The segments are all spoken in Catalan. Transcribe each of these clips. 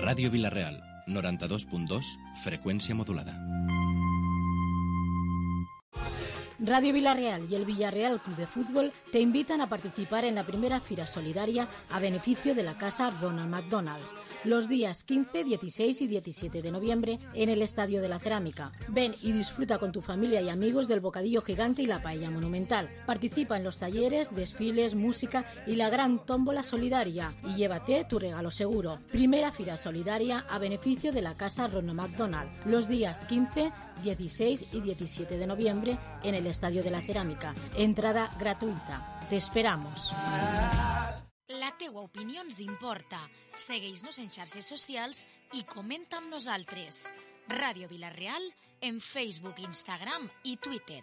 Ràdio Vila-real, 92.2, freqüència modulada. Radio Vila-real y el Villarreal Club de Fútbol te invitan a participar en la primera Fira Solidaria a beneficio de la Casa Ronald McDonald's, los días 15, 16 y 17 de noviembre en el Estadio de la Cerámica. Ven y disfruta con tu familia y amigos del bocadillo gigante y la paella monumental. Participa en los talleres, desfiles, música y la gran tómbola solidaria y llévate tu regalo seguro. Primera Fira Solidaria a beneficio de la Casa Ronald McDonald, los días 15, 16 y 17 de noviembre en el Estadio de la Cerámica. Entrada gratuïta. Te esperamos. La teua opinió ens importa. Segueix-nos en xarxes socials i comenta amb nosaltres. Ràdio Vila-real en Facebook, Instagram i Twitter.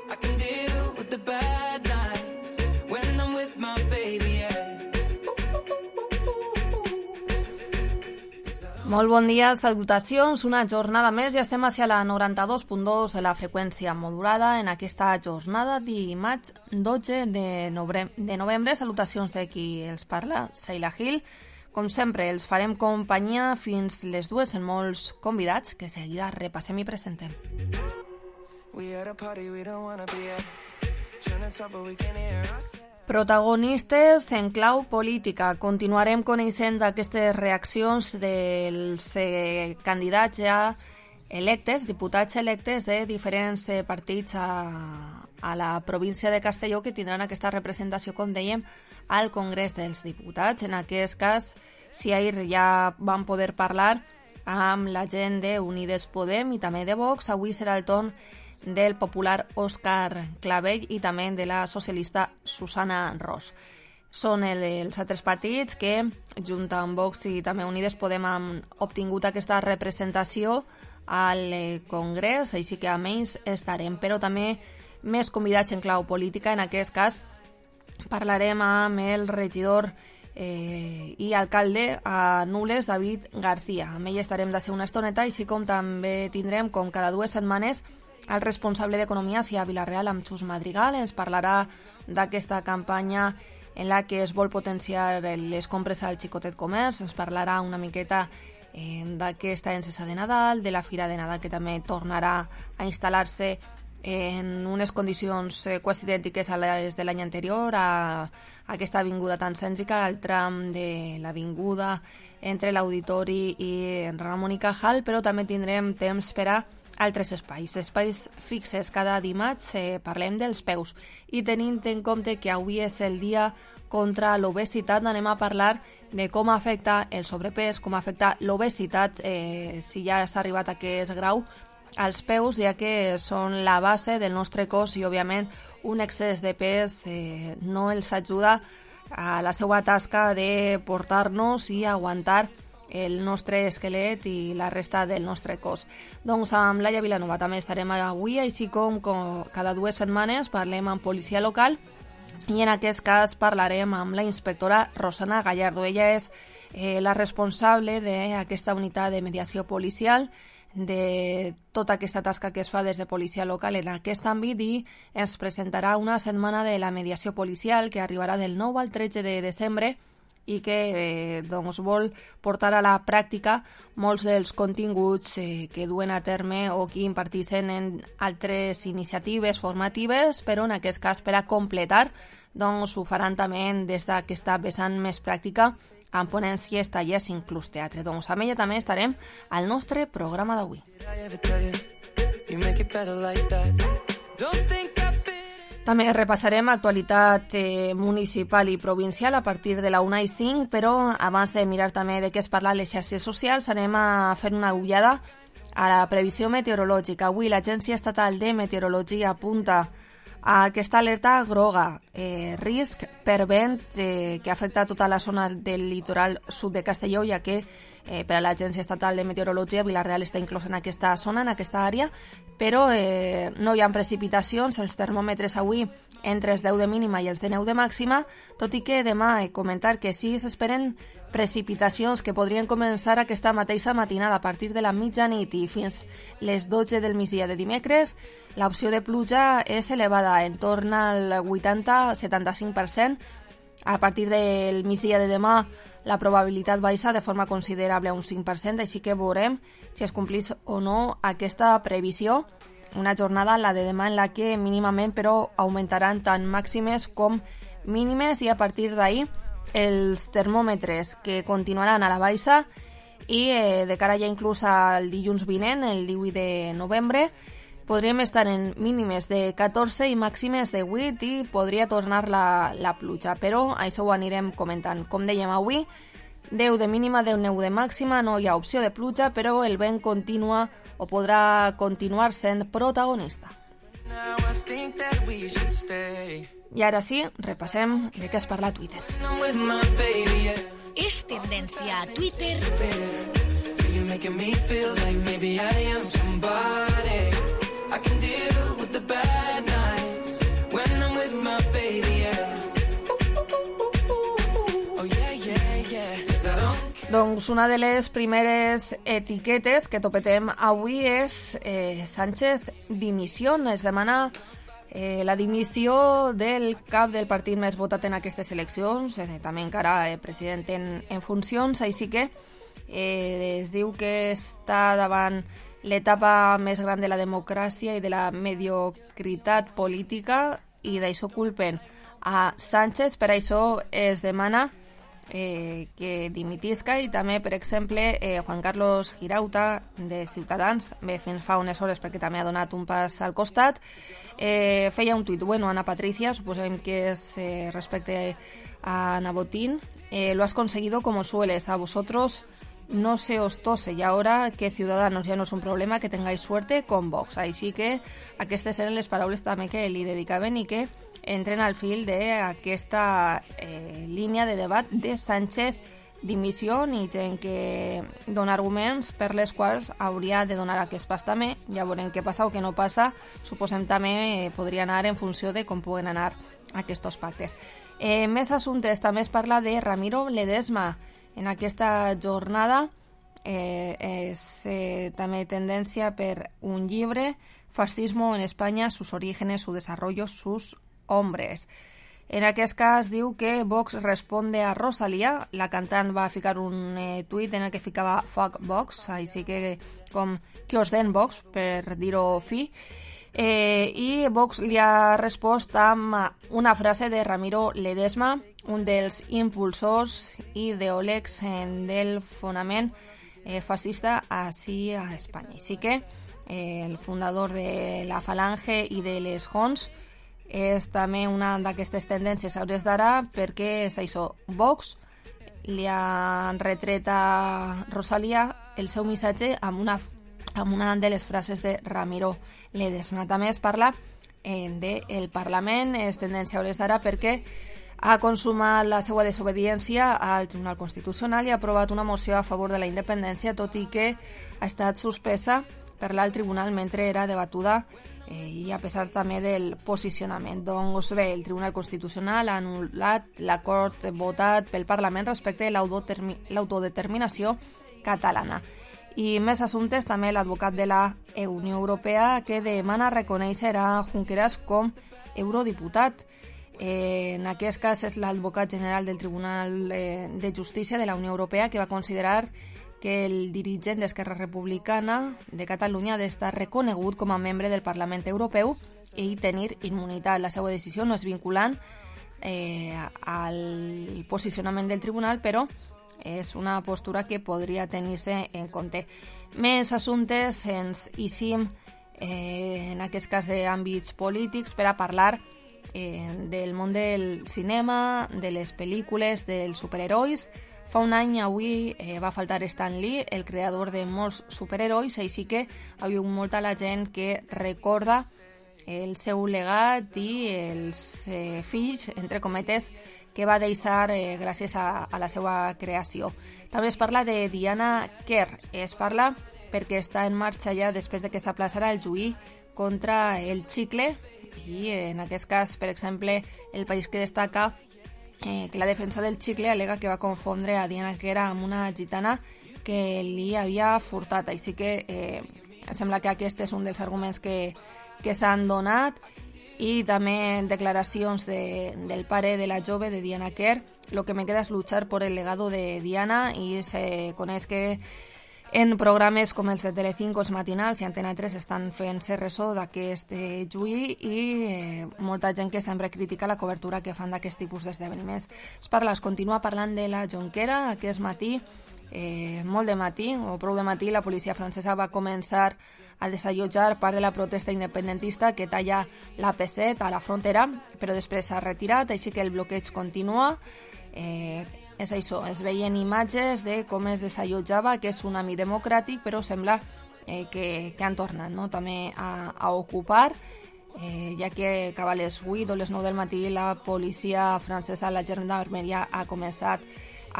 I can deal with the bad nights when I'm with my baby, yeah. Molt bon dia, salutacions, una jornada més i estem hacia la 92.2 de la freqüència modulada en aquesta jornada dimarts 12 de novembre. Salutacions de qui els parla, Sheila Gil. Com sempre, els farem companyia fins les 2 en molts convidats que seguida repassem i presentem. Protagonistes en clau política. Continuarem coneixent aquestes reaccions dels candidats ja electes, diputats electes de diferents partits a la província de Castelló que tindran aquesta representació, com dèiem, al Congrés dels Diputats. En aquest cas, si ahir ja van poder parlar amb la gent d'Unides Podem i també de Vox, avui serà el torn del popular Òscar Clavell i també de la socialista Susana Ros. Són els altres partits que, junt amb Vox i també Unides Podem, han obtingut aquesta representació al Congrés, així que amb ells estarem. Però també més convidats en clau política. En aquest cas parlarem amb el regidor i alcalde a Nules, David García. Amb ell estarem de ser una estoneta, així com també tindrem, com cada 2 setmanes, el responsable d'Economia a Vila-real, amb Xus Madrigal. Ens parlarà d'aquesta campanya en la que es vol potenciar les compres al xicotet comerç. Ens parlarà una miqueta d'aquesta encesa de Nadal, de la Fira de Nadal, que també tornarà a instal·lar-se en unes condicions quasi idèntiques a les de l'any anterior, a aquesta avinguda tan cèntrica, al tram de l'avinguda entre l'Auditori i Ramon i Cajal, però també tindrem temps per a altres espais fixes. Cada dimarts parlem dels peus i tenint en compte que avui és el dia contra l'obesitat, anem a parlar de com afecta el sobrepès, com afecta l'obesitat, si ja s'ha arribat a aquest grau, als peus, ja que són la base del nostre cos i òbviament un excés de pes no els ajuda a la seva tasca de portar-nos i aguantar el nostre esquelet i la resta del nostre cos. Doncs amb Laia Vilanova també estarem avui, així com cada 2 setmanes parlem amb policia local i en aquest cas parlarem amb la inspectora Rosana Gallardo. Ella és la responsable d'aquesta unitat de mediació policial, de tota aquesta tasca que es fa des de policia local en aquest àmbit, i ens presentarà una setmana de la mediació policial que arribarà del 9 al 13 de desembre i que doncs, vol portar a la pràctica molts dels continguts que duen a terme o que imparteixen en altres iniciatives formatives, però en aquest cas per a completar doncs, ho faran també des d'aquesta vessant més pràctica amb ponències, tallers, inclús teatre. Doncs amb ella també estarem al nostre programa d'avui. També repassarem actualitat municipal i provincial a partir de la 1:05, però abans de mirar també de què es parla a les xarxes socials, anem a fer una ullada a la previsió meteorològica. Avui l'Agència Estatal de Meteorologia apunta a aquesta alerta groga, risc per vent que afecta tota la zona del litoral sud de Castelló, ja que per a l'Agència Estatal de Meteorologia. Vila-real està inclòs en aquesta zona, en aquesta àrea, però no hi ha precipitacions. Els termòmetres avui entre els 10 de mínima i els de 9 de màxima, tot i que demà comentar que sí s'esperen precipitacions que podrien començar aquesta mateixa matinada a partir de la mitjanit i fins les 12 del migdia de dimecres. L'opció de pluja és elevada, en torn al 80-75%. A partir del migdia de demà la probabilitat baixa de forma considerable a un 5%, així que veurem si es complís o no aquesta previsió. Una jornada, la de demà, en la que mínimament però augmentaran tant màximes com mínimes, i a partir d'ahir els termòmetres que continuaran a la baixa, i de cara ja inclús al dilluns vinent, el 18 de novembre, podríem estar en mínimes de 14 i màximes de 8, i podria tornar la pluja, però això ho anirem comentant. Com dèiem avui, 10 de mínima, 9 de màxima, no hi ha opció de pluja, però el vent continua o podrà continuar sent protagonista. I ara sí, repassem de què es parla a Twitter. És tendència a Twitter. Doncs una de les primeres etiquetes que topetem avui és Sánchez dimissió. Es demana la dimissió del cap del partit més votat en aquestes eleccions, també encara president en funcions, així que es diu que està davant l'etapa més gran de la democràcia i de la mediocritat política, i d'això culpen a Sánchez. Per això es demana que dimitisca, i també, per exemple, Juan Carlos Girauta, de Ciutadans, bé, fins fa unes hores perquè també ha donat un pas al costat, feia un tuit. Bueno, Ana Patricia, suposem que és respecte a Ana Botín, lo has conseguido como sueles, a vosotros no se os tose, y ahora que Ciudadanos ya no es un problema, que tengáis suerte con Vox. Així que aquestes eren les paraules també que li dedicaven i que entren al fil d'aquesta línia de debat de Sánchez dimissió, i gent que dona arguments per les quals hauria de donar aquest pas també. Ja veurem què passa o què no passa. Suposem també podria anar en funció de com puguen anar aquests pactes. Més assumptes, també es parla de Ramiro Ledesma. En aquesta jornada és també tendència per un llibre, Fascismo en España, sus orígenes, su desarrollo, sus hombres. En aquest cas diu que Vox responde a Rosalía. La cantant va ficar un tuit en el que ficava fuck Vox, així que com que os den Vox, per dir-ho fi. I Vox li ha respost amb una frase de Ramiro Ledesma, un dels impulsors i ideòlegs del fonament fascista així a Espanya. Així que el fundador de la Falange i de les Jons és també una d'aquestes tendències a hores d'ara, perquè és això, Vox li ha retret a Rosalía el seu missatge amb una de les frases de Ramiro Ledesma. També es parla del Parlament, és tendència a hores d'ara perquè ha consumat la seva desobediència al Tribunal Constitucional i ha aprovat una moció a favor de la independència, tot i que ha estat suspesa per l'alt tribunal mentre era debatuda, i a pesar també del posicionament. Doncs bé, el Tribunal Constitucional ha anul·lat l'acord votat pel Parlament respecte a l'autodeterminació catalana. I més assumptes, també l'advocat de la Unió Europea, que demana reconèixer a Junqueras com eurodiputat. En aquest cas és l'advocat general del Tribunal de Justícia de la Unió Europea, que va considerar que el dirigent d'Esquerra Republicana de Catalunya ha d'estar reconegut com a membre del Parlament Europeu i tenir immunitat. La seva decisió no és vinculant al posicionament del tribunal, però és una postura que podria tenir-se en compte. Més assumptes ens eixim, en aquest cas d'àmbits polítics, per a parlar del món del cinema, de les pel·lícules, dels superherois. Fa un any avui va faltar Stan Lee, el creador de molts superherois, així que hi ha molta la gent que recorda el seu legat i els fills, entre cometes, que va deixar gràcies a la seva creació. També es parla de Diana Kerr. Es parla perquè està en marxa ja després de que s'aplaçarà el juí contra el xicle i en aquest cas, per exemple, El País que destaca que la defensa del xicle al·lega que va confondre a Diana Kerr amb una gitana que li havia furtat. Així que em sembla que aquest és un dels arguments que s'han donat. I també declaracions del pare de la jove, de Diana Kerr. Lo que me queda es luchar por el legado de Diana, i se coneix que en programes com els de Telecinco, els matinals i Antena 3 estan fent-se ressò d'aquest juí i molta gent que sempre critica la cobertura que fan d'aquest tipus d'esdeveniments. Es continua parlant de la Jonquera. Aquest matí, molt de matí, o prou de matí, la policia francesa va començar a desallotjar part de la protesta independentista que talla la P7 a la frontera, però després s'ha retirat, així que el bloqueig continua. És això, es veien imatges de com es desallotjava aquest tsunami democràtic, però sembla que han tornat, no?, també a ocupar, ja que cap a les 8 o les 9 del matí la policia francesa, la gendarmeria, ha començat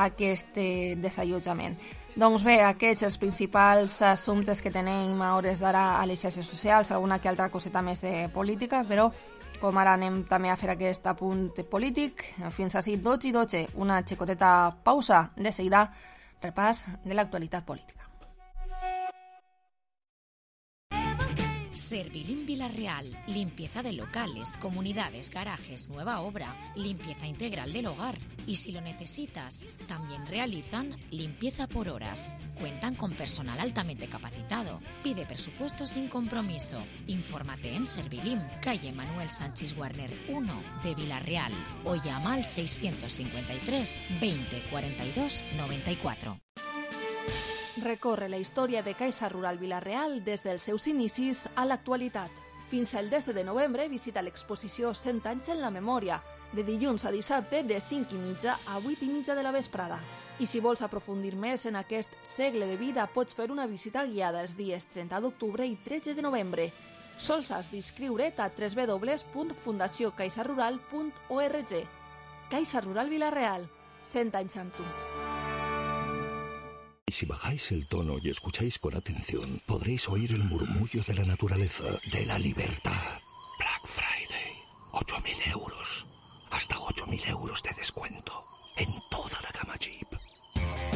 aquest desallotjament. Doncs bé, aquests els principals assumptes que tenim a hores d'ara a les xarxes socials, alguna que altra coseta més de política, però com ara anem també a fer aquest apunt polític, fins ací 12:12, una xicoteta pausa, de seguida repàs de l'actualitat política. Servilim Vilarreal, limpieza de locales, comunidades, garajes, nueva obra, limpieza integral del hogar. Y si lo necesitas, también realizan limpieza por horas. Cuentan con personal altamente capacitado. Pide presupuesto sin compromiso. Infórmate en Servilim, calle Manuel Sánchez Warner 1 de Vilarreal, o llama al 653 20 42 94. Recorre la història de Caixa Rural Vilarreal des dels seus inicis a l'actualitat. Fins al 10 de novembre visita l'exposició 100 anys en la memòria, de dilluns a dissabte de 5:30 a 8:30 de la vesprada. I si vols aprofundir més en aquest segle de vida, pots fer una visita guiada els dies 30 d'octubre i 13 de novembre. Sols has d'inscriure't a www.fundaciocaixarural.org. Caixa Rural Vilarreal, 100 anys amb tu. Si bajáis el tono y escucháis con atención, podréis oír el murmullo de la naturaleza, de la libertad. Black Friday, 8.000 euros. Hasta 8.000 euros de descuento en toda la gama Jeep.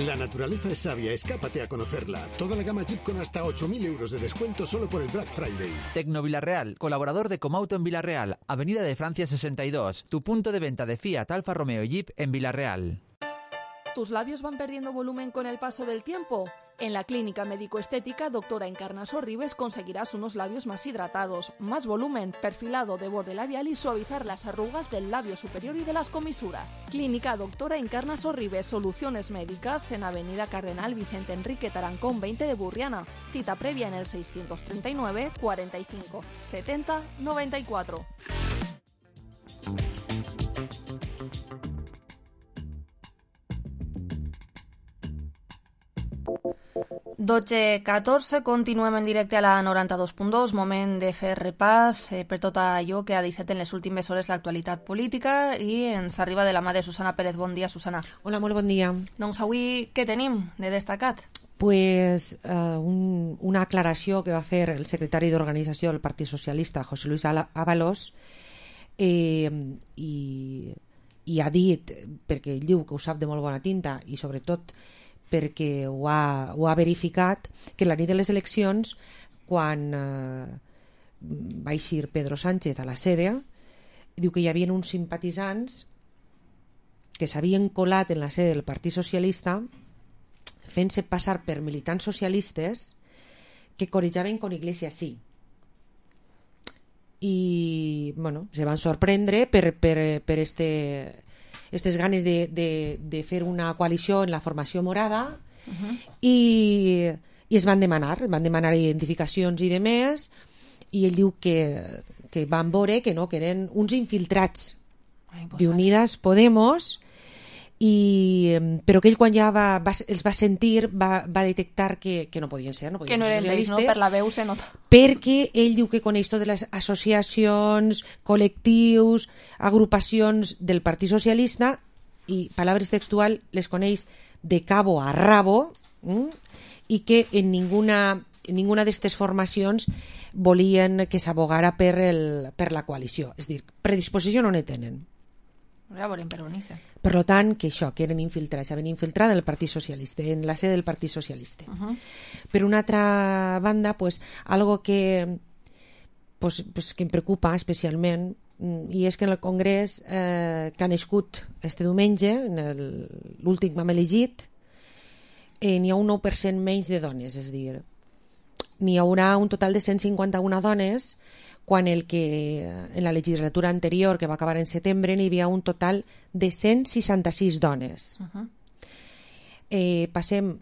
La naturaleza es sabia, escápate a conocerla. Toda la gama Jeep con hasta 8.000 euros de descuento solo por el Black Friday. Tecno Vilarreal, colaborador de Comauto en Vilarreal, Avenida de Francia 62, tu punto de venta de Fiat, Alfa Romeo y Jeep en Vilarreal. ¿Tus labios van perdiendo volumen con el paso del tiempo? En la clínica médico-estética Doctora Encarna Sorribes conseguirás unos labios más hidratados, más volumen, perfilado de borde labial y suavizar las arrugas del labio superior y de las comisuras. Clínica Doctora Encarna Sorribes, soluciones médicas en Avenida Cardenal Vicente Enrique Tarancón 20 de Burriana. Cita previa en el 639 45 70 94. 12:14, continuem en directe a la 92.2, moment de fer repàs per tot allò que ha deixat en les últimes hores l'actualitat política i ens arriba de la mà de Susana Pérez. Bon dia, Susana. Hola, molt bon dia. Doncs avui què tenim de destacat? Pues una aclaració que va fer el secretari d'organització del Partit Socialista, José Luis Ábalos, i ha dit, perquè ell diu que ho sap de molt bona tinta i sobretot perquè ho ha verificat, que la nit de les eleccions, quan va eixir Pedro Sánchez a la sede, diu que hi havia uns simpatitzants que s'havien colat en la sede del Partit Socialista fent-se passar per militants socialistes que corejaven con Iglesias sí. I bueno, se van sorprendre per aquestes ganes de fer una coalició en la formació morada, i es van demanar identificacions i demés, i ell diu que van veure que no, que eren uns infiltrats d'Unidas Podemos, però que ell quan ja els va sentir va detectar que no podien ser, no podien que no ser eren d'ells, no? Per la veu se nota. Perquè ell diu que coneix totes les associacions, col·lectius, agrupacions del Partit Socialista i, paraules textual, les coneix de cabo a rabo, i que en ninguna d'aquestes formacions volien que s'abogara per la coalició. És a dir, predisposició no ne tenen. Ja veurem per on hi ser. Per tant, que això, que eren infiltrats, s'havien infiltrat en el Partit Socialista, en la sede del Partit Socialista. Per una altra banda, algo que em preocupa especialment, i és que en el Congrés que ha nascut este diumenge, l'últim que hem elegit, n'hi ha un 9% menys de dones, és a dir, n'hi haurà un total de 151 dones, quan en la legislatura anterior, que va acabar en setembre, n'hi havia un total de 166 dones. Passem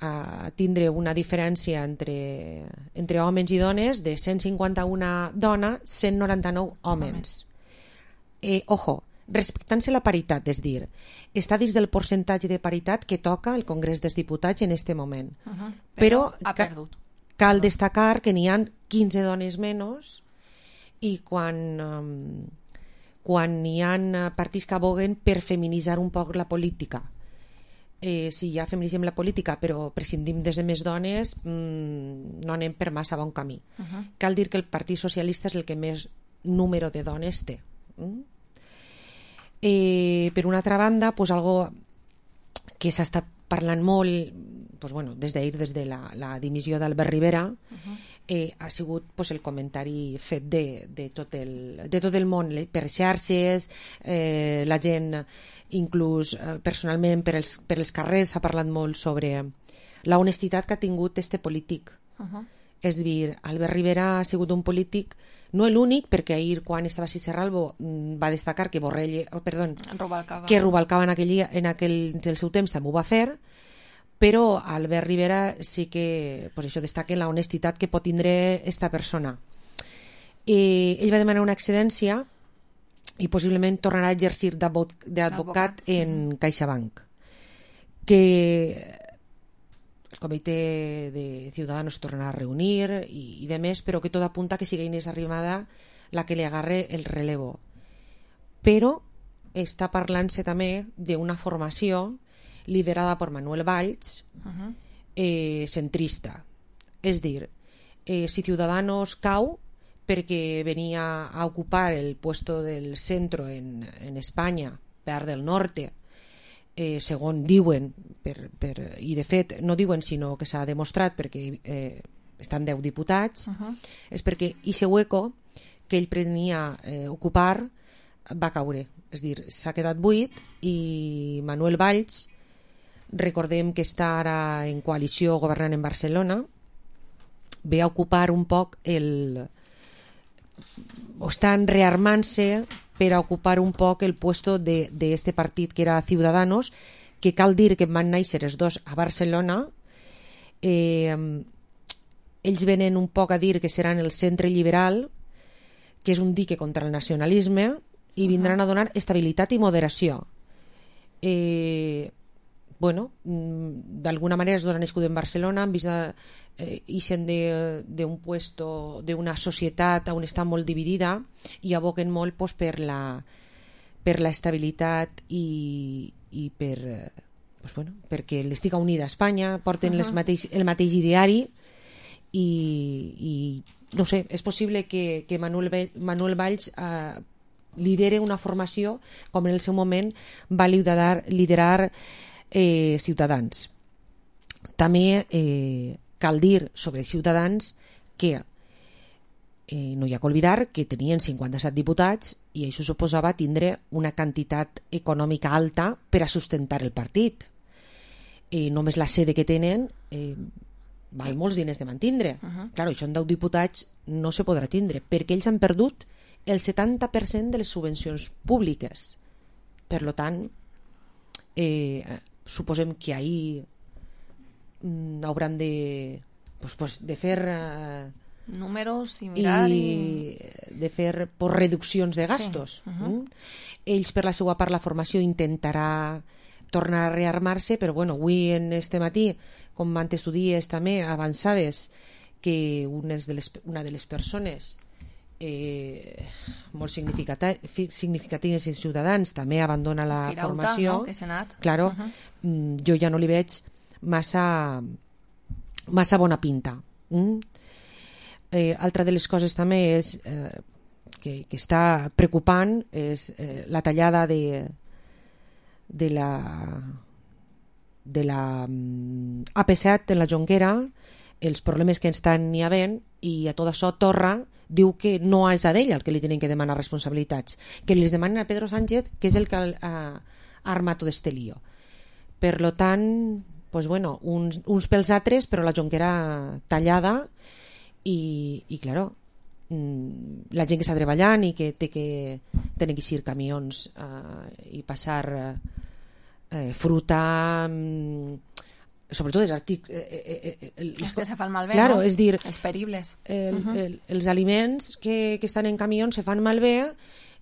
a tindre una diferència entre homes i dones de 151 dones, 199 homes. Ojo, respectant-se la paritat, és dir, està dins del percentatge de paritat que toca el Congrés dels Diputats en aquest moment. Però ha perdut. Cal destacar que n'hi ha 15 dones menys i quan hi ha partits que aboguen per feminitzar un poc la política. Si ja feminitzem la política però prescindim de més dones, no anem per massa bon camí. Cal dir que el Partit Socialista és el que més número de dones té. Per una altra banda, algo que s'ha estat parlant molt des de la dimissió d'Albert Rivera, ha sigut el comentari fet de tot el món per xarxes, la gent inclús personalment per els carrers s'ha parlat molt sobre la honestitat que ha tingut este polític. És a dir, Albert Rivera ha sigut un polític, no l'únic, perquè ahir quan estava Cicerralbo va destacar que Rubalcaba en el seu temps també ho va fer, però Albert Rivera sí que destaca la honestitat que pot tindre esta persona. Ell va demanar una excedència i possiblement tornarà a exercir d'advocat en CaixaBank, que el comitè de Ciudadanos se tornarà a reunir i de més, però que tot apunta que sigui Inés Arrimadas la que li agarre el relevo. Però està parlant-se també d'una formació liderada per Manuel Valls, centrista. És dir, si Ciudadanos cau perquè venia a ocupar el puesto del centro en Espanya, part del norte, segons diuen, i de fet no diuen sinó que s'ha demostrat perquè estan 10 diputats, és perquè ese hueco que ell prenia ocupar va caure. És dir, s'ha quedat buit i Manuel Valls, recordem que està ara en coalició governant en Barcelona, ve a ocupar un poc estan rearmant-se per a ocupar un poc el puesto d'este partit que era Ciudadanos, que cal dir que van néixer els dos a Barcelona. Ells venen un poc a dir que seran el centre liberal, que és un dique contra el nacionalisme, i vindran a donar estabilitat i moderació. D'alguna manera es donen escut en Barcelona, han vist ixen d'un puesto d'una societat on està molt dividida i aboquen molt per la estabilitat i perquè l'estiga unida a Espanya, porten el mateix ideari i no sé, és possible que Manuel Valls lidere una formació com en el seu moment va liderar Ciutadans. També cal dir sobre Ciutadans que no hi ha que oblidar que tenien 57 diputats i això suposava tindre una quantitat econòmica alta per a sustentar el partit. Només la sede que tenen val molts diners de mantindre. Clar, això en 10 diputats no se podrà tindre perquè ells han perdut el 70% de les subvencions públiques. Per tant, suposem que ahir hauran de fer números i mirar i de fer reduccions de gastos. ells per la seva part la formació intentarà tornar a rearmar-se, però bueno, avui en este matí, com antes tu dies també, avançaves que una de les persones molt significatives i ciutadans també abandona la formació, no? Que s'ha anat. Claro, jo ja no li veig massa bona pinta. Altra de les coses també és que està preocupant és la tallada de la AP7 en la Jonquera, els problemes que estan hi havent, i a tot això Torra diu que no és a ell el que li tenen que demanar responsabilitats, que les demanen a Pedro Sánchez, que és el que ha armat tot este lío. Per lo tant, pues bueno, uns pels altres, però la Jonquera tallada, i claro, la gent que està treballant i que tenen que eixir camions i passar fruta, sobretot els els que se fan malbé, claro, no? És dir, els peribles, els aliments que estan en camions se fan malbé,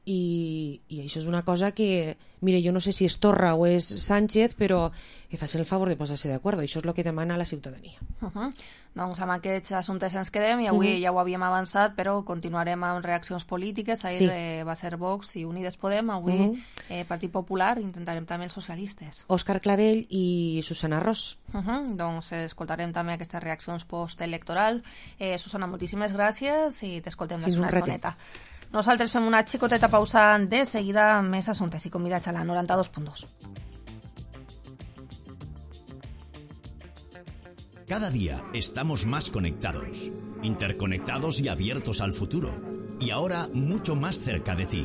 i això és una cosa que, mire, jo no sé si és Torra o és Sánchez, però que facin el favor de posar-se d'acord. Això és el que demana la ciutadania. Doncs amb aquests assumptes ens quedem, i avui ja ho havíem avançat, però continuarem amb reaccions polítiques. Ahir va ser Vox i Unides Podem, avui Partit Popular, intentarem també els socialistes. Òscar Clavell i Susana Ros. Doncs escoltarem també aquestes reaccions postelectoral. Susana, moltíssimes gràcies i t'escoltem una estoneta. Nosaltres fem una xicoteta pausa, de seguida més assumptes i convidats a la 92.2. Cada día estamos más conectados, interconectados y abiertos al futuro. Y ahora mucho más cerca de ti.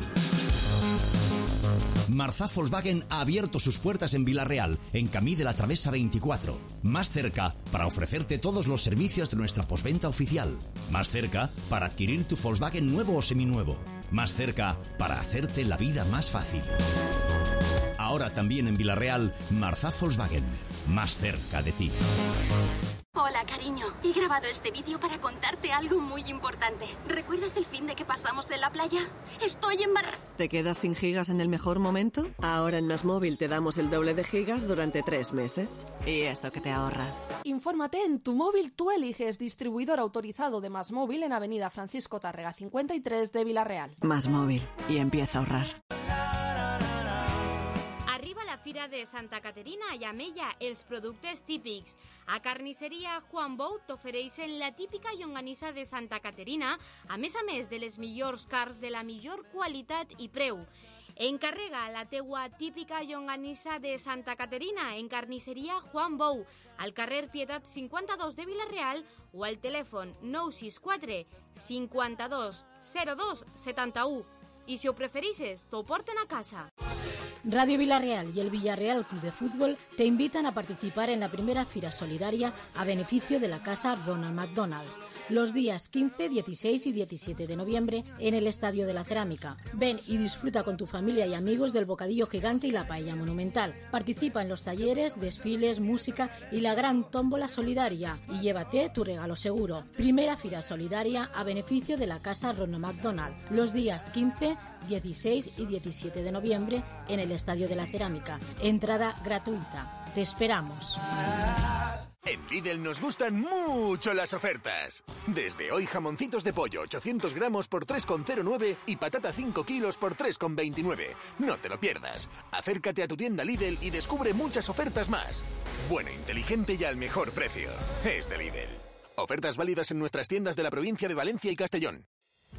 Marzá Volkswagen ha abierto sus puertas en Vila-real, en Camí de la Travesa 24. Más cerca para ofrecerte todos los servicios de nuestra postventa oficial. Más cerca para adquirir tu Volkswagen nuevo o seminuevo. Más cerca para hacerte la vida más fácil. Ahora también en Vila-real, Marzá Volkswagen. Más cerca de ti. Hola, cariño. He grabado este vídeo para contarte algo muy importante. ¿Recuerdas el fin de que pasamos en la playa? Estoy embarazada. ¿Te quedas sin gigas en el mejor momento? Ahora en MásMóvil te damos el doble de gigas durante 3 meses. Y eso que te ahorras. Infórmate en Tu Móvil Tú Eliges, distribuidor autorizado de MásMóvil en Avenida Francisco Tárrega 53 de Vila-real. MásMóvil. Y empieza a ahorrar. Arriba la Fira de Santa Caterina i amb ella els productes típics. A Carnisseria Juan Bou t'ofereixen la típica llonganissa de Santa Caterina, a més de les millors carns de la millor qualitat i preu. Encarrega la teua típica llonganissa de Santa Caterina en Carnisseria Juan Bou, al carrer Pietat 52 de Vila-real o al telèfon 964 52 02 71. I si ho prefereixes, t'ho porten a casa. Radio Vila-real y el Villarreal Club de Fútbol te invitan a participar en la primera Fira Solidaria a beneficio de la Casa Ronald McDonald's, los días 15, 16 y 17 de noviembre en el Estadio de la Cerámica. Ven y disfruta con tu familia y amigos del bocadillo gigante y la paella monumental. Participa en los talleres, desfiles, música y la gran tómbola solidaria y llévate tu regalo seguro. Primera Fira Solidaria a beneficio de la Casa Ronald McDonald, los días 15, 16 y 17 de noviembre en el Estadio de la Cerámica. Entrada gratuita. Te esperamos. En Lidl nos gustan mucho las ofertas. Desde hoy jamoncitos de pollo 800 gramos por 3,09 y patata 5 kilos por 3,29. No te lo pierdas. Acércate a tu tienda Lidl y descubre muchas ofertas más. Bueno, inteligente y al mejor precio. Es de Lidl. Ofertas válidas en nuestras tiendas de la provincia de Valencia y Castellón.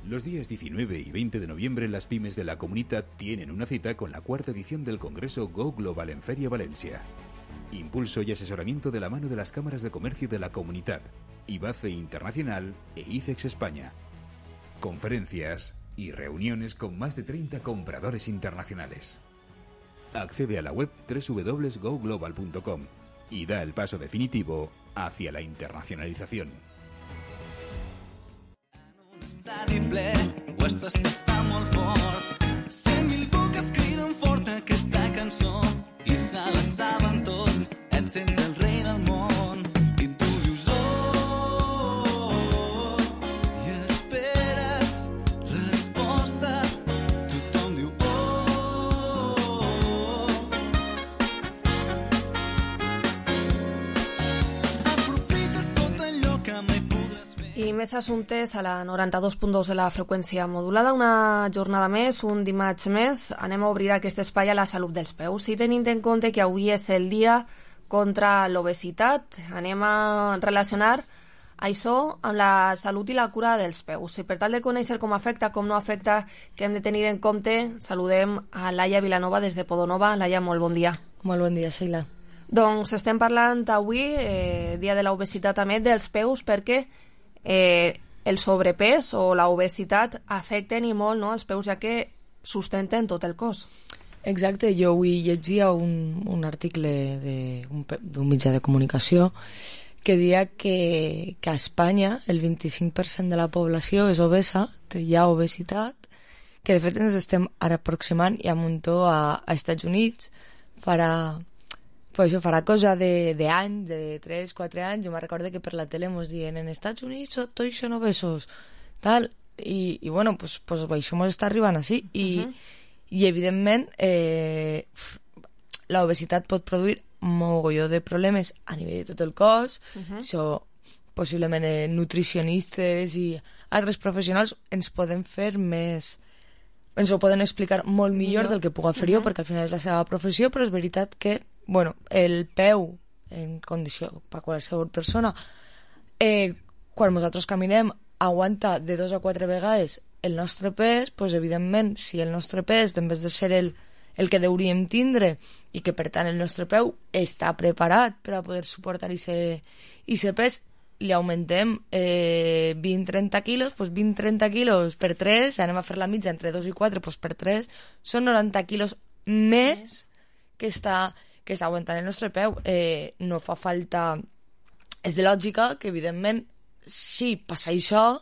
Los días 19 y 20 de noviembre las pymes de la Comunitat tienen una cita con la 4ª edición del Congreso Go Global en Feria Valencia. Impulso y asesoramiento de la mano de las cámaras de comercio de la Comunitat, IBACE Internacional e ICEX España. Conferencias y reuniones con más de 30 compradores internacionales. Accede a la web www.goglobal.com y da el paso definitivo hacia la internacionalización. Estadi ple, ho estàs tocant molt fort. 100.000 boques criden fort aquesta cançó i se la saben tots. Et sents el rei del món i tu dius oh, i esperes resposta. Tothom diu oh, I més assumptes a la 92.2 de la freqüència modulada. Una jornada més, un dimarts més. Anem a obrir aquest espai a la salut dels peus. I tenint en compte que avui és el dia contra l'obesitat, anem a relacionar això amb la salut i la cura dels peus. I per tal de conèixer com afecta, com no afecta, que hem de tenir en compte, saludem a Laia Vilanova des de Podonova. Laia, molt bon dia. Molt bon dia, Sheila. Doncs estem parlant avui, dia de l'obesitat també, dels peus, perquè el sobrepès o l'obesitat afecten i molt, no?, els peus, ja que sustenten tot el cos. Exacte, jo avui llegia un article d'un mitjà de comunicació que deia que a Espanya el 25% de la població és obesa, hi ha obesitat, que de fet ens estem ara aproximant i amuntó a Estats Units, farà cosa d'anys, de 3-4 anys. Jo me recordo que per la tele ens diuen en Estats Units tots són obesos, tal, i bueno, pues això ens està arribant així, i evidentment l'obesitat pot produir mogolló de problemes a nivell de tot el cos. Això possiblement nutricionistes i altres professionals ens poden fer més, ens ho poden explicar molt millor del que puc fer jo, perquè al final és la seva professió, però és veritat que el peu en condició per qualsevol persona, quan nosaltres caminem, aguanta de 2 a 4 vegades el nostre pes. Doncs evidentment, si el nostre pes, en vez de ser el que hauríem tindre, i que per tant el nostre peu està preparat per a poder suportar aquest pes, li augmentem 20-30 quilos, doncs 20-30 quilos per 3, anem a fer la mitja entre 2 i 4, doncs per 3 són 90 quilos més que està aguantant el nostre peu. No fa falta, és de lògica que evidentment si passa això,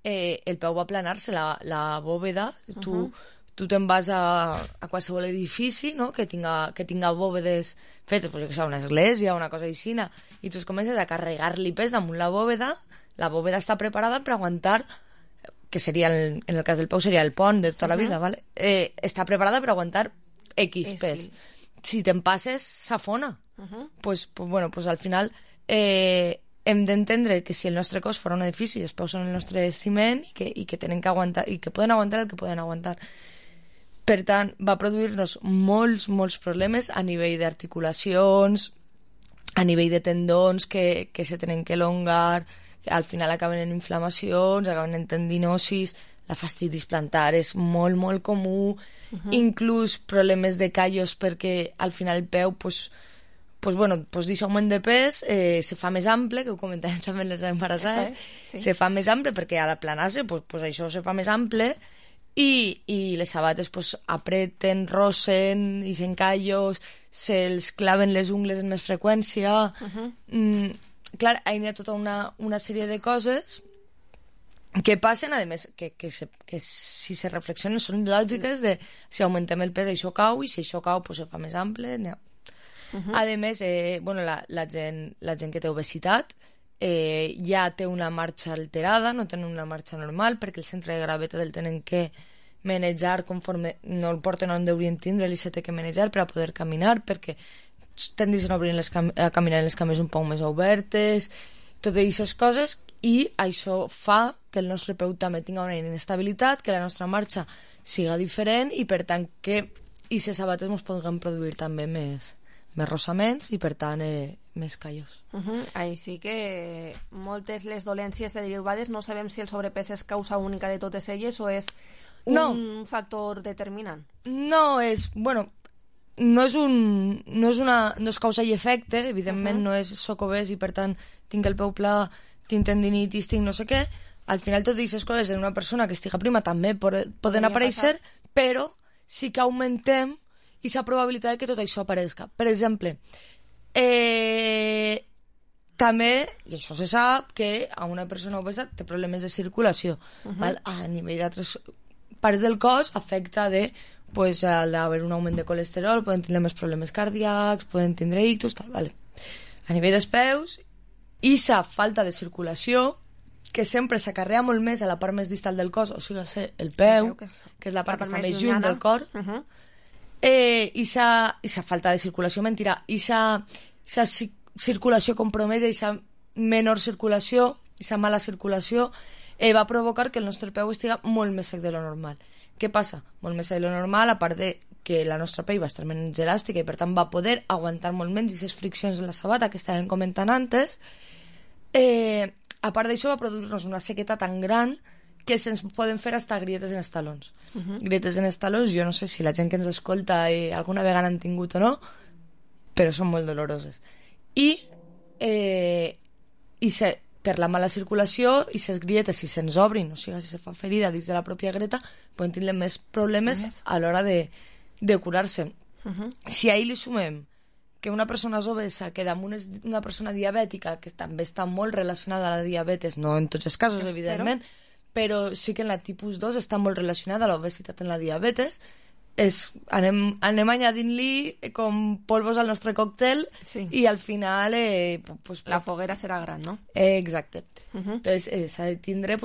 el peu va aplanar-se, la bòveda, tu te'n vas a qualsevol edifici, no?, que tinga bòvedes fetes, pues, una església, una cosa així, i tu comences a carregar-li pes damunt la bòveda està preparada per aguantar, que seria, en el cas del peu seria el pont de tota la vida, ¿vale? Està preparada per aguantar X pes. Si te'n passes, s'afona. Pues al final hem d'entendre que si el nostre cos fora un edifici, els peus són el nostre ciment i que tenen que aguantar, i que poden aguantar el que poden aguantar. Per tant, va produir-nos molts problemes a nivell d'articulacions, a nivell de tendons que se tenen que elongar, que al final acaben en inflamacions, acaben en tendinosis, la fastidis plantar és molt comú, inclús problemes de callos, perquè al final el peu, d'aquest augment de pes se fa més ample, que ho comentàvem també les embarassades, se fa més ample perquè a l'aplanar-se això se fa més ample, i les sabates apreten, rossen, i fent callos, se'ls claven les ungles amb més freqüència. Clar, hi ha tota una sèrie de coses que passen, a més, que si se reflexionen són lògiques de si augmentem el pes això cau, i si això cau se fa més ample. A més, la gent que té obesitat ja té una marxa alterada, no tenen una marxa normal, perquè el centre de gravetat el tenen que manejar conforme no el porten on deurien tindre, i se té que manejar per a poder caminar, perquè tendeixen a caminar en les cames un poc més obertes, totes aquestes coses, i això fa que el nostre peu també tingui una inestabilitat, que la nostra marxa siga diferent, i per tant que aquestes sabates ens podran produir també més rossaments i per tant més callos. Així que moltes les dolències derivades, no sabem si el sobrepès és causa única de totes elles o és un factor determinant. No és causa i efecte, evidentment no és soc obès i per tant tinc el peu pla, tinc tendinitis, tinc no sé què. Al final totes aquestes coses en una persona que estiga prima també poden aparèixer, però sí que augmentem aquesta probabilitat que tot això apareixi. Per exemple, també, i això se sap, que a una persona obesa té problemes de circulació. A nivell d'altres parts del cos afecta al haver un augment de colesterol, poden tindre més problemes cardíacs, poden tindre ictus, tal, vale. A nivell dels peus, aquesta falta de circulació, que sempre s'acarrea molt més a la part més distal del cos, o sigui, el peu, que és la part que està més lluny del cor, i sa falta de circulació, mentira, i sa circulació compromesa, i sa menor circulació aquesta mala circulació va provocar que el nostre peu estiga molt més sec de lo normal. Què passa? Molt més sec de lo normal, a part de que la nostra pell va estar menys elàstica i per tant va poder aguantar molt menys aquestes friccions en la sabata que estàvem comentant antes. A part d'això va produir-nos una sequeta tan gran que se'ns poden fer hasta grietes en els talons. Grietes en els talons, jo no sé si la gent que ens escolta alguna vegada han tingut o no, però són molt doloroses. Per la mala circulació, i les grietes, si se'ns obrin, o sigui, si se fa ferida dins de la pròpia greta, poden tindre més problemes a l'hora de curar-se. Si ahir li sumem que una persona és obesa, que damunt és una persona diabètica, que també està molt relacionada a la diabetes, no en tots els casos, evidentment, però sí que en la tipus 2 està molt relacionada a l'obesitat en la diabetes, anem añadint-li com polvos al nostre còctel i al final... la foguera serà gran, no? Exacte. Entonces s'ha de tindre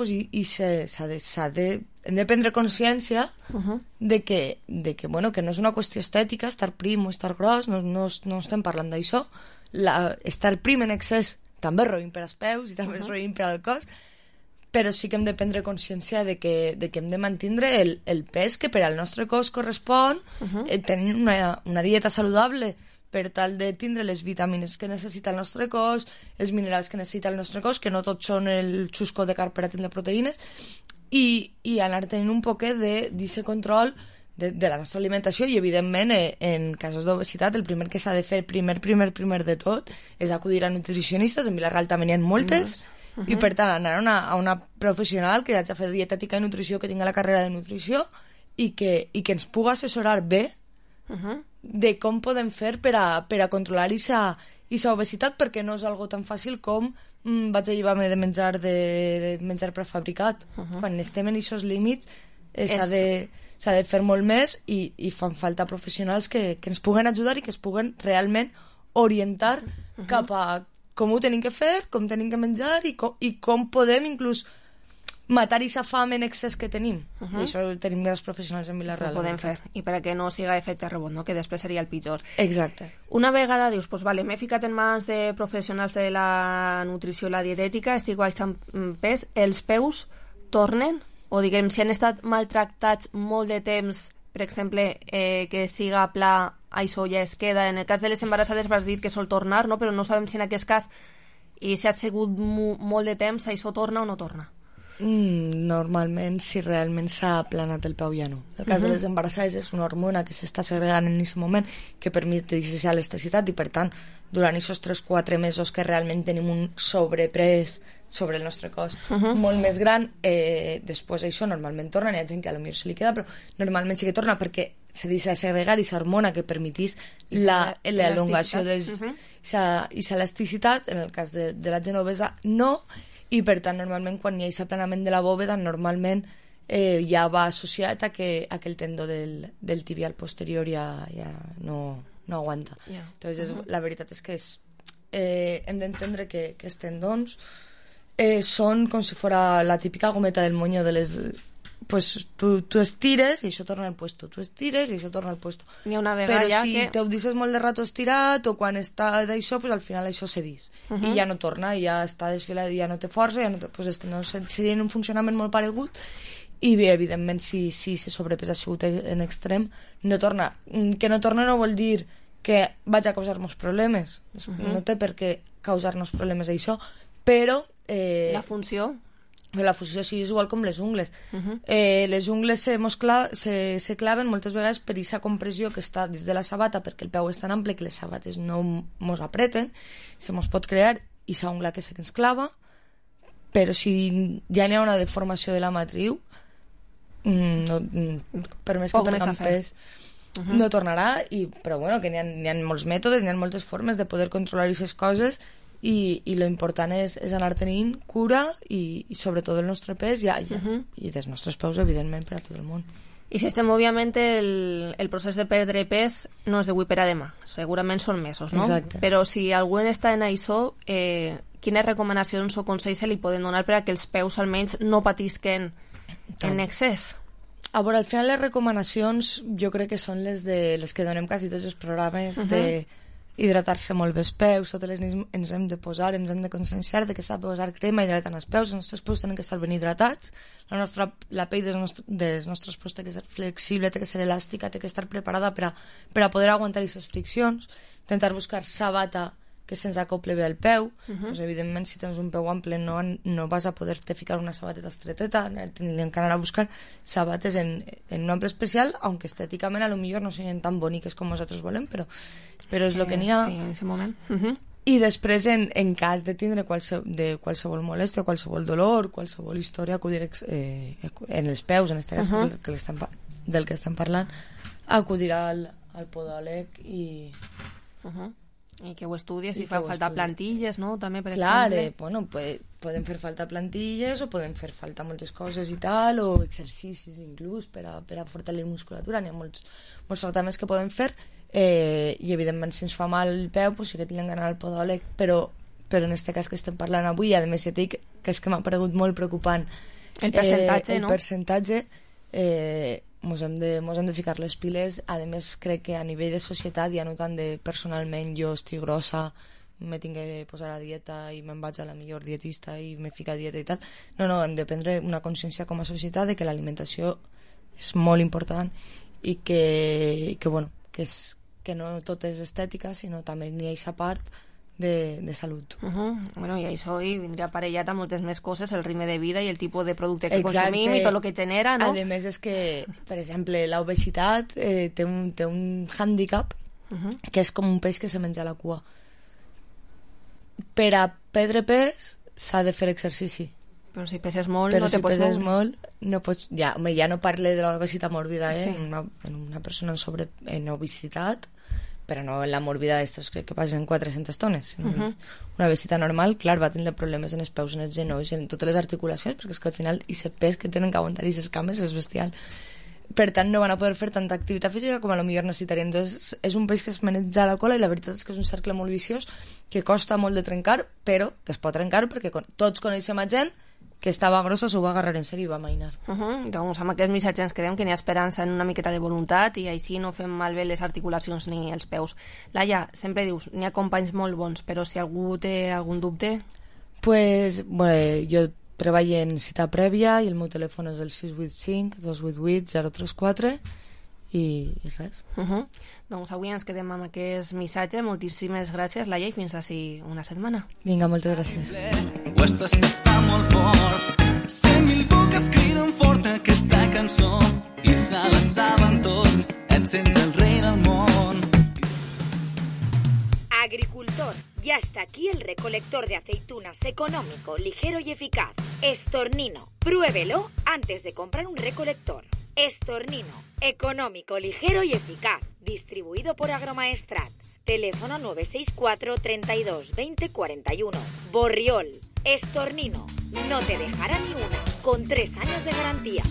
hem de prendre consciència de que no és una qüestió estètica, estar prim o estar gros, no estem parlant d'això. Estar prim en excés també és roïn per als peus i també és roïn per al cos, però sí que hem de prendre consciència de que hem de mantenir el pes que per al nostre cos correspon, tenir una dieta saludable per tal de tindre les vitamines que necessita el nostre cos, els minerals que necessita el nostre cos, que no tots són el xusco de carn per a tindre proteïnes, i anar tenint un poquet d'aquest control de la nostra alimentació, i evidentment en casos d'obesitat el primer que s'ha de fer, primer de tot, és acudir a nutricionistes. En Vila-real també n'hi ha moltes, i per tant anar a una professional que hagi fet dietètica i nutrició, que tingui la carrera de nutrició i que ens pugui assessorar bé de com podem fer per a controlar aquesta obesitat, perquè no és algo tan fàcil com vaig a llevar-me de menjar prefabricat. Quan estem en aquests límits s'ha de fer molt més, i fan falta professionals que ens puguen ajudar i que es puguen realment orientar cap a com ho tenim que fer, com tenim que menjar i com podem inclús matar aquesta fam en excés que tenim. I això tenim grans professionals en Vila-real. Ho podem fer, i perquè no siga efecte rebot, no? Que després seria el pitjor. Exacte. Una vegada dius, m'he ficat en mans de professionals de la nutrició i la dietètica, estic baixant pes, els peus tornen? O diguem, si han estat maltractats molt de temps, per exemple, que siga pla, això ja es queda. En el cas de les embarassades vas dir que sol tornar, no? Però no sabem si en aquest cas, i si ha sigut molt de temps, això torna o no torna. Normalment, si realment s'ha aplanat el peu, ja no. El cas de les embarassades és una hormona que s'està segregant en aquest moment, que permet aquesta elasticitat, i per tant, durant aquests 3-4 mesos que realment tenim un sobrepès sobre el nostre cos molt més gran, després això normalment torna. Hi ha gent que potser se li queda, però normalment sí que torna, perquè se deixa segregar aquesta hormona que permetís l'elongació i l'elasticitat. En el cas de la gent obesa no, i per tant normalment quan hi ha aquest aplanament de la bòveda normalment ja va associat a que el tendó del tibial posterior ja no aguanta. Entonces la veritat és que hem d'entendre que els tendons són com si fora la típica gometa del moño de les... Pues tu estires i això torna al puesto, tu estires i això torna al puesto. Però si te ho deixes molt de rato estirat, o quan està d'això, pues al final això cedís i ja no torna, ja està desfilat, ja no té força, pues seria un funcionament molt paregut. I bé, evidentment, si se sobrepesa en extrem, no torna. Que no torna no vol dir que vaig a causar-nos problemes. No té per què causar-nos problemes això, però... La funció sí, és igual com les ungles. Les ungles se claven moltes vegades per aquesta compressió que està dins de la sabata, perquè el peu és tan ample que les sabates no mos apreten, se mos pot crear aquesta ungla que ens clava, però si ja n'hi ha una deformació de la matriu, per més que perdem pes no tornarà, però bueno, que n'hi ha molts mètodes, n'hi ha moltes formes de poder controlar aquestes coses, i lo important és anar tenint cura i sobretot el nostre pes i dels nostres peus, evidentment, per a tot el món. I si estem, òbviament, el procés de perdre pes no és d'avui per a demà, segurament són mesos, no? Exacte. Però si algú està en això, quines recomanacions o consells se li poden donar per a que els peus almenys no patisquen en excés? A veure, al final les recomanacions jo crec que són les que donem quasi tots els programes hidratar-se molt bé els peus, totes les nits ens hem de posar, ens hem de conscienciar de que s'ha de posar crema hidratant els peus peus tenen que estar ben hidratats, la pell dels nostres peus té que ser flexible, té que ser elàstica, té que estar preparada per a poder aguantar aquestes friccions, intentar buscar sabata que se'ns acople bé al peu, doncs evidentment si tens un peu ample no vas a poder-te ficar una sabateta estreteta, tindríem que anar a buscar sabates en un ample especial, aunque estèticament a lo millor no siguin tan boniques com nosaltres volem, però és el que n'hi ha. Sí, en aquest moment. I després, en cas de tindre qualsevol molèstia, qualsevol dolor, qualsevol història, acudir en els peus, en aquest cas del que estem parlant, acudir al podòleg i que ho estudies, si fan falta plantilles, no? També, per exemple. Clar, bueno, poden fer falta plantilles o poden fer falta moltes coses i tal, o exercicis inclús per a fortalecer musculatura. N'hi ha molts tractaments que poden fer i evidentment si ens fa mal el peu sí que tindrem d'anar al podòleg, però en aquest cas que estem parlant avui, a més ja dic que és que m'ha paregut molt preocupant el percentatge, no? El percentatge mos hem de ficar les piles. A més crec que a nivell de societat, ja no tant de personalment jo estic grossa, me tinc que posar a dieta i me'n vaig a la millor dietista i me fica a dieta i tal, no, hem de prendre una consciència com a societat de que l'alimentació és molt important i que no tot és estètica, sinó també n'hi ha aquesta part de salut. Bueno, i això vindria aparellat amb moltes més coses, el ritme de vida i el tipus de producte que consumim i tot el que genera, no? A més és que, per exemple, l'obesitat té un hàndicap que és com un peix que se menja la cua. Per a perdre pes s'ha de fer exercici. Però si peses molt no te pots moure. Però si peses molt no pots... Ja no parle de l'obesitat mòrbida, en una persona en obesitat, però no en la mòrbida d'estos que passen 400 tones. Una obesitat normal, clar, va tindre problemes en els peus, en els genolls, en totes les articulacions, perquè és que al final aquest pes que tenen que aguantar aquestes cames és bestial. Per tant, no van a poder fer tanta activitat física com a lo millor necessitarien. Entonces, és un peix que es maneja la cola i la veritat és que és un cercle molt viciós que costa molt de trencar, però que es pot trencar perquè tots coneixem a gent que estava grossa, s'ho va agarrar en sèrio i va mainar. Doncs amb aquest missatge ens quedem, que n'hi ha esperança en una miqueta de voluntat i així no fem malbé les articulacions ni els peus. Laia, sempre dius, n'hi ha companys molt bons, però si algú té algun dubte... Pues, bueno, jo treballo en cita prèvia i el meu telèfon és el 685-288-034 i res. Doncs avui ens quedem amb aquest missatge. Moltíssimes gràcies, Laia, i fins així una setmana. Vinga, moltes gràcies. Ho estàs cantant molt fort, 100.000 boques criden fort aquesta cançó i se la saben tots, et sents el rei del món. Agricultor, ya está aquí el recolector de aceitunas económico, ligero y eficaz. Estornino, pruébelo antes de comprar un recolector. Estornino, económico, ligero y eficaz. Distribuido por Agromaestrat. Teléfono 964 32 20 41. Borriol, Estornino, no te dejará ni una, con 3 años de garantía.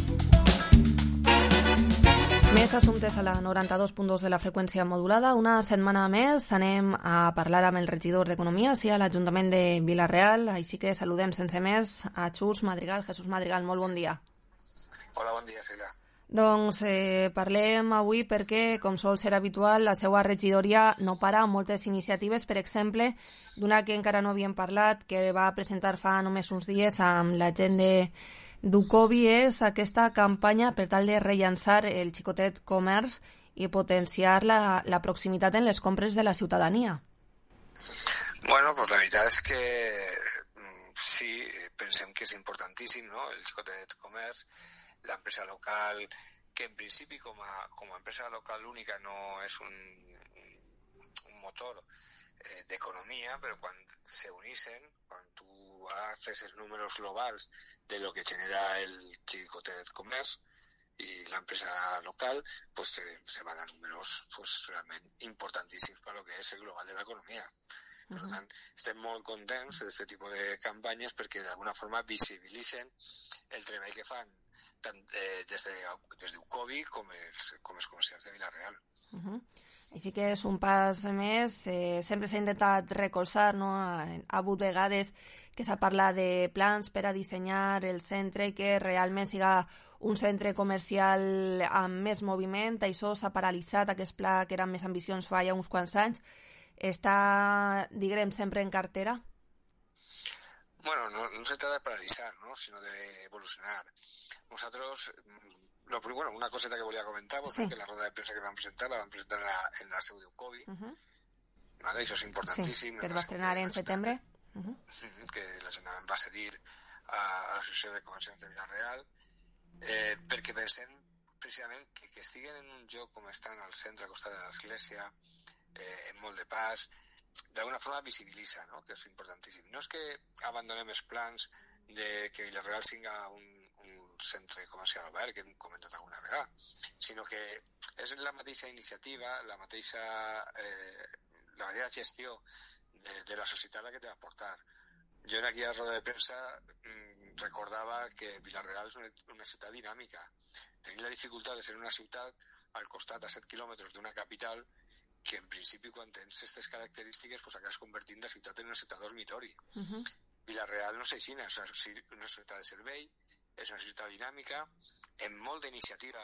Més assumptes a la 92.2 de la freqüència modulada. Una setmana més anem a parlar amb el regidor d'Economia, sí, a l'Ajuntament de Vila-real. Així que saludem sense més a Jesús Madrigal. Jesús Madrigal, molt bon dia. Hola, bon dia, Celia. Doncs parlem avui perquè, com sol ser habitual, la seva regidoria no para amb moltes iniciatives, per exemple, d'una que encara no havíem parlat, que va presentar fa només uns dies amb la gent d'Ucovi, és aquesta campanya per tal de rellançar el xicotet comerç i potenciar la proximitat en les compres de la ciutadania. Bueno, pues la veritat és que sí, pensem que és importantíssim, no?, el xicotet comerç, l'empresa local, que en principi com a empresa local única no és un motor d'economia, però quan se unixen, quan tu haces els números globals de lo que genera el xicotet comerç i l'empresa local, pues se van a números pues realment importantíssims per lo que és el global de l'economia. Per tant, estem molt contents d'aquest tipus de campanyes perquè d'alguna forma visibilitzen el treball que fan tant des d'Ucovi com els comerciants de Vila-real. Així que és un pas més. Sempre s'ha intentat recolzar, no? Ha hagut vegades que s'ha parlat de plans per a dissenyar el centre i que realment siga un centre comercial amb més moviment. Això s'ha paralitzat, aquest pla que eren més ambicions fa ja uns quants anys. està, diguem, sempre en cartera? Bueno, no se trata de paralizar, ¿no? Sino de evolucionar. Nosotros, una coseta que volia comentar, pues, que la roda de prensa que van presentar, la van presentar en la seu d'Eucovi, ¿vale? Eso es importantíssim. Sí, que es va estrenar en setembre. Que la gent va cedir a l'Associació de Comerciants de Vila-real, perquè pensem precisament que estiguen en un lloc com estan al centre, al costat de l'església, en molt de pas, d'alguna forma visibilitza, no? Que és importantíssim. No és que abandonem els plans de que Vila-real sigui un centre comercial obert, que hem comentat alguna vegada, sinó que és la mateixa iniciativa, la mateixa gestió de la societat la que te va portar. Jo en aquella roda de premsa recordava que Vila-real és una ciutat dinàmica. Tenim la dificultat de ser una ciutat al costat a 7 quilòmetres d'una capital que en principi quan tens aquestes característiques pues acabes convertint la ciutat en una ciutat dormitori. Vila-real no és així, és una ciutat de servei, és una ciutat dinàmica, amb molt d'iniciativa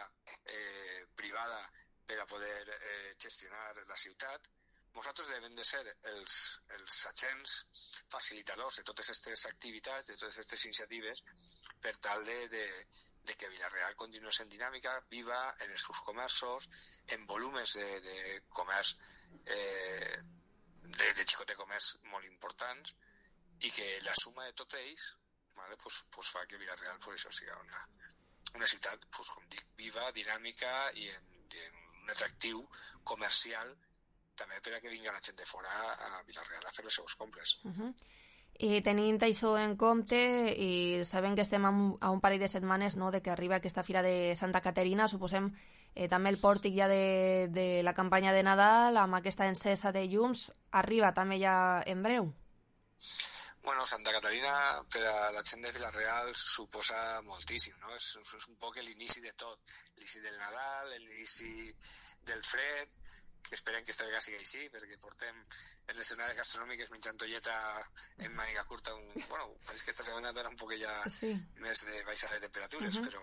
privada per a poder gestionar la ciutat. Nosaltres devem de ser els agents facilitadors de totes aquestes activitats, de totes aquestes iniciatives, per tal de que Vila-real continuï sent dinàmica, viva en els seus comerços, en volúmens de comerç, de xicot de comerç molt importants, i que la suma de tots ells, ¿vale? pues fa que Vila-real això sigui una ciutat, pues, com dic, viva, dinàmica i en un atractiu comercial també per a que vinga la gent de fora a Vila-real a fer les seves compres. I tenint això en compte, i sabem que estem a un parell de setmanes, no?, de que arriba aquesta Fira de Santa Caterina, suposem també el pòrtic ja de la campanya de Nadal, amb aquesta encesa de llums, arriba també ja en breu? Bueno, Santa Caterina per a la gent de Vila-real suposa moltíssim, no? És un poc l'inici de tot, l'inici del Nadal, l'inici del fred, que esperem que esta vegada sigui així, perquè portem en l'escenari gastronòmic menjant tolleta en màniga curta. Pareix que esta setmana dona un poc ja més de baixada de temperatures, però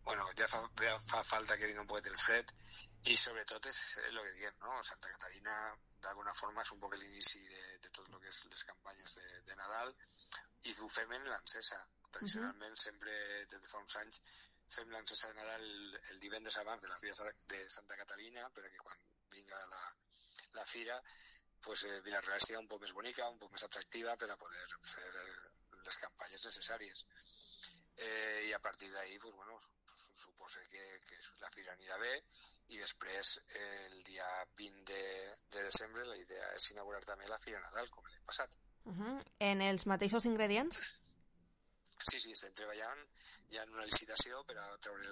bueno, ja fa falta que vingui un poquet el fred, i sobretot és el que diem, no? Santa Caterina d'alguna forma és un poc l'inici de tot el que és les campanyes de Nadal, i ho fem en l'encesa. Tradicionalment, sempre des de fa uns anys, fem l'encesa de Nadal el divendres abans de la Fira de Santa Caterina, perquè quan vinga la fira, pues Vila-real estigui un poc més bonica, un poc més atractiva per a poder fer les campanyes necessàries. I a partir d'ahí, pues bueno, suposo que la fira anirà bé, i després el dia 20 de desembre la idea és inaugurar també la Fira Nadal, com l'any passat. En els mateixos ingredients? Sí, estem treballant ja en una licitació per a treure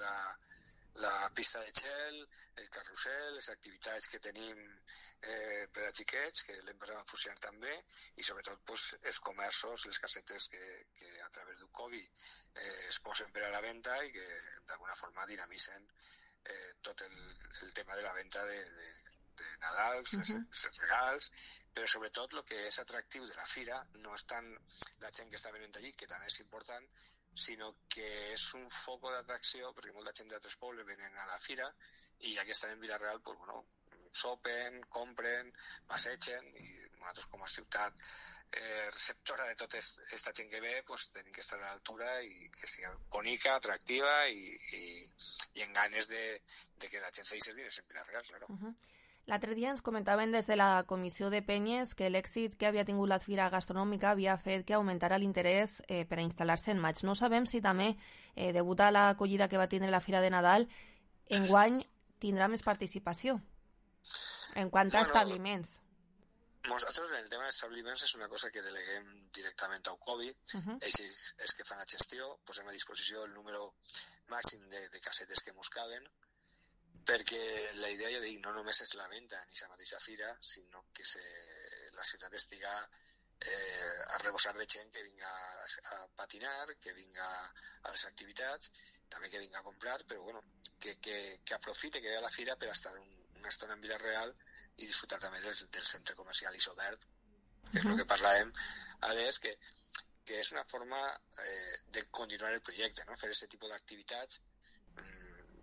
la pista de gel, el carrusel, les activitats que tenim per a xiquets, que l'hem posat a funcionar també, i sobretot pues, els comerços, les casetes que a través d'Eucovi es posen per a la venda i que d'alguna forma dinamitzen tot el tema de la venda de Nadal, els regals, però sobretot el que és atractiu de la fira no és tant la gent que està venint allí, que també és important, sinó que és un foc d'atracció, perquè molta gent d'altres pobles venen a la fira i ja que estan en Vila-real, pues, bueno, sopen, compren, passegen, i nosaltres com a ciutat receptora de tota aquesta gent que ve, pues, tenim que estar a l'altura i que sigui bonica, atractiva i en ganes de que la gent s'hi servir en Vila-real, claro. L'altre dia ens comentaven des de la Comissió de Penyes que l'èxit que havia tingut la fira gastronòmica havia fet que augmentara l'interès per a instal·lar-se en maig. No sabem si també, degut a l'acollida que va tindre la Fira de Nadal, enguany tindrà més participació en quant a establiments. Nosaltres en el tema d'establiments és una cosa que deleguem directament a Eucovi, ells és que fan la gestió, posem a disposició el número màxim de casetes que mos caben, perquè la idea, ja dic, no només és la venda ni la mateixa fira, sinó que la ciutat estiga a rebossar de gent que vinga a patinar, que vinga a les activitats, també que vinga a comprar, però bueno, que aprofite que ve a la fira per estar una estona en Vila-real i disfrutar també del centre comercial Isobert, que és el que parlàvem abans, que és una forma de continuar el projecte, no? Fer aquest tipus d'activitats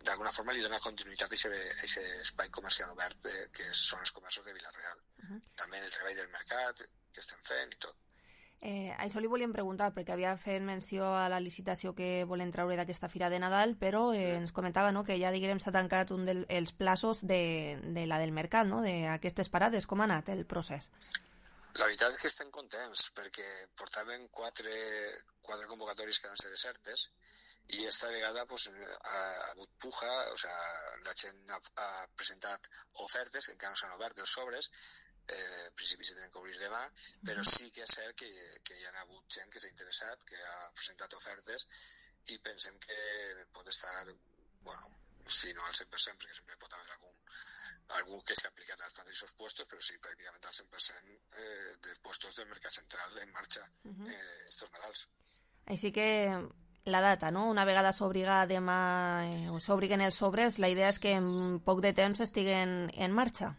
d'alguna forma li dona continuïtat a aquest espai comercial obert que són els comerços de Vila-real. També en el mercat, què estem fent i tot. Això li volíem preguntar, perquè havia fet menció a la licitació que volen treure d'aquesta Fira de Nadal, però ens comentava, no?, que ja, diguem, s'ha tancat un dels plaços de la del mercat, no?, d'aquestes parades. Com ha anat el procés? La veritat és que estem contents, perquè portaven quatre convocatòries que van ser desertes, i esta vegada pues, ha hagut puja, o sea, la gent ha presentat ofertes, que encara no s'han obert els sobres, en principi se tenen que obrir demà, però sí que és cert que hi ha hagut gent que s'ha interessat, que ha presentat ofertes, i pensem que pot estar, bueno, si no al 100%, perquè sempre pot haver algú que s'ha aplicat als mateixos puestos, però sí, pràcticament al 100% de puestos del mercat central en marxa estos Nadals. Així que la data, no? Una vegada s'obriga demà o s'obriguen els sobres, la idea és que en poc de temps estiguen en marxa.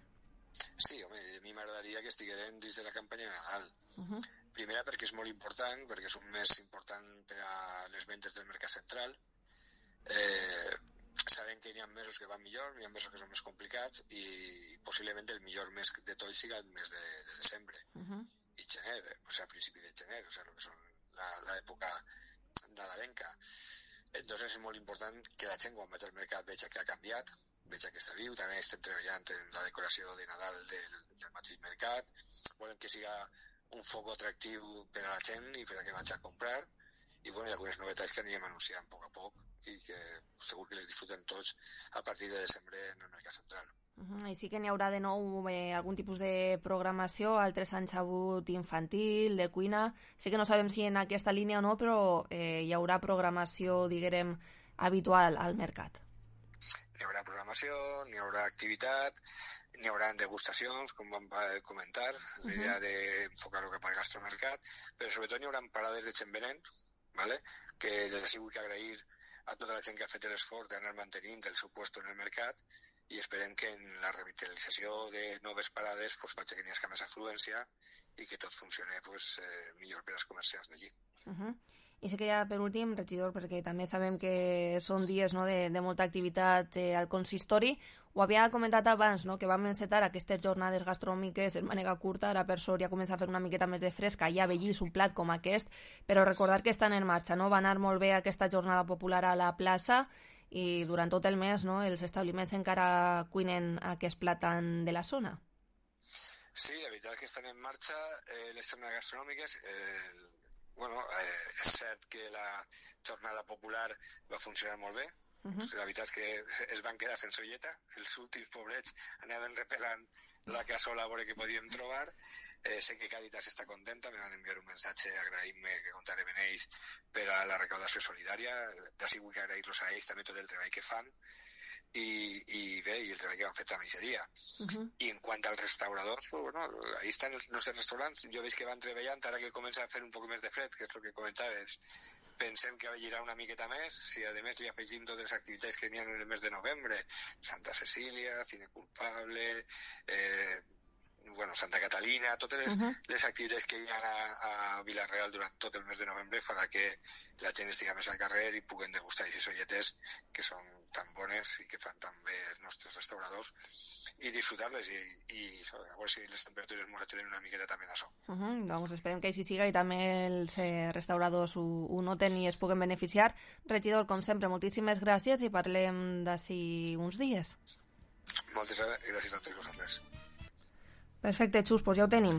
Sí, home, a mi m'agradaria que estigueren dins de la campanya de Nadal. Primera perquè és molt important, perquè és un mes important per a les ventes del mercat central. Sabem que hi ha mesos que van millor, hi ha mesos que són més complicats, i possiblement el millor mes de tot siga el mes de desembre i gener, o sigui, a principi de gener, o sigui, el que són l'època nadalenca. Entonces és molt important que la gent, quan vaig al mercat, veja que ha canviat, veja que està viu. També estem treballant en la decoració de Nadal del mateix mercat. Volem que siga un foc atractiu per a la gent i per a que vagi a comprar. I bueno, hi ha algunes novetats que anirem anunciant a poc i que segur que les disfrutem tots a partir de desembre en el mercat central. Així que n'hi haurà de nou algun tipus de programació. Altres anys ha hagut infantil, de cuina. Sí que no sabem si en aquesta línia o no, però hi haurà programació, diguem, habitual al mercat. N'hi haurà programació, n'hi haurà activitat, n'hi haurà degustacions, com vam comentar, la idea d'enfocar-ho cap al gastromercat, però sobretot n'hi haurà parades de gent venent, ¿vale? Que des d'ací vull agrair a tota la gent que ha fet l'esforç d'anar mantenint el seu lloc en el mercat, i esperem que en la revitalització de noves parades pues, faci que n'hi hagi més afluència i que tot funcioni pues, millor per als comerciants d'allí. I sí que ja per últim, regidor, perquè també sabem que són dies, no, de molta activitat al consistori, ho havia comentat abans, no, que vam encetar aquestes jornades gastronòmiques en manera curta, ara per sort ja comença a fer una miqueta més de fresca, ja vegis un plat com aquest, però recordar que estan en marxa, no? Va anar molt bé aquesta jornada popular a la plaça i durant tot el mes, no, els establiments encara cuinen aquest plat de la zona. Sí, la veritat és que estan en marxa les jornades gastronòmiques. Bueno, és cert que la jornada popular va funcionar molt bé. La veritat és que es van quedar sense olleta. Els últims pobrets anaven repelant la cassola a veure què podíem trobar. Sé que Càritas està contenta, me van enviar un missatge agraint-me que comptarem amb ells per a la recaudació solidària. D'ací vull agrair-los a ells també tot el treball que fan i bé, i el treball que van fer també aquest dia. I en quant als restauradors, pues, bueno, ahí estan els nostres restaurants. Jo veig que van treballant, ara que comença a fer un poc més de fred, que és el que comentaves. Pensem que vellirà una miqueta més, si a més li afegim totes les activitats que n'hi ha en el mes de novembre, Santa Cecília, Cine Culpable, bueno, Santa Catalina, totes les activitats que hi ha a Vila-real durant tot el mes de novembre farà que la gent estigui més al carrer i puguen degustar aquestes olletes que són tan bones i que fan tan bé els nostres restauradors i disfrutar-les i a veure si les temperatures ens ajuden una miqueta també en això. Doncs esperem que així siga i també els restauradors ho noten i es puguen beneficiar. Regidor, com sempre, moltíssimes gràcies i parlem d'ací uns dies. Moltes gràcies a tots vosaltres. Perfecte, Xus, doncs ja ho tenim.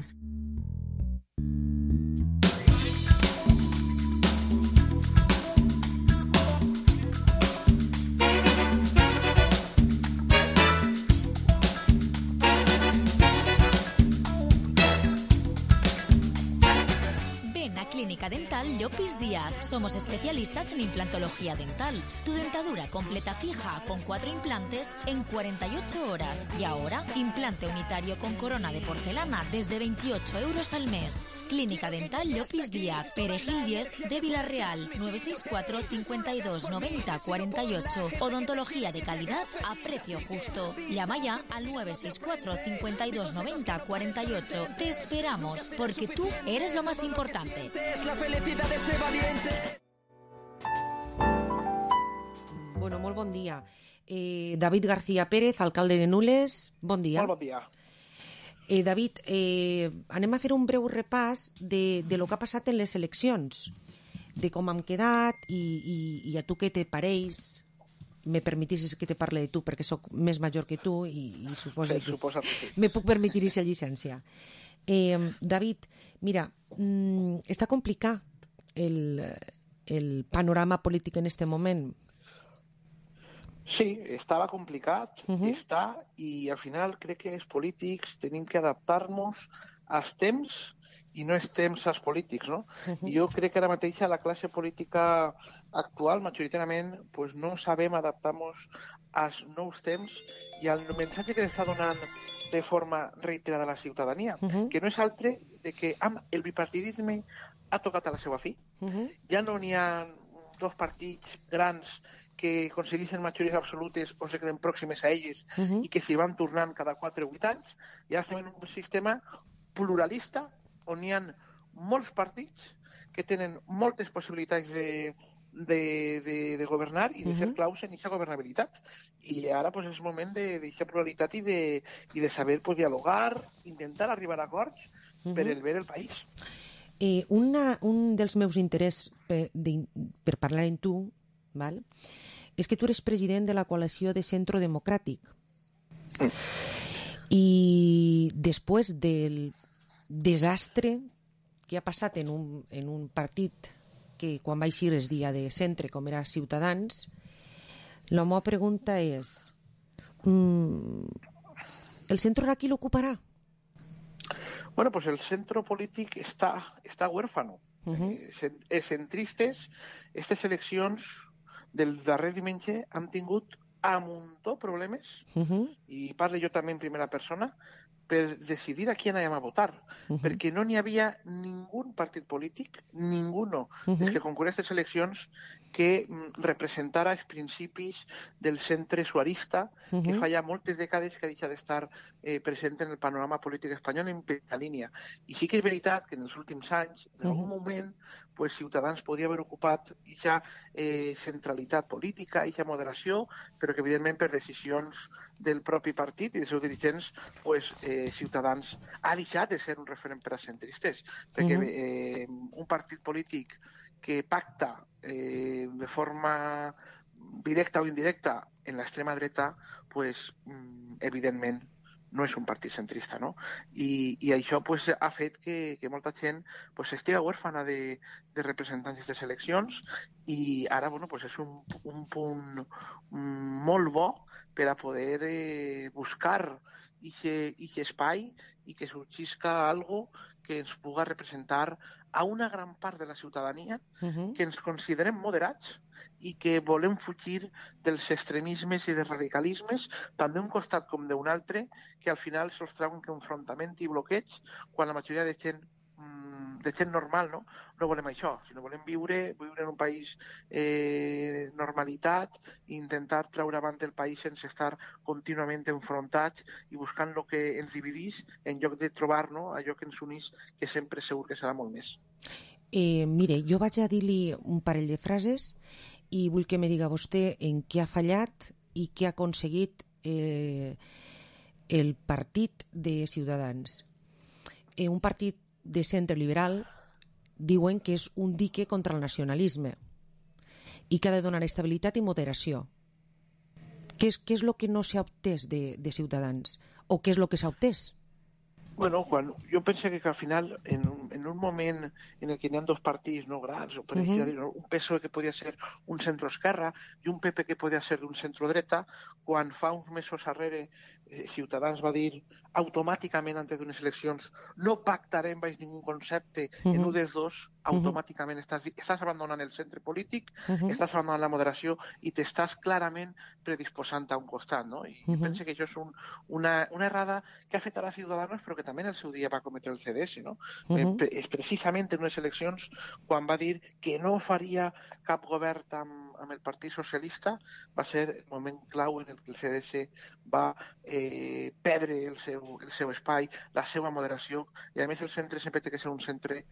Clínica Dental Llopis Díaz. Somos especialistas en implantología dental. Tu dentadura completa fija con 4 implantes en 48 horas. Y ahora, implante unitario con corona de porcelana desde 28 euros al mes. Clínica Dental Llopis Díaz, Perejil 10 de Vila-real, 964 52 90 48. Odontología de calidad a precio justo. Llama ya al 964 52 90 48. Te esperamos, porque tú eres lo más importante. Es la felicidad de este valiente. Bueno, molt bon dia. David García Pérez, alcalde de Nules, bon dia. Molt bon dia. David, anem a fer un breu repàs de lo que ha passat en les eleccions, de com hem quedat i a tu què te pareix. Me permetissis que te parle de tu perquè sóc més major que tu i suposo que me puc permetir aquesta llicència. David, mira, està complicat el panorama polític en este moment. Sí, estava complicat, està, i al final crec que els polítics tenim que adaptar-nos als temps i no és temps als polítics, no? I jo crec que ara mateix la classe política actual, majoritàriament, pues no sabem adaptar-nos als nous temps i al missatge que està donant de forma reiterada a la ciutadania, que no és altre de que el bipartidisme ha tocat a la seva fi. Ja no n'hi ha dos partits grans que aconsegueixen majories absolutes o se queden pròximes a elles i que s'hi van tornant cada 4 o 8 anys. Ja estem en un sistema pluralista on hi ha molts partits que tenen moltes possibilitats de governar i de ser claus en aquesta governabilitat. I ara pues, és el moment d'aquesta pluralitat i de saber pues, dialogar, intentar arribar a acords per el bé del país. Un dels meus interessos per parlar amb tu, val? És que tu eres president de la coalició de Centro Democràtic. I després del desastre que ha passat en un partit que quan va eixir es dia de centre, com era Ciutadans, la meva pregunta és el centre ara qui l'ocuparà? Bueno, pues el centro polític està huérfano. Els centristes, aquestes eleccions del darrer diumenge han tingut a muntó problemes, i parlo jo també en primera persona, per decidir a qui anàvem a votar, perquè no n'hi havia ningú partit polític, ninguno dels que concurreix a aquestes eleccions que representara els principis del centre suarista, que fa ja moltes dècades que ha deixat d'estar present en el panorama polític espanyol en primera línia. I sí que és veritat que en els últims anys, en algun moment, pues, Ciutadans podia haver ocupat aquesta centralitat política, aquesta moderació, però que evidentment per decisions del propi partit i dels seus dirigents, pues, Ciutadans ha deixat de ser un referent per a centristes, perquè un partit polític que pacta de forma directa o indirecta en l'extrema dreta, pues, evidentment no és un partit centrista, no? I això pues, ha fet que molta gent pues, estigui huérfana de representants d'aquestes eleccions i ara bueno, pues, és un punt molt bo per a poder buscar aquest espai i que sorgisca algo que ens pugui representar a una gran part de la ciutadania que ens considerem moderats i que volem fugir dels extremismes i dels radicalismes, tant d'un costat com d'un altre, que al final se'ls treuen que enfrontament i bloqueig, quan la majoria de gent normal no volem això, sinó volem viure en un país normalitat i intentar treure avant el país sense estar contínuament enfrontats i buscant el que ens dividís en lloc de trobar allò que ens unís, que sempre segur que serà molt més. Mire, jo vaig a dir-li un parell de frases i vull que me diga vostè en què ha fallat i què ha aconseguit el partit de Ciutadans. Un partit de centre liberal diuen que és un dique contra el nacionalisme i que ha de donar estabilitat i moderació. Què és el que no s'ha obtès de Ciutadans? O què és el que s'ha obtès? Bueno, jo penso que al final, en un moment en el que hi ha dos partits grans, o per exemple, un PSOE que podia ser un centro-esquerra i un PP que podia ser d'un centro-dreta, quan fa uns mesos darrere Ciutadans va dir automàticament antes d'unes eleccions no pactarem baix ningú concepte en un dels dos, automàticament estàs abandonant el centre polític, estàs abandonant la moderació i t'estàs clarament predisposant a un costat, no? I penso que això és una errada que ha fet ara Ciudadanos, però que també en el seu dia va cometre el CDS, no? És precisament en unes eleccions quan va dir que no faria cap govern amb el Partit Socialista va ser el moment clau en el que el CDS va perdre el seu espai, la seva moderació, i a més el centre sempre té que ser un centre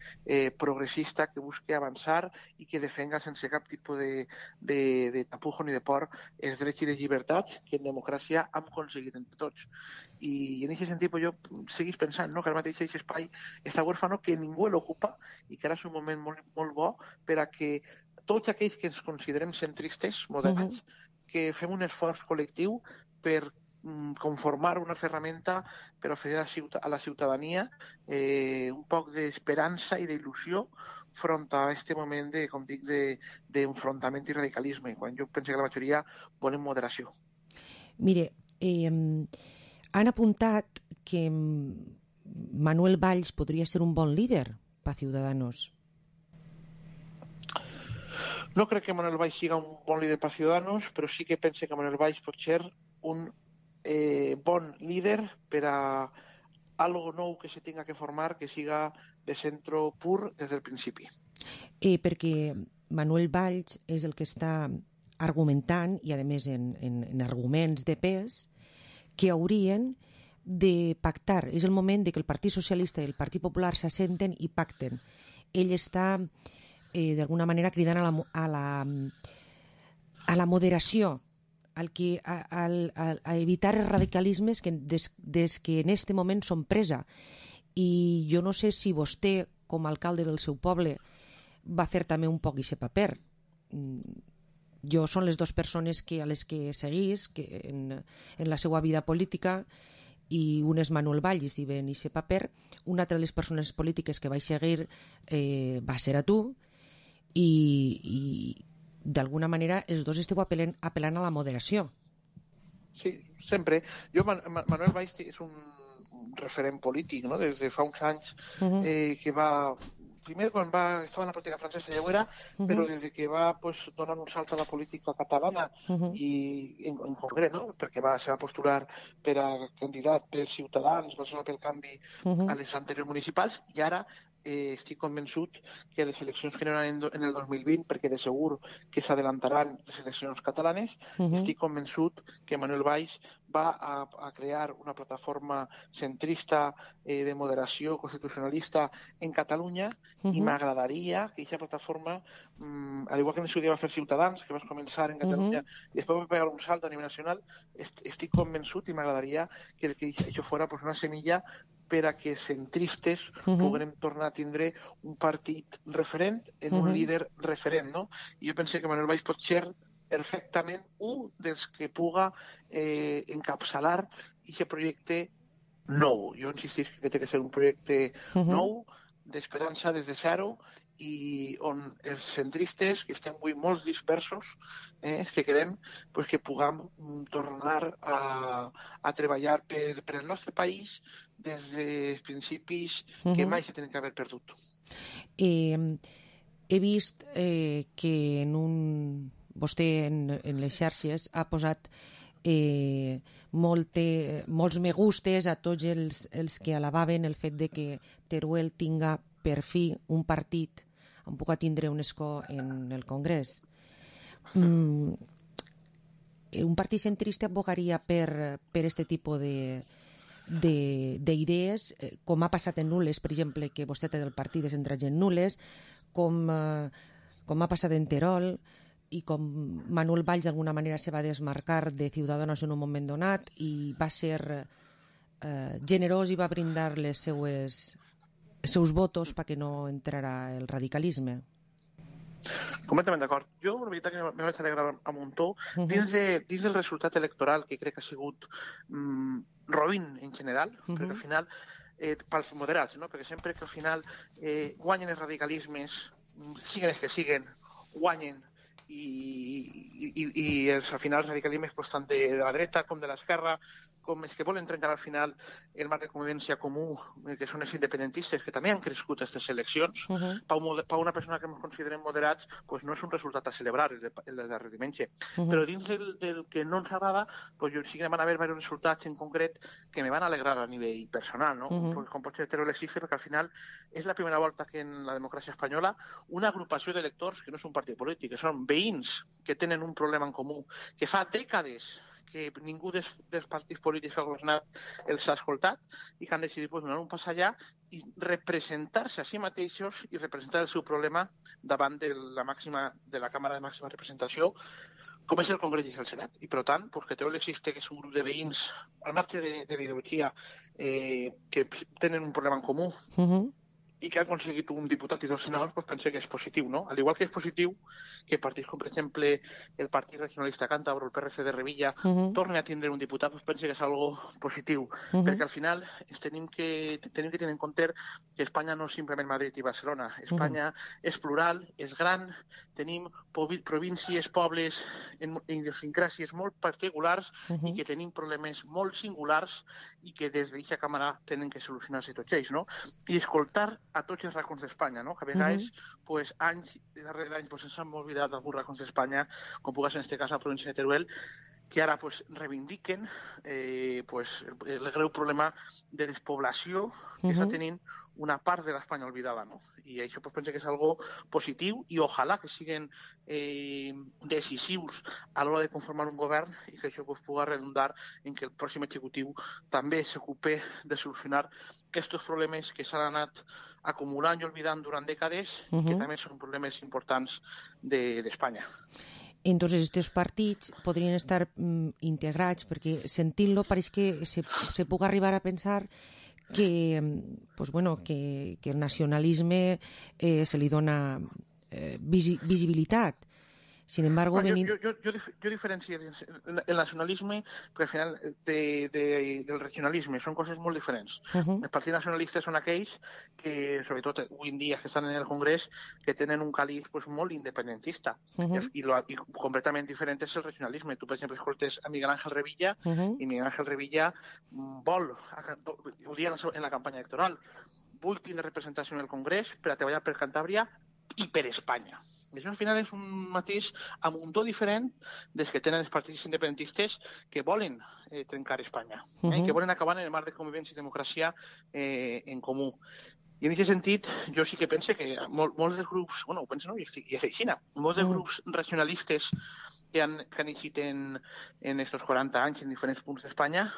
progressista que busqui avançar i que defenga sense cap tipus de tapujo ni de por els drets i les llibertats que en democràcia hem aconseguit entre tots. I en aquest sentit jo seguís pensant que ara mateix aquest espai està huérfano, que ningú l'ocupa i que ara és un moment molt bo per a que tots aquells que ens considerem centristes, moderats, que fem un esforç col·lectiu per conformar una ferramenta per oferir a la ciutadania un poc d'esperança i d'il·lusió front a aquest moment de, com dic, d'enfrontament i radicalisme, quan jo penso que la majoria volen moderació. Mire, han apuntat que Manuel Valls podria ser un bon líder per Ciudadanos. No crec que Manuel Valls siga un bon líder per Ciudadanos, però sí que pense que Manuel Valls pot ser un bon líder per a algo nou que se tinga que formar, que siga de centro pur des del principi. Perquè Manuel Valls és el que està argumentant, i a més en arguments de pes, que haurien de pactar. És el moment de que el Partit Socialista i el Partit Popular s'assenten i pacten. Ell està d'alguna manera cridant a la moderació, a evitar els radicalismes que des que en aquest moment són presa. I jo no sé si vostè, com a alcalde del seu poble, va fer també un poc aquest paper. Jo són les dues persones a les que seguís en la seva vida política, i un és Manuel Valls i ven aquest paper. Una altra de les persones polítiques que vaig seguir va ser a tu, i d'alguna manera els dos esteu apel·lant a la moderació. Sí, sempre. Manuel Valls és un referent polític, no? Des de fa uns anys que va... Primer, quan estava en la política francesa ja ho era, però des que va donar un salt a la política catalana i en concret, no? Perquè se va postular per a candidat per Ciutadans, va ser pel canvi a les anteriors municipals, i ara estic convençut que les eleccions que hi haurà en el 2020, perquè de segur que s'adelantaran les eleccions catalanes, estic convençut que Manuel Valls va a crear una plataforma centrista de moderació constitucionalista en Catalunya, i m'agradaria que aquesta plataforma, al igual que en el seu dia va fer Ciutadans, que va començar en Catalunya i després va pegar un salt a nivell nacional, estic convençut i m'agradaria que això fos una semilla per a que centristes puguem tornar a tindre un partit referent en un líder referent, no? I jo penso que Manuel Valls pot ser perfectament un dels que puga encapçalar aquest projecte nou. Jo insistís que té que ser un projecte nou, d'esperança des de zero, i on els centristes, que estem avui molt dispersos, que quedem, que puguem tornar a treballar per el nostre país des dels principis que mai se tenen que haver perdut. He vist que vostè en les xarxes ha posat molts me gustes a tots els que alabaven el fet de que Teruel tinga per fi un partit on puga tindre un escó en el Congrés. Un partit centrista abogaria per este tipus d'idees, com ha passat en Nules, per exemple, que vostè té del partit de centrats en Nules, com ha passat en Terol, i com Manuel Valls d'alguna manera se va desmarcar de Ciudadanos en un moment donat i va ser generós i va brindar els seus votos perquè no entrarà el radicalisme. Completament d'acord. Jo, la veritat, que me vaig alegrar a muntó dins del resultat electoral, que crec que ha sigut roïn en general, perquè al final, pels moderats, perquè sempre que al final guanyen els radicalismes, siguen els que siguen, guanyen, i al final els radicalismes tant de la dreta com de l'esquerra com els que volen trencar al final el marc de convivència comú, que són els independentistes, que també han crescut aquestes eleccions, per una persona que ens considerem moderats, pues no és un resultat a celebrar el de darrer diumenge. Però dins del que no ens agrada, pues jo sí que van haver diversos resultats en concret que me van alegrar a nivell personal, no? Com pot ser heteroelexiste, perquè al final és la primera volta que en la democràcia espanyola una agrupació d'electors, que no és un partit polític, que són veïns que tenen un problema en comú, que fa dècades que ningú dels partits polítics que ha governat els ha escoltat i que han decidit donar un pas allà i representar-se a si mateixos i representar el seu problema davant de la Càmera de Màxima Representació, com és el Congrés i el Senat. I, per tant, que existe, que és un grup de veïns, al marge de ideologia, que tenen un problema en comú, i que ha aconseguit un diputat i 2 senadors, doncs penso que és positiu, no? Al igual que és positiu que partits com, per exemple, el Partit Regionalista Càntabro, el PRC de Revilla, torni a tindre un diputat, doncs penso que és algo positiu, perquè al final tenim que tenir en compte que Espanya no és simplement Madrid i Barcelona. Espanya és plural, és gran, tenim províncies, pobles, idiosincràsies molt particulars i que tenim problemes molt singulars i que des d'aquesta càmera tenen que solucionar-se tots ells, no? I escoltar a tots els racons d'Espanya, no? Que a vegades, anys darrere d'anys, ens hem oblidat d'alguns racons d'Espanya, com pugui ser en aquest cas la província de Teruel, que ara reivindiquen el greu problema de despoblació que està tenint una part de l'Espanya oblidada, no? I això penso que és algo positiu i ojalà que siguin decisius a l'hora de conformar un govern i que això pugui redundar en que el pròxim executiu també s'ocupe de solucionar aquests problemes que s'han anat acumulant i oblidant durant dècades i que també són problemes importants d'Espanya. Entonces, estos partits podrien estar integrats, perquè sentint-lo pareix que se pugui arribar a pensar que el nacionalisme se li dona visibilitat. Sin embargo, yo diferencio el nacionalisme, perquè al final del regionalisme són coses molt diferents. Els partits nacionalistes són aquells que, sobretot avui en dia que estan en el Congrés, que tenen un caliz molt independentista i completament diferent és el regionalisme. Tu, per exemple, escoltes a Miguel Ángel Revilla i Miguel Ángel Revilla vol, ho dia en la campanya electoral, vull tindre representació en el Congrés per a treballar per Cantàbria i per Espanya. I això al final és un matís a muntó diferent dels que tenen els partits independentistes que volen trencar Espanya, que volen acabar en el marc de convivència i democràcia en comú. I en aquest sentit, jo sí que penso que molts dels grups, ho penso, no? I és així, molts dels grups regionalistes que han eixit en estos 40 anys en diferents punts d'Espanya,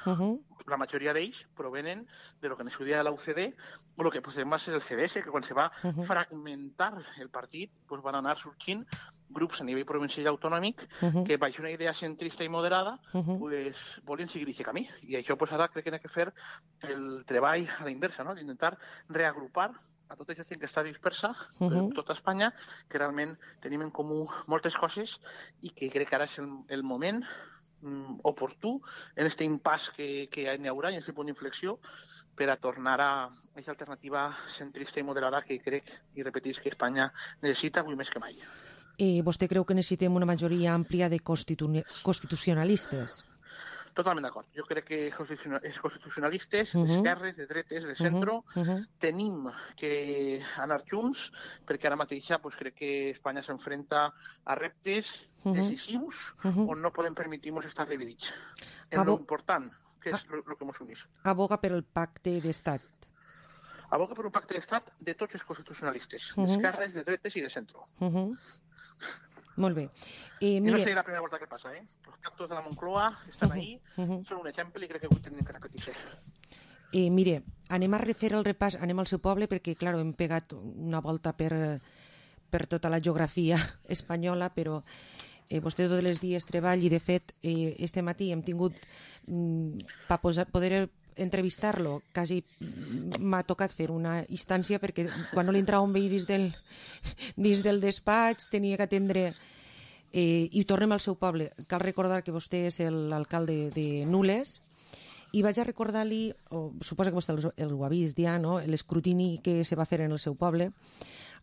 la majoria d'ells provenen de lo que en el seu dia de la UCD o lo que va ser el CDS, que quan se va fragmentar el partit van anar sorgint grups a nivell provincial i autonòmic que, baix una idea centrista i moderada, volien seguir aquest camí. I això ara crec que hem de fer el treball a la inversa, d'intentar reagrupar a tota aquesta gent que està dispersa per tota Espanya, que realment tenim en comú moltes coses i que crec que ara és el moment oportú en aquest impàs que hi haurà, en aquest punt d'inflexió, per a tornar a aquesta alternativa centrista i moderada que crec, i repetís, que Espanya necessita avui més que mai. Vostè creu que necessitem una majoria àmplia de constitucionalistes? Totalment d'acord. Jo crec que els constitucionalistes, d'esquerres, de dretes, de centro, tenim que anar junts, perquè ara mateix crec que Espanya s'enfrenta a reptes decisius on no podem permetir-nos estar dividits. És l'important, que és el que ens uneix. Aboga per el pacte d'estat. Aboga per un pacte d'estat de tots els constitucionalistes, d'esquerres, de dretes i de centro. Molt bé. No seria la primera volta que passa, Els pactos de la Moncloa estan ahí, són un exemple i crec que avui tenim que repetir-se. Mire, anem a refer el repàs, anem al seu poble, perquè, clar, hem pegat una volta per tota la geografia espanyola, però vostè tots els dies treballa i, de fet, este matí hem tingut, per poder entrevistar-lo, quasi m'ha tocat fer una instància perquè quan no li entrava un veí dins del despatx tenia que atendre i tornem al seu poble. Cal recordar que vostè és l'alcalde de Nules i vaig a recordar-li, suposo que vostè ho ha vist ja, l'escrutini que se va fer en el seu poble,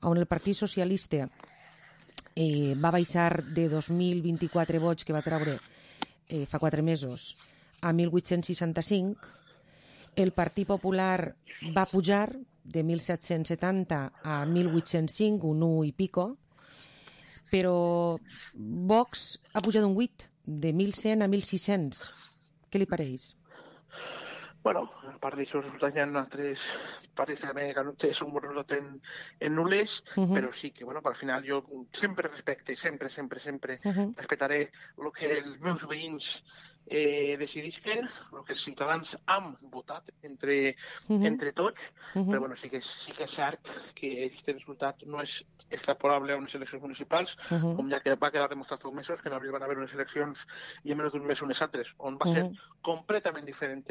on el Partit Socialista va baixar de 2.024 vots que va treure fa 4 mesos a 1.865, el Partit Popular va pujar de 1.770 a 1.805, un 1 i pico, però Vox ha pujat un 8, de 1.100 a 1.600. Què li pareix? Bueno, a part d'això, resultats hi ha altres parts també que no té un resultat en nules, però sí que, bueno, al final jo sempre respecte, sempre respectaré el que els meus veïns decidisquen, el que els ciutadans han votat entre tots, però bueno, sí que és cert que aquest resultat no és extrapolable a unes eleccions municipals, com ja que va quedar demostrat fa uns mesos, que en abril van haver unes eleccions i en menys d'un mes unes altres, on va ser completament diferent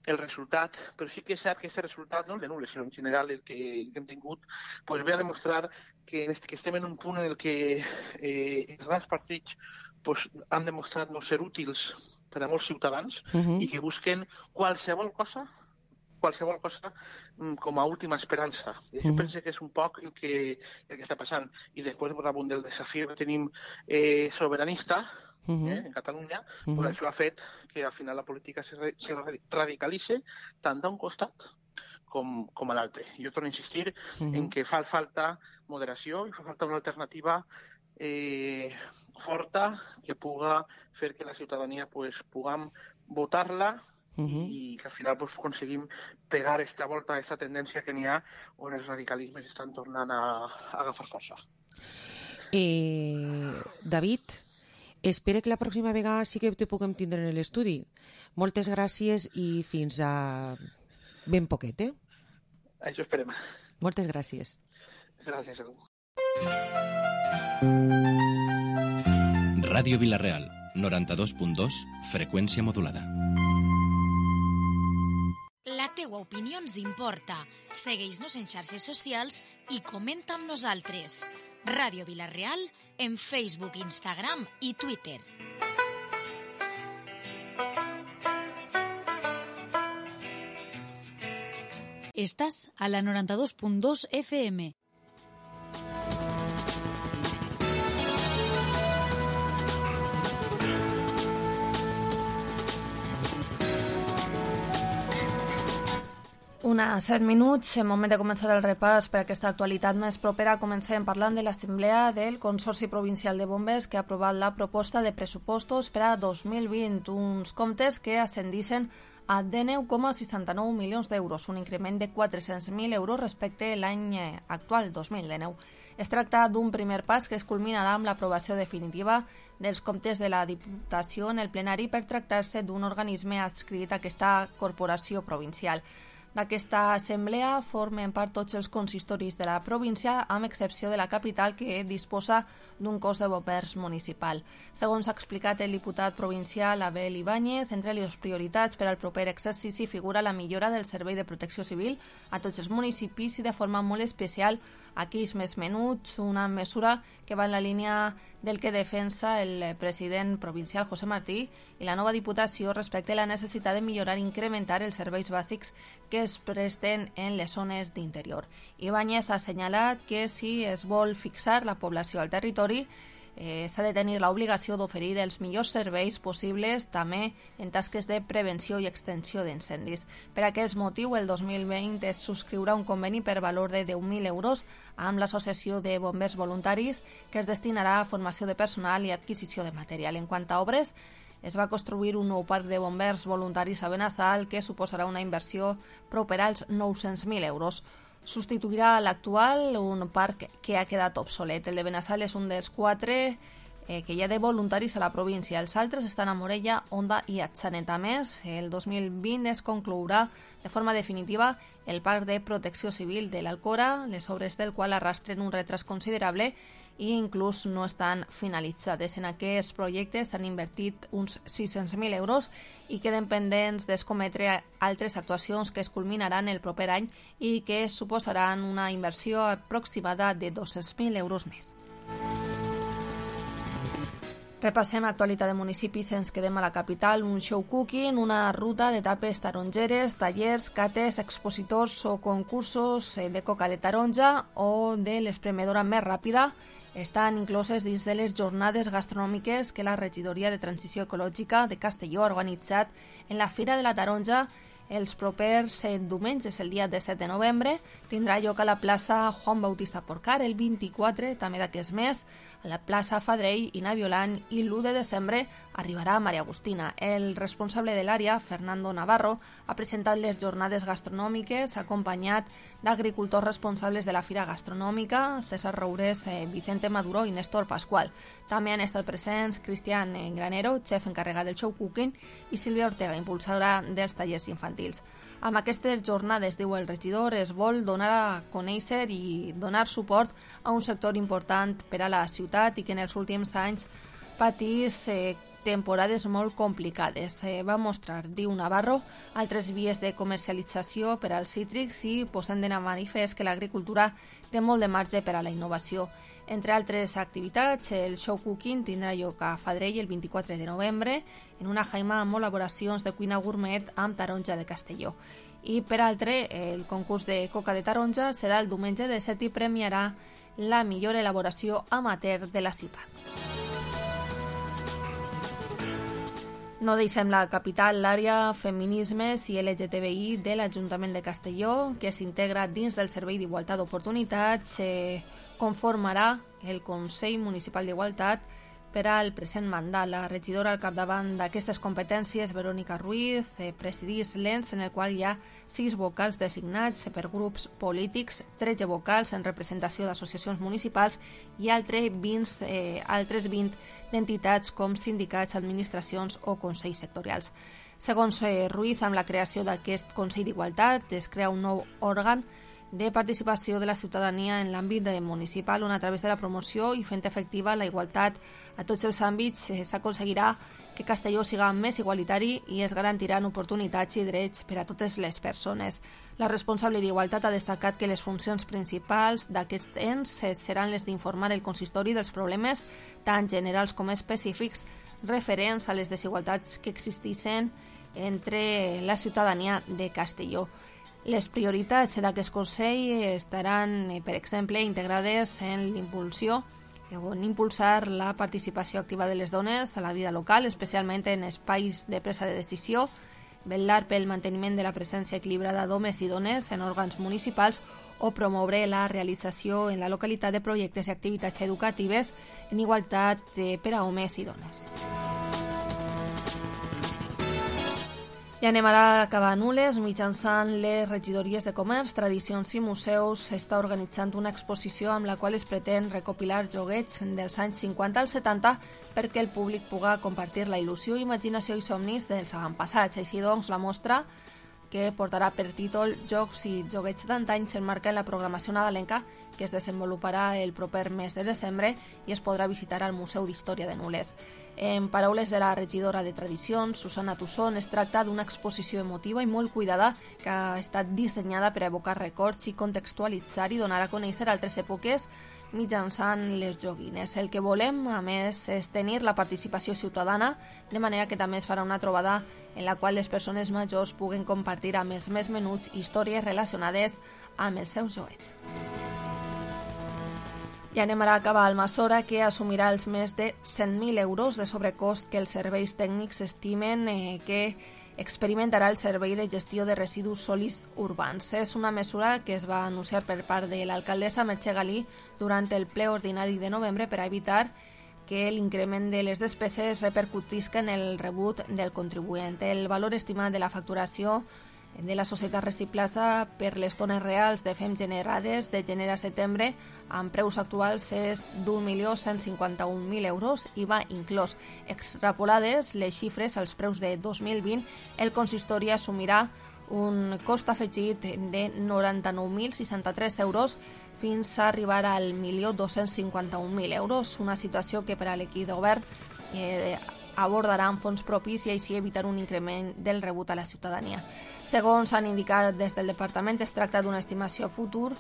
el resultat, però sí que és cert que aquest resultat, no el de nules, sinó en general el que hem tingut, pues ve a demostrar que estem en un punt en el que els grans partits pues, han demostrat no ser útils per a molts ciutadans i que busquen qualsevol cosa com a última esperança. I això penso que és un poc el que està passant. I després, damunt del desafiu que tenim soberanista en Catalunya, pues això ha fet que al final la política se radicalitzi tant d'un costat com a l'altre. Jo torno a insistir en que fa falta moderació i fa falta una alternativa forta que puga fer que la ciutadania pues, puguem votar-la i que al final pues, aconseguim pegar esta volta, aquesta tendència que n'hi ha on els radicalismes estan tornant a agafar força. David, espero que la pròxima vegada sí que te puguem tindre en l'estudi. Moltes gràcies i fins a ben poquet, eh? Això esperem. Moltes gràcies. Gràcies a tu. Ràdio Vila-real, 92.2, freqüència modulada. La teua opinió ens importa. Segueix-nos en xarxes socials i comenta amb nosaltres. Ràdio Vila-real en Facebook, Instagram i Twitter. Estàs a la 92.2 FM. Una 7 minuts, en moment de començar el repàs per aquesta actualitat més propera. Comencem parlant de l'Assemblea del Consorci Provincial de Bombers que ha aprovat la proposta de pressupostos per a 2020, uns comptes que ascendixen a 19,69 milions d'euros, un increment de 400.000 euros respecte a l'any actual, 2019. Es tracta d'un primer pas que es culminarà amb l'aprovació definitiva dels comptes de la Diputació en el plenari per tractar-se d'un organisme adscrit a aquesta corporació provincial. D'aquesta assemblea formen part tots els consistoris de la província, amb excepció de la capital, que disposa d'un cos de bombers municipal. Segons ha explicat el diputat provincial Abel Ibáñez, entre les prioritats per al proper exercici figura la millora del servei de protecció civil a tots els municipis i de forma molt especial a aquells més menuts, una mesura que va en la línia del que defensa el president provincial José Martí i la nova Diputació respecte a la necessitat de millorar i incrementar els serveis bàsics que es presten en les zones d'interior. Ibáñez ha assenyalat que si es vol fixar la població al territori, s'ha de tenir l'obligació d'oferir els millors serveis possibles també en tasques de prevenció i extensió d'incendis. Per aquest motiu, el 2020 es subscriurà un conveni per valor de 10.000 euros amb l'Associació de Bombers Voluntaris que es destinarà a formació de personal i adquisició de material. En quant a obres, es va construir un nou parc de bombers voluntaris a Benassal que suposarà una inversió propera als 900.000 euros. Substituirà l'actual, un parc que ha quedat obsolet. El de Benassal és un dels 4 que hi ha de voluntaris a la província. Els altres estan a Morella, Onda i Atzanet. A més, el 2020 es conclourà de forma definitiva el parc de protecció civil de l'Alcora, les obres del qual arrastren un retras considerable i inclús no estan finalitzades. En aquests projectes s'han invertit uns 600.000 euros i queden pendents d'escometre altres actuacions que es culminaran el proper any i que suposaran una inversió aproximada de 200.000 euros més. Repassem l'actualitat de municipis, ens quedem a la capital, un show cooking, una ruta d'etapes tarongeres, tallers, cates, expositors o concursos de coca de taronja o de l'espremedora més ràpida estan incloses dins de les jornades gastronòmiques que la Regidoria de Transició Ecològica de Castelló ha organitzat en la Fira de la Taronja els propers diumenges. El dia 17 de novembre tindrà lloc a la plaça Juan Bautista Porcar, el 24 també d'aquest mes a la plaça Fadrell i Naviolant, i l'1 de desembre arribarà a Maria Agustina. El responsable de l'àrea, Fernando Navarro, ha presentat les jornades gastronòmiques acompanyat d'agricultors responsables de la Fira Gastronòmica, César Roures, Vicente Maduro i Néstor Pascual. També han estat presents Cristian Granero, xef encarregat del show cooking, i Sílvia Ortega, impulsora dels tallers infantils. Amb aquestes jornades, diu el regidor, es vol donar a conèixer i donar suport a un sector important per a la ciutat i que en els últims anys patís temporades molt complicades. Va mostrar, diu Navarro, altres vies de comercialització per als cítrics i posant de manifest que l'agricultura té molt de marge per a la innovació. Entre altres activitats, el show cooking tindrà lloc a Fadrell el 24 de novembre en una jaima amb elaboracions de cuina gourmet amb taronja de Castelló. I per altre, el concurs de coca de taronja serà el diumenge 17 i premiarà la millor elaboració amateur de la ciutat. No deixem la capital, l'àrea Feminismes i LGTBI de l'Ajuntament de Castelló, que s'integra dins del Servei d'Igualtat d'Oportunitats, conformarà el Consell Municipal d'Igualtat per al present mandat. La regidora al capdavant d'aquestes competències, Verónica Ruiz, presidís l'ENS, en el qual hi ha 6 vocals designats per grups polítics, 13 vocals en representació d'associacions municipals i altres 20 d'entitats com sindicats, administracions o consells sectorials. Segons Ruiz, amb la creació d'aquest Consell d'Igualtat es crea un nou òrgan de participació de la ciutadania en l'àmbit municipal, on a través de la promoció i fent efectiva la igualtat a tots els àmbits s'aconseguirà que Castelló siga més igualitari i es garantiran oportunitats i drets per a totes les persones. La responsable d'Igualtat ha destacat que les funcions principals d'aquest ens seran les d'informar el consistori dels problemes tant generals com específics referents a les desigualtats que existeixen entre la ciutadania de Castelló. Les prioritats d'aquest Consell estaran, per exemple, integrades en l'impulsió o en impulsar la participació activa de les dones a la vida local, especialment en espais de presa de decisió, vetllar pel manteniment de la presència equilibrada d'homes i dones en òrgans municipals o promoure la realització en la localitat de projectes i activitats educatives en igualtat per a homes i dones. I anem ara a acabar a Nules. Mitjançant les regidories de comerç, tradicions i museus s'està organitzant una exposició amb la qual es pretén recopilar joguets dels anys 50 als 70 perquè el públic pugui compartir la il·lusió, imaginació i somnis dels avantpassats. Així doncs, la mostra, que portarà per títol Jocs i joguets d'antany, s'emmarca en la programació nadalenca que es desenvoluparà el proper mes de desembre i es podrà visitar al Museu d'Història de Nules. En paraules de la regidora de Tradicions, Susana Tusson, es tracta d'una exposició emotiva i molt cuidada que ha estat dissenyada per a evocar records i contextualitzar i donar a conèixer altres èpoques mitjançant les joguines. El que volem, a més, és tenir la participació ciutadana, de manera que també es farà una trobada en la qual les persones majors puguen compartir amb els més menuts històries relacionades amb els seus joguets. I anem ara a acabar al Almassora, que assumirà els més de 100.000 euros de sobrecost que els serveis tècnics estimen que experimentarà el Servei de Gestió de Residus Sòlids Urbans. És una mesura que es va anunciar per part de l'alcaldessa Mercè Galí durant el ple ordinari de novembre per a evitar que l'increment de les despeses repercutisca en el rebut del contribuent. El valor estimat de la facturació de la societat Reciplaza per les tones reals de fem generades de gener a setembre amb preus actuals és d'1.151.000 euros i va inclòs. Extrapolades les xifres als preus de 2020, el consistori assumirà un cost afegit de 99.063 euros fins a arribar al 1.251.000 euros, una situació que per a l'equip de govern abordarà amb fons propis i així evitar un increment del rebut a la ciutadania. Segons han indicat des del departament, es tracta d'una estimació futur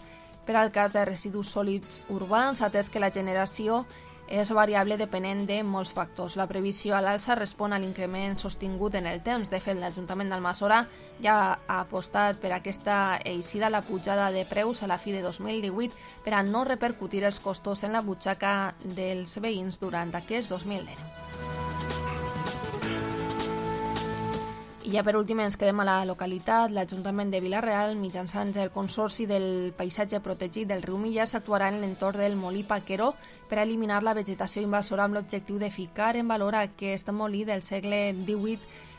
per al cas de residus sòlids urbans, atès que la generació és variable depenent de molts factors. La previsió a l'alça respon a l'increment sostingut en el temps. De fet, l'Ajuntament d'Almassora ja ha apostat per aquesta eixida la pujada de preus a la fi de 2018 per a no repercutir els costos en la butxaca dels veïns durant aquest 2019. I ja per últim ens quedem a la localitat. L'Ajuntament de Vila-real, mitjançant el Consorci del Paisatge Protegit del riu Millars, actuarà en l'entorn del molí Paquero per a eliminar la vegetació invasora amb l'objectiu de ficar en valor aquest molí del segle XVIII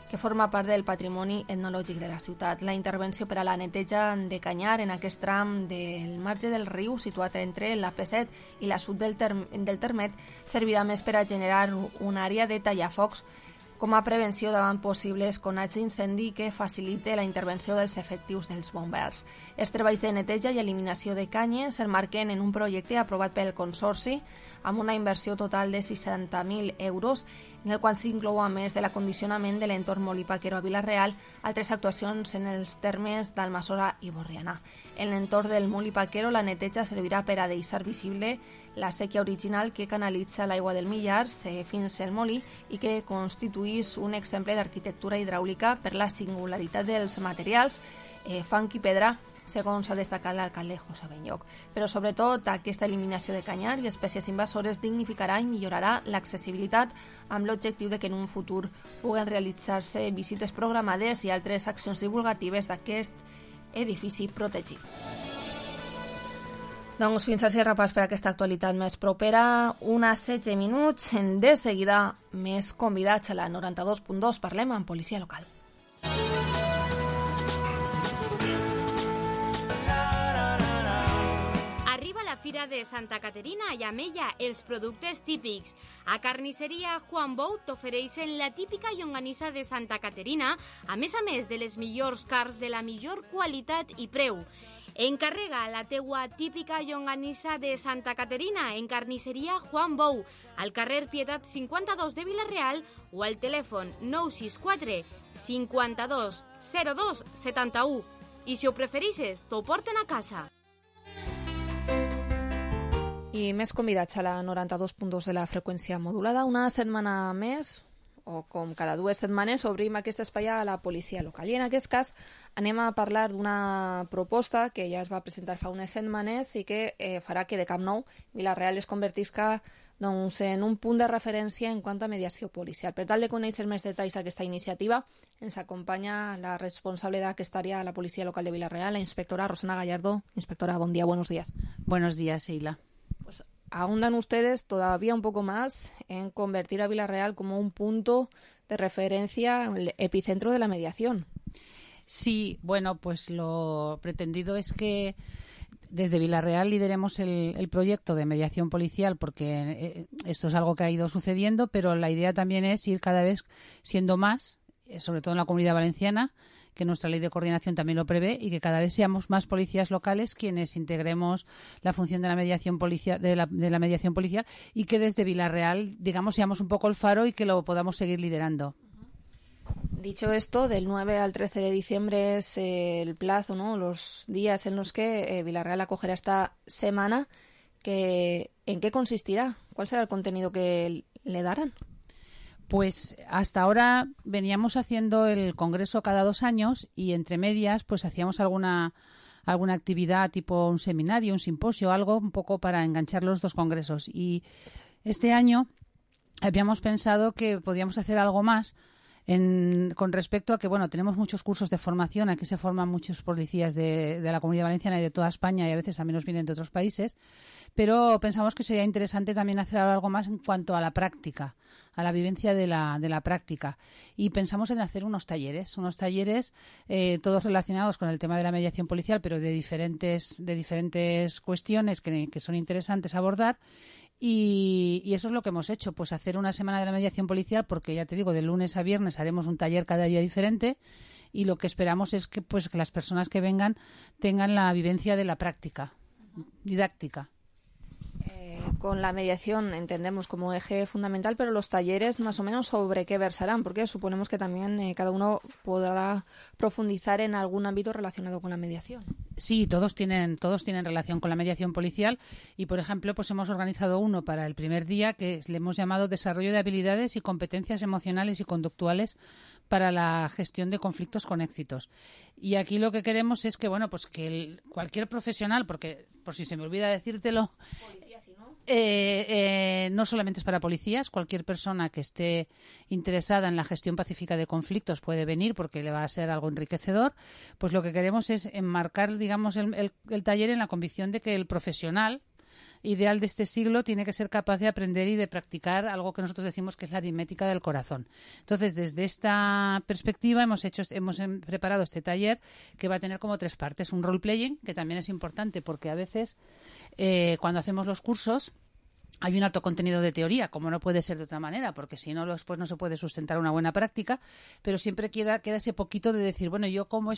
que forma part del patrimoni etnològic de la ciutat. La intervenció per a la neteja de canyar en aquest tram del marge del riu, situat entre la P7 i la sud del Termet, servirà més per a generar una àrea de tallafocs com a prevenció davant possibles conats d'incendi que facilite la intervenció dels efectius dels bombers. Els treballs de neteja i eliminació de canyes s'emmarquen en un projecte aprovat pel Consorci amb una inversió total de 60.000 euros, en el qual s'inclou, a més de l'acondicionament de l'entorn molí Paquero a Vila-real, altres actuacions en els termes d'Almassora i Borriana. En l'entorn del molí Paquero, la neteja servirà per a deixar visible la sèquia original que canalitza l'aigua del Millars fins al molí i que constituís un exemple d'arquitectura hidràulica per la singularitat dels materials, fang i pedra, segons ha destacat l'alcalde José Benyoc. Però sobretot aquesta eliminació de canyar i espècies invasores dignificarà i millorarà l'accessibilitat amb l'objectiu de que en un futur puguen realitzar-se visites programades i altres accions divulgatives d'aquest edifici protegit. Doncs fins així repàs per aquesta actualitat més propera. Unes 16 minuts. De seguida, més convidats a la 92.2. Parlem amb policia local. Fira de Santa Caterina i Amella, els productes típics. A Carnisseria Juan Bou t'ofereixen la típica llonganissa de Santa Caterina, a més de les millors carns de la millor qualitat i preu. Encarrega la teua típica llonganissa de Santa Caterina en Carnisseria Juan Bou, al carrer Pietat 52 de Vila-real o al telèfon 964 52 02 71. I si ho prefereixes, t'ho porten a casa. I més convidats a la 92.2 de la freqüència modulada. Una setmana més, o com cada 2 setmanes, obrim aquest espai a la policia local. I en aquest cas anem a parlar d'una proposta que ja es va presentar fa unes setmanes i que farà que de cap nou Vila-real es convertisca en un punt de referència en quant a mediació policial. Per tal de conèixer més detalls d'aquesta iniciativa, ens acompanya la responsable d'aquesta àrea a la policia local de Vila-real, la inspectora Rosana Gallardo. Inspectora, bon día, buenos días. Buenos días, Sheila. Ahondan ustedes todavía un poco más en convertir a Vila-real como un punto de referencia, el epicentro de la mediación. Sí, bueno, pues lo pretendido es que desde Vila-real lideremos el proyecto de mediación policial, porque esto es algo que ha ido sucediendo, pero la idea también es ir cada vez siendo más, sobre todo en la Comunidad Valenciana, que nuestra ley de coordinación también lo prevé, y que cada vez seamos más policías locales quienes integremos la función de la mediación policial, de la mediación policial, y que desde Vila-real, digamos, seamos un poco el faro y que lo podamos seguir liderando. Dicho esto, del 9 al 13 de diciembre es el plazo, ¿no? Los días en los que Vila-real acogerá esta semana. ¿En qué consistirá? ¿Cuál será el contenido que le darán? Pues hasta ahora veníamos haciendo el congreso cada 2 años y entre medias pues hacíamos alguna actividad tipo un seminario, un simposio, algo un poco para enganchar los 2 congresos. Y este año habíamos pensado que podíamos hacer algo más con respecto a que, bueno, tenemos muchos cursos de formación, aquí se forman muchos policías de la Comunidad Valenciana y de toda España, y a veces también nos vienen de otros países, pero pensamos que sería interesante también hacer algo más en cuanto a la práctica, a la vivencia de la práctica, y pensamos en hacer unos talleres todos relacionados con el tema de la mediación policial, pero de diferentes cuestiones que son interesantes abordar. Y eso es lo que hemos hecho, pues hacer una semana de la mediación policial, porque ya te digo, de lunes a viernes haremos un taller cada día diferente, y lo que esperamos es que las personas que vengan tengan la vivencia de la práctica didáctica. Con la mediación entendemos como eje fundamental, pero los talleres más o menos sobre qué versarán, porque suponemos que también cada uno podrá profundizar en algún ámbito relacionado con la mediación. Sí, todos tienen relación con la mediación policial y, por ejemplo, pues hemos organizado uno para el primer día que le hemos llamado Desarrollo de habilidades y competencias emocionales y conductuales para la gestión de conflictos con éxitos. Y aquí lo que queremos es que, bueno, pues que cualquier profesional, porque por si se me olvida decírtelo, no solamente es para policías, cualquier persona que esté interesada en la gestión pacífica de conflictos puede venir porque le va a ser algo enriquecedor. Pues lo que queremos es enmarcar, digamos, el taller en la convicción de que el profesional ideal de este siglo tiene que ser capaz de aprender y de practicar algo que nosotros decimos que es la aritmética del corazón. Entonces, desde esta perspectiva hemos preparado este taller que va a tener como 3 partes. Un role-playing, que también es importante porque a veces cuando hacemos los cursos hay un alto contenido de teoría, como no puede ser de otra manera, porque si no, después no se puede sustentar una buena práctica, pero siempre queda ese poquito de decir, bueno, yo cómo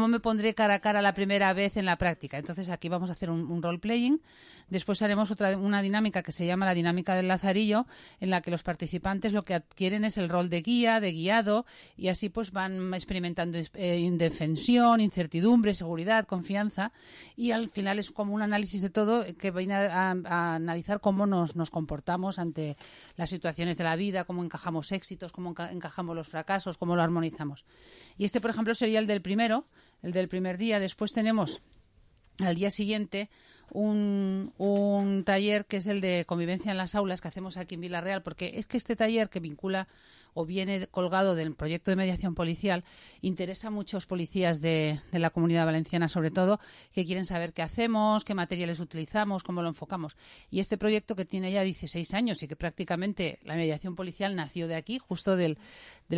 me pondré cara a cara la primera vez en la práctica. Entonces aquí vamos a hacer un role-playing. Después haremos una dinámica que se llama la dinámica del lazarillo, en la que los participantes lo que adquieren es el rol de guía, de guiado, y así pues van experimentando indefensión, incertidumbre, seguridad, confianza, y al final es como un análisis de todo que viene a analizar cómo nos comportamos ante las situaciones de la vida, cómo encajamos éxitos, cómo encajamos los fracasos, cómo lo armonizamos. Y este, por ejemplo, sería el del primer día. Después tenemos al día siguiente un taller que es el de convivencia en las aulas que hacemos aquí en Vila-real, porque es que este taller que vincula o viene colgado del proyecto de mediación policial interesa a muchos policías de la Comunidad Valenciana, sobre todo, que quieren saber qué hacemos, qué materiales utilizamos, cómo lo enfocamos. Y este proyecto, que tiene ya 16 años y que prácticamente la mediación policial nació de aquí, justo del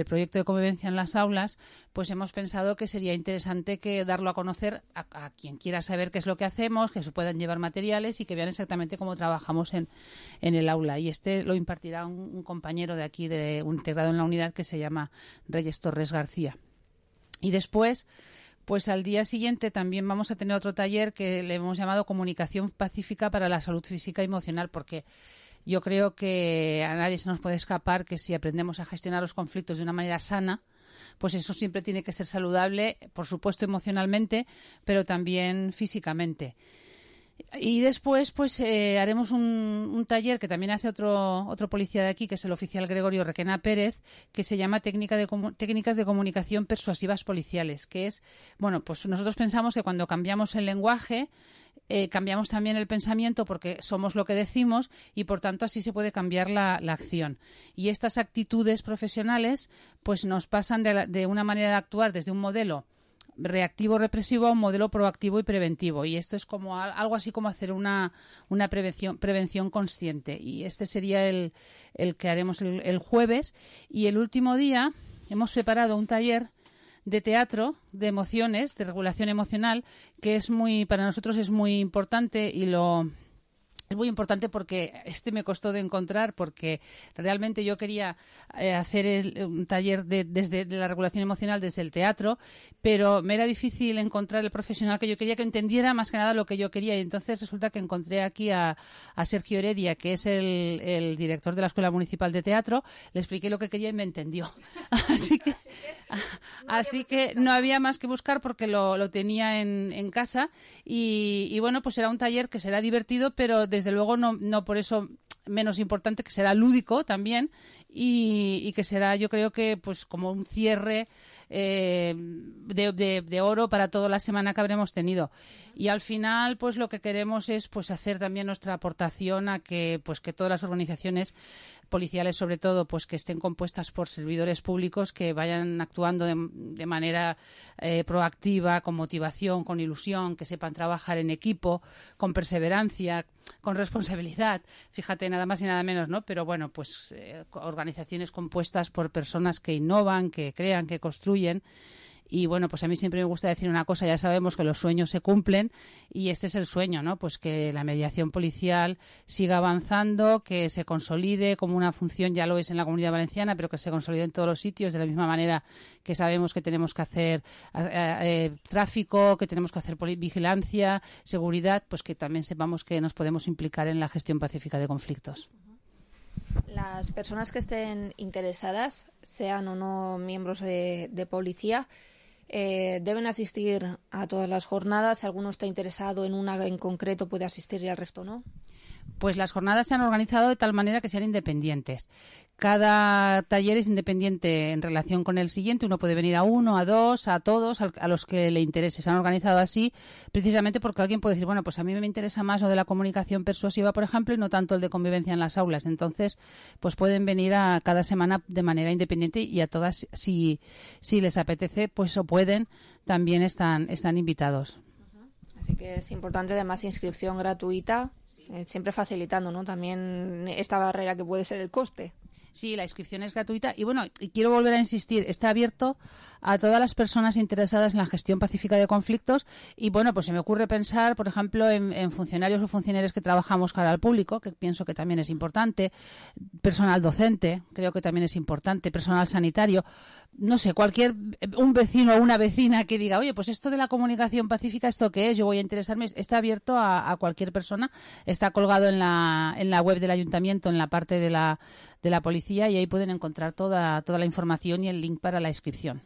proyecto de convivencia en las aulas, pues hemos pensado que sería interesante que darlo a conocer a quien quiera saber qué es lo que hacemos, que se puedan llevar materiales y que vean exactamente cómo trabajamos en el aula. Y este lo impartirá un compañero de aquí, un integrado en la unidad, que se llama Reyes Torres García. Y después, pues al día siguiente también vamos a tener otro taller que le hemos llamado Comunicación Pacífica para la Salud Física y Emocional, porque yo creo que a nadie se nos puede escapar que si aprendemos a gestionar los conflictos de una manera sana, pues eso siempre tiene que ser saludable, por supuesto emocionalmente, pero también físicamente. Y después pues haremos un taller que también hace otro policía de aquí, que es el oficial Gregorio Requena Pérez, que se llama Técnicas de Comunicación Persuasivas Policiales, que es, bueno, pues nosotros pensamos que cuando cambiamos el lenguaje cambiamos también el pensamiento, porque somos lo que decimos y por tanto así se puede cambiar la acción. Y estas actitudes profesionales pues nos pasan de una manera de actuar desde un modelo reactivo represivo a un modelo proactivo y preventivo, y esto es como algo así como hacer una prevención consciente, y este sería el que haremos el jueves. Y el último día hemos preparado un taller de teatro, de emociones, de regulación emocional, que para nosotros es muy importante, y es muy importante porque me costó de encontrar, porque realmente yo quería hacer un taller de la regulación emocional desde el teatro, pero me era difícil encontrar el profesional que yo quería, que entendiera más que nada lo que yo quería, y entonces resulta que encontré aquí a Sergio Heredia, que es el director de la Escuela Municipal de Teatro. Le expliqué lo que quería y me entendió. Así que no había más que buscar, porque lo tenía en casa, y bueno, pues será un taller que será divertido, pero desde luego no por eso menos importante, que será lúdico también, y que será, yo creo que pues como un cierre de oro para toda la semana que habremos tenido. Y al final pues lo que queremos es pues hacer también nuestra aportación a que todas las organizaciones policiales, sobre todo, pues que estén compuestas por servidores públicos que vayan actuando de manera proactiva, con motivación, con ilusión, que sepan trabajar en equipo, con perseverancia, con responsabilidad. Fíjate, nada más y nada menos, ¿no? Pero bueno, pues organizaciones compuestas por personas que innovan, que crean, que construyen. Y bueno, pues a mí siempre me gusta decir una cosa: ya sabemos que los sueños se cumplen, y este es el sueño, ¿no? Pues que la mediación policial siga avanzando, que se consolide como una función, ya lo es en la Comunidad Valenciana, pero que se consolide en todos los sitios, de la misma manera que sabemos que tenemos que hacer tráfico, que tenemos que hacer vigilancia, seguridad, pues que también sepamos que nos podemos implicar en la gestión pacífica de conflictos. Las personas que estén interesadas, sean o no miembros de policía, ¿Deben asistir a todas las jornadas? Si alguno está interesado en una en concreto puede asistir y el resto no. Pues las jornadas se han organizado de tal manera que sean independientes. Cada taller es independiente en relación con el siguiente. Uno puede venir a uno, a dos, a todos, a los que le interese. Se han organizado así precisamente porque alguien puede decir, bueno, pues a mí me interesa más lo de la comunicación persuasiva, por ejemplo, y no tanto el de convivencia en las aulas. Entonces, pues pueden venir a cada semana de manera independiente y a todas, si les apetece, pues o pueden, también están invitados. Así que es importante, además, inscripción gratuita, siempre facilitando, ¿no?, también esta barrera que puede ser el coste. Sí, la inscripción es gratuita y bueno, y quiero volver a insistir, está abierto a todas las personas interesadas en la gestión pacífica de conflictos y bueno, pues se me ocurre pensar, por ejemplo, en funcionarios o funcionarias que trabajamos cara al público, que pienso que también es importante, personal docente, creo que también es importante, personal sanitario, no sé, un vecino o una vecina que diga, oye, pues esto de la comunicación pacífica, ¿esto qué es? Yo voy a interesarme, está abierto a cualquier persona, está colgado en la web del ayuntamiento, en la parte de la policía, y ahí pueden encontrar toda la información y el link para la inscripción.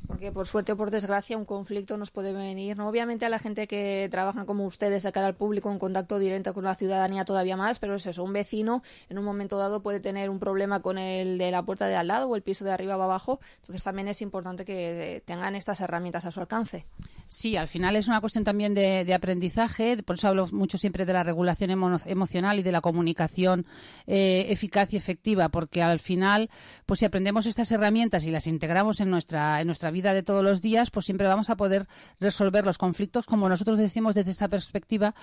Porque por suerte o por desgracia un conflicto nos puede venir, ¿no? Obviamente a la gente que trabaja como ustedes de cara al público en contacto directo con la ciudadanía todavía más, pero es eso, un vecino en un momento dado puede tener un problema con el de la puerta de al lado o el piso de arriba o abajo, entonces también es importante que tengan estas herramientas a su alcance. Sí, al final es una cuestión también de aprendizaje, por eso hablo mucho siempre de la regulación emocional y de la comunicación eficaz y efectiva, porque al final, pues si aprendemos estas herramientas y las integramos en nuestra vida de todos los días, pues siempre vamos a poder resolver los conflictos, como nosotros decimos desde esta perspectiva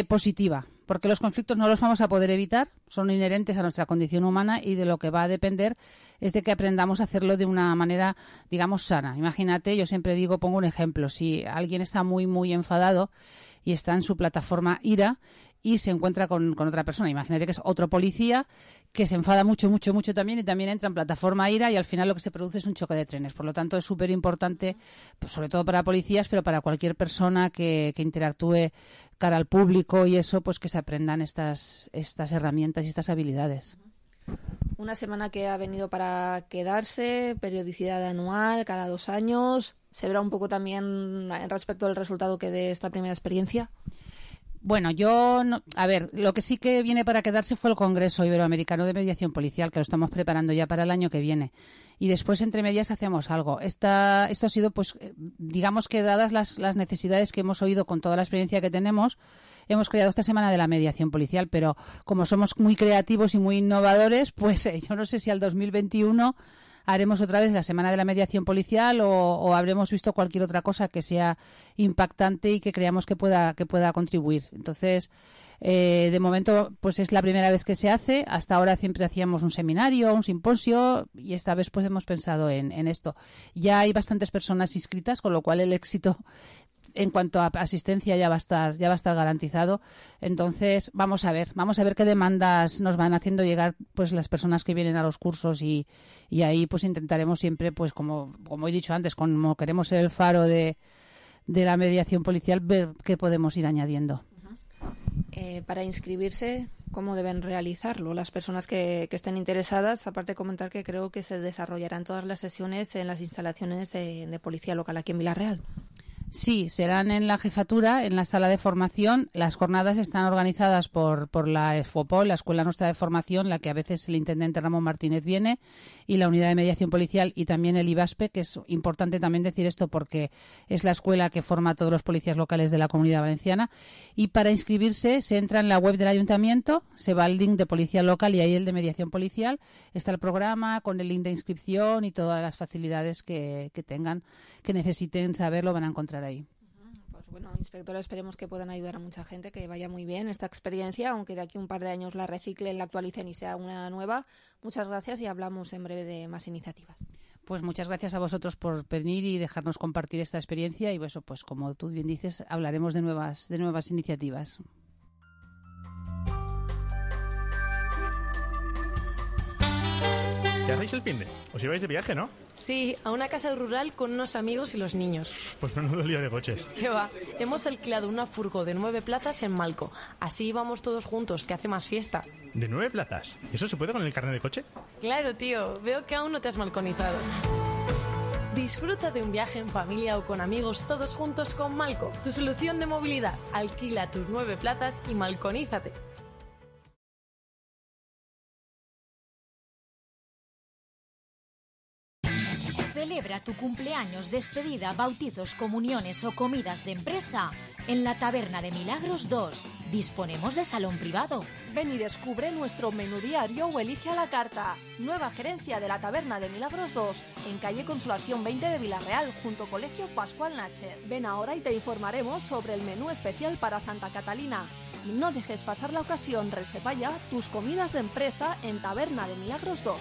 positiva, porque los conflictos no los vamos a poder evitar, son inherentes a nuestra condición humana y de lo que va a depender es de que aprendamos a hacerlo de una manera, digamos, sana. Imagínate, yo siempre digo, pongo un ejemplo, si alguien está muy, muy enfadado y está en su plataforma ira y se encuentra con otra persona, imagínate que es otro policía que se enfada mucho, mucho, mucho también y también entra en plataforma ira y al final lo que se produce es un choque de trenes. Por lo tanto, es súper importante, pues, sobre todo para policías, pero para cualquier persona que interactúe cara al público y eso, pues que se aprendan estas herramientas y estas habilidades. Una semana que ha venido para quedarse, periodicidad anual, cada 2 años. ¿Se verá un poco también respecto al resultado que dé esta primera experiencia? Bueno, lo que sí que viene para quedarse fue el Congreso Iberoamericano de Mediación Policial, que lo estamos preparando ya para el año que viene. Y después, entre medias, hacemos algo. Esto ha sido, pues, digamos que dadas las necesidades que hemos oído con toda la experiencia que tenemos, hemos creado esta semana de la mediación policial, pero como somos muy creativos y muy innovadores, pues yo no sé si al 2021 haremos otra vez la semana de la mediación policial o habremos visto cualquier otra cosa que sea impactante y que creamos que pueda contribuir. Entonces, de momento, pues es la primera vez que se hace. Hasta ahora siempre hacíamos un seminario, un simposio y esta vez pues hemos pensado en esto. Ya hay bastantes personas inscritas, con lo cual el éxito en cuanto a asistencia ya va a estar garantizado. Entonces, vamos a ver qué demandas nos van haciendo llegar pues las personas que vienen a los cursos y ahí pues intentaremos siempre, pues como he dicho antes, como queremos ser el faro de la mediación policial, ver qué podemos ir añadiendo. Para inscribirse, ¿cómo deben realizarlo las personas que estén interesadas? Aparte de comentar que creo que se desarrollarán todas las sesiones en las instalaciones de policía local aquí en Vila-real. Sí, serán en la jefatura, en la sala de formación. Las jornadas están organizadas por la EFOPOL, la Escuela Nuestra de Formación, la que a veces el intendente Ramón Martínez viene, y la Unidad de Mediación Policial y también el IBASPE, que es importante también decir esto porque es la escuela que forma a todos los policías locales de la Comunidad Valenciana. Y para inscribirse se entra en la web del ayuntamiento, se va al link de policía local y ahí el de mediación policial. Está el programa con el link de inscripción y todas las facilidades que tengan, que necesiten saber, lo van a encontrar ahí. Pues bueno, inspectora, esperemos que puedan ayudar a mucha gente, que vaya muy bien esta experiencia, aunque de aquí un par de años la reciclen, la actualicen y sea una nueva. Muchas gracias y hablamos en breve de más iniciativas. Pues muchas gracias a vosotros por venir y dejarnos compartir esta experiencia y eso, pues como tú bien dices, hablaremos de nuevas iniciativas. ¿Qué hacéis el finde? Os ibais de viaje, ¿no? Sí, a una casa rural con unos amigos y los niños. Pues menudo lío de coches. ¿Qué va? Hemos alquilado una furgo de 9 plazas en Malco. Así vamos todos juntos, que hace más fiesta. ¿De 9 plazas? ¿Eso se puede con el carnet de coche? Claro, tío. Veo que aún no te has malconizado. Disfruta de un viaje en familia o con amigos todos juntos con Malco, tu solución de movilidad. Alquila tus 9 plazas y malconízate. Celebra tu cumpleaños, despedida, bautizos, comuniones o comidas de empresa en la Taberna de Milagros 2. Disponemos de salón privado. Ven y descubre nuestro menú diario o elige a la carta. Nueva gerencia de la Taberna de Milagros 2, en calle Consolación 20 de Villarreal, junto Colegio Pascual Nacher. Ven ahora y te informaremos sobre el menú especial para Santa Catalina. Y no dejes pasar la ocasión, reserva ya tus comidas de empresa en Taberna de Milagros 2.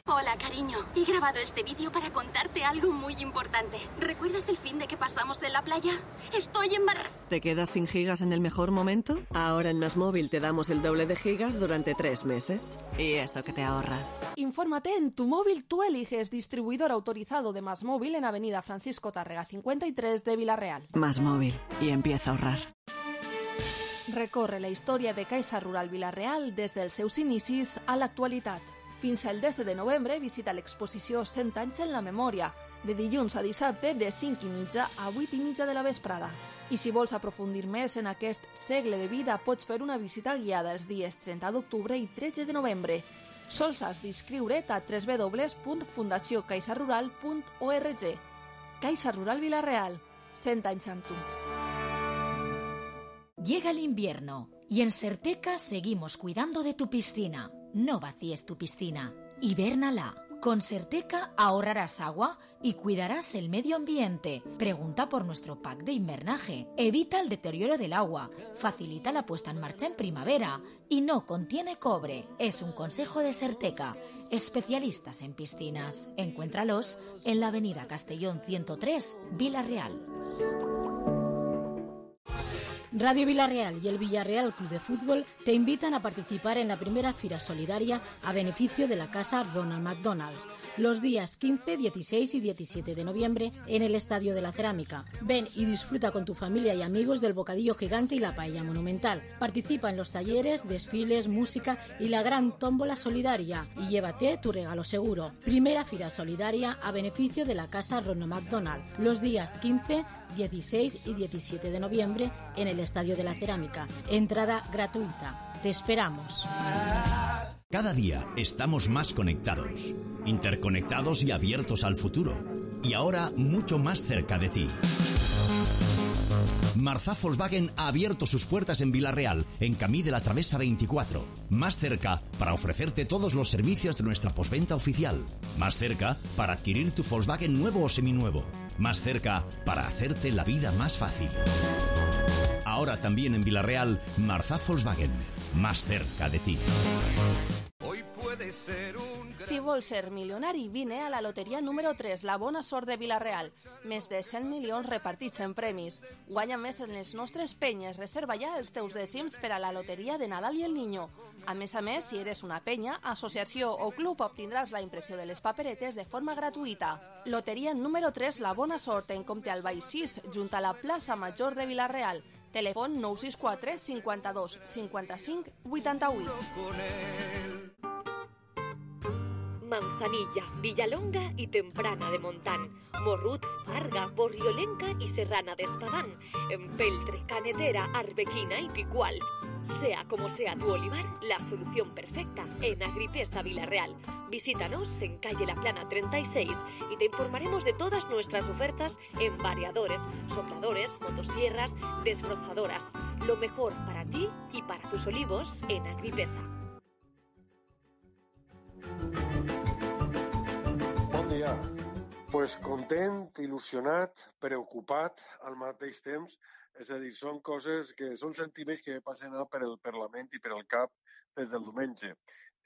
Hola, cariño. He grabado este vídeo para contarte algo muy importante. ¿Recuerdas el fin de que pasamos en la playa? Estoy embarazada. ¿Te quedas sin gigas en el mejor momento? Ahora en Más Móvil te damos el doble de gigas durante 3 meses. Y eso que te ahorras. Infórmate en Tu Móvil Tú Eliges, distribuidor autorizado de Más Móvil en Avenida Francisco Tárrega 53 de Villarreal. Más Móvil. Y empieza a ahorrar. Recorre la història de Caixa Rural Vila-real des dels seus inicis a l'actualitat. Fins al 10 de novembre visita l'exposició 100 anys en la memòria, de dilluns a dissabte de 5:30 a 8:30 de la vesprada. I si vols aprofundir més en aquest segle de vida, pots fer una visita guiada els dies 30 d'octubre i 13 de novembre. Sols has d'inscriure't a www.fundaciocaixarural.org. Caixa Rural Vila-real, 100 anys amb tu. Llega el invierno y en Serteca seguimos cuidando de tu piscina. No vacíes tu piscina, hibérnala. Con Serteca ahorrarás agua y cuidarás el medio ambiente. Pregunta por nuestro pack de invernaje. Evita el deterioro del agua, facilita la puesta en marcha en primavera y no contiene cobre. Es un consejo de Serteca. Especialistas en piscinas. Encuéntralos en la avenida Castellón 103, Vila-real. Radio Villarreal y el Villarreal Club de Fútbol te invitan a participar en la primera Fira Solidaria a beneficio de la Casa Ronald McDonald's, los días 15, 16 y 17 de noviembre en el Estadio de la Cerámica. Ven y disfruta con tu familia y amigos del bocadillo gigante y la paella monumental. Participa en los talleres, desfiles, música y la gran tómbola solidaria y llévate tu regalo seguro. Primera Fira Solidaria a beneficio de la Casa Ronald McDonald, los días 15, 16 y 17 de noviembre en el Estadio de la Cerámica. Entrada gratuita. Te esperamos. Cada día estamos más conectados, interconectados y abiertos al futuro. Y ahora mucho más cerca de ti. Marzá Volkswagen ha abierto sus puertas en Vila-real, en Camí de la Travesa 24. Más cerca para ofrecerte todos los servicios de nuestra postventa oficial. Más cerca para adquirir tu Volkswagen nuevo o seminuevo. Más cerca para hacerte la vida más fácil. Ahora también en Vila-real, Marzá Volkswagen. Más cerca de ti. Hoy puede ser un... Si vols ser milionari, vine a la loteria número 3, la bona sort de Vila-real. Més de 100 milions repartits en premis. Guanya més en les nostres penyes. Reserva ja els teus dècims per a la loteria de Nadal i el Niño. A més, si eres una penya, associació o club, obtindràs la impressió de les paperetes de forma gratuïta. Loteria número 3, la bona sort, en compte al Baix 6, junt a la plaça Major de Vila-real. Telèfon 964 52 55 88. Manzanilla, Villalonga y Temprana de Montán, Morrut, Farga, Borriolenca y Serrana de Espadán, Empeltre, Canetera, Arbequina y Picual. Sea como sea tu olivar, la solución perfecta en Agripesa Vila-real. Visítanos en calle La Plana 36 y te informaremos de todas nuestras ofertas en variadores, sopladores, motosierras, desbrozadoras. Lo mejor para ti y para tus olivos en Agripesa. Bon dia. Pues content, il·lusionat, preocupat al mateix temps. És a dir, són coses que són sentiments que passen per la ment i per el cap des del diumenge.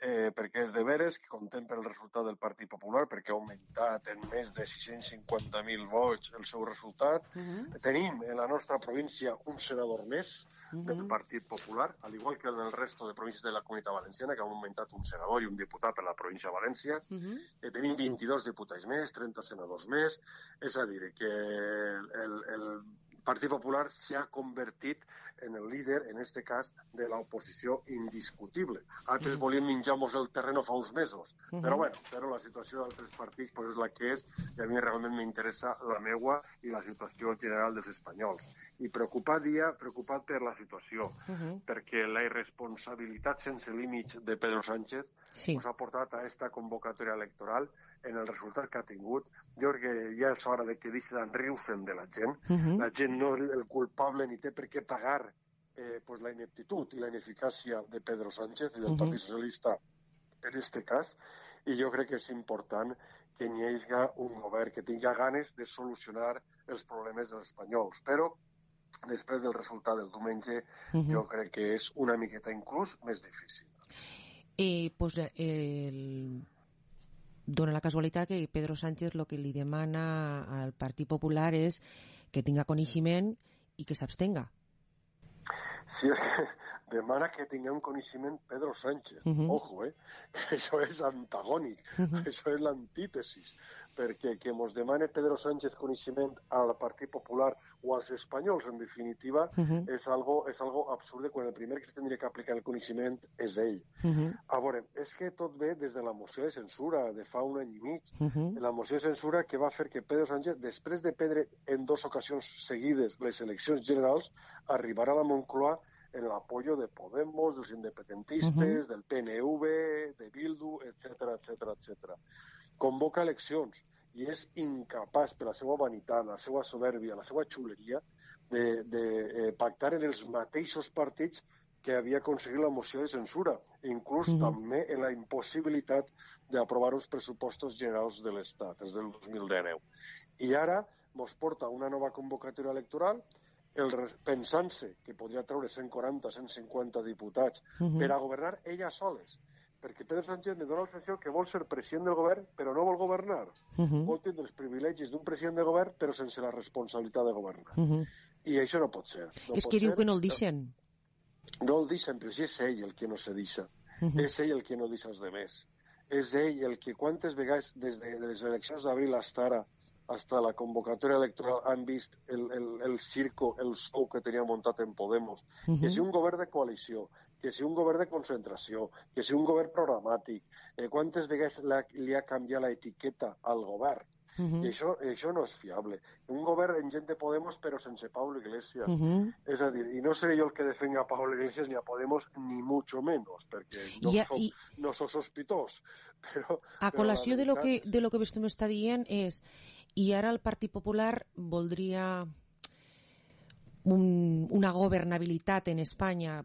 Perquè és de veres que content per el resultat del Partit Popular, perquè ha augmentat en més de 650.000 vots el seu resultat. Tenim en la nostra província un senador més del Partit Popular, al igual que en el resto de províncies de la Comunitat Valenciana, que han augmentat un senador i un diputat per la província de València. Tenim 22 diputats més, 30 senadors més. És a dir, que Partit Popular s'ha convertit en el líder, en este cas, de l'oposició indiscutible. Altres volien menjar-nos el terreno fa uns mesos, però la situació d'altres partits és la que és, i a mi realment m'interessa la meua i la situació general dels espanyols. I preocupat per la situació, perquè la irresponsabilitat sense límits de Pedro Sánchez ens ha portat a aquesta convocatòria electoral en el resultat que ha tingut. Jo crec que ja és hora de que deixi d'enriure-se'n de la gent. La gent no és el culpable ni té per què pagar la ineptitud i la ineficàcia de Pedro Sánchez i del Partit Socialista en este cas, i jo crec que és important que hi hagi un govern que tingui ganes de solucionar els problemes dels espanyols. Però després del resultat del diumenge jo crec que és una miqueta inclús més difícil. Dona la casualitat que Pedro Sánchez el que li demana al Partit Popular és que tinga coneixement i que s'abstenga. Sí, és que demana que tinguem coneixement Pedro Sánchez. Ojo, això és antagònic, això és l'antítesis, perquè que ens demane Pedro Sánchez coneixement al Partit Popular o als espanyols, en definitiva, és algo absurd quan el primer que tindria que aplicar el coneixement és ell. A veure, és que tot ve des de la moció de censura de fa un any i mig. La moció de censura que va fer que Pedro Sánchez, després de perdre en 2 ocasions seguides les eleccions generals, arribarà a la Moncloa en el apoyo de Podemos, dels independentistes, del PNV, de Bildu, etc. Convoca eleccions i és incapaç, per la seva vanitat, la seva soberbia, la seva xuleria, de pactar en els mateixos partits que havia aconseguit la moció de censura, inclús també en la impossibilitat d'aprovar uns pressupostos generals de l'Estat, és del 2019. I ara ens porta una nova convocatòria electoral pensant-se que podria treure 140, 150 diputats per a governar ella soles, perquè Pedro Sánchez li dona la sensació que vol ser president del govern però no vol governar. Vol tenir els privilegis d'un president de govern però sense la responsabilitat de governar. I això no pot ser. És que diu que no el deixen. No el deixen, però si és ell el que no se deixa. És ell el que no deixa els demés. És ell el que quantes vegades des de les eleccions d'abril hasta la convocatòria electoral han vist el circo, el show que tenia muntat en Podemos. Que si un govern de coalició, que si un govern de concentració, que si un govern programàtic, quantes vegades li ha canviat l'etiqueta al govern. I això no és fiable. Un govern en gent de Podemos però sense Pablo Iglesias. És a dir, i no seré jo el que defenga a Pablo Iglesias ni a Podemos, ni mucho menos, perquè no soc sospitós. A col·lació de lo que vostè m'està dient és, i ara el Partit Popular voldria una governabilitat en Espanya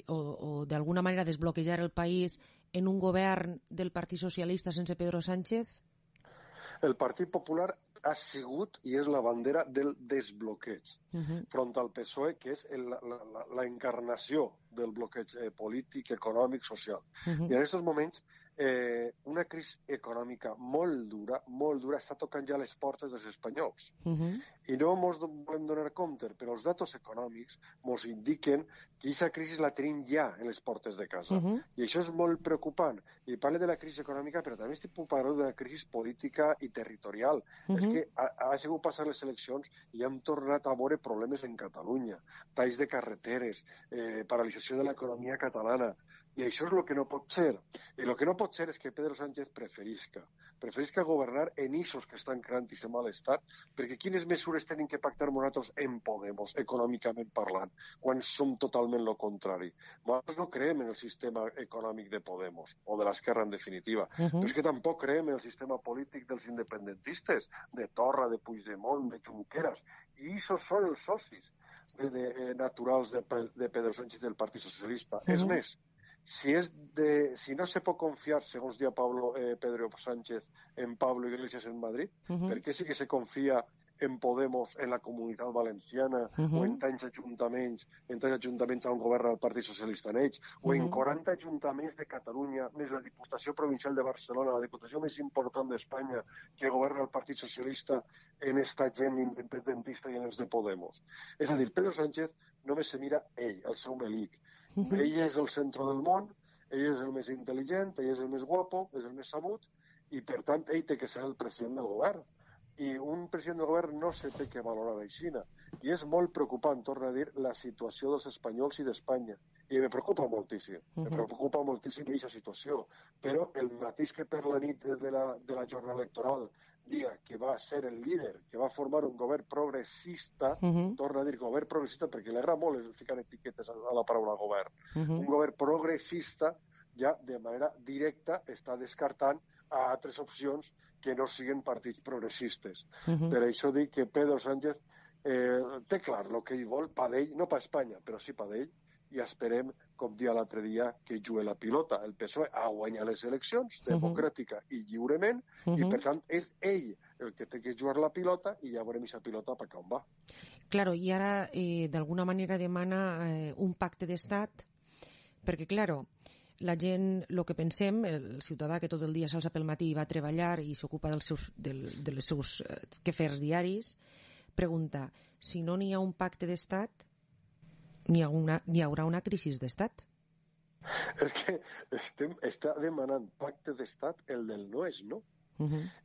o d'alguna manera desbloquejar el país en un govern del Partit Socialista sense Pedro Sánchez? El Partit Popular ha sigut i és la bandera del desbloqueig front al PSOE, que és la encarnació del bloqueig polític, econòmic, social. I en aquests moments una crisi econòmica molt dura està tocant ja les portes dels espanyols. I no ens volem donar compte, però els datos econòmics ens indiquen que aquesta crisi la tenim ja en les portes de casa. I això és molt preocupant. I parlo de la crisi econòmica, però també estic parlant de la crisi política i territorial. És que ha sigut passar les eleccions i hem tornat a veure problemes en Catalunya, talls de carreteres, paralització de l'economia catalana. I això és el que no pot ser. I el que no pot ser és que Pedro Sánchez preferisca governar en eixos que estan creant-se malestar, perquè quines mesures tenim que pactar nosaltres en Podemos, econòmicament parlant, quan som totalment el contrari. Nosaltres no creem en el sistema econòmic de Podemos, o de l'esquerra en definitiva, però és que tampoc creem en el sistema polític dels independentistes, de Torra, de Puigdemont, de Junqueras, i aquests són els socis naturals de Pedro Sánchez del Partit Socialista. És més, si no se pot confiar, segons dia Pedro Sánchez, en Pablo Iglesias en Madrid, per què sí que se confia en Podemos, en la Comunitat Valenciana, o en tants ajuntaments on governa el Partit Socialista en ells, o en 40 ajuntaments de Catalunya, més la Diputació Provincial de Barcelona, la diputació més important d'Espanya, que governa el Partit Socialista en esta gent independentista i en els de Podemos. És a dir, Pedro Sánchez només se mira ell, el seu melic. Ell és el centre del món, ell és el més intel·ligent, ell és el més guapo, és el més sabut, i per tant ell té que ser el president del govern. i un president del govern no se té que valorar aixina. I és molt preocupant, torno a dir, la situació dels espanyols i d'Espanya. I me preocupa moltíssim, me preocupa moltíssim aquesta situació. Però el mateix que per la nit de la jornada electoral dia que va ser el líder, que va formar un govern progressista, torno a dir govern progressista perquè li agrada molt ficar etiquetes a la paraula govern, un govern progressista ja de manera directa està descartant a altres opcions que no siguin partits progressistes. Per això dic que Pedro Sánchez té clar el que ell vol, pa d'ell, no pa Espanya, però sí pa d'ell, i esperem, com dia l'altre dia, que jugui la pilota. El PSOE ha guanyat les eleccions democràtica i lliurement, i per tant és ell el que té que jugar la pilota i ja veurem aquesta pilota per on va. Claro, i ara d'alguna manera demana un pacte d'estat, perquè, claro, la gent, el que pensem, el ciutadà que tot el dia s'alça pel matí i va a treballar i s'ocupa dels seus quefers diaris, pregunta, si no n'hi ha un pacte d'estat, n'hi haurà una crisi d'estat? És que està demanant pacte d'estat el del no és no.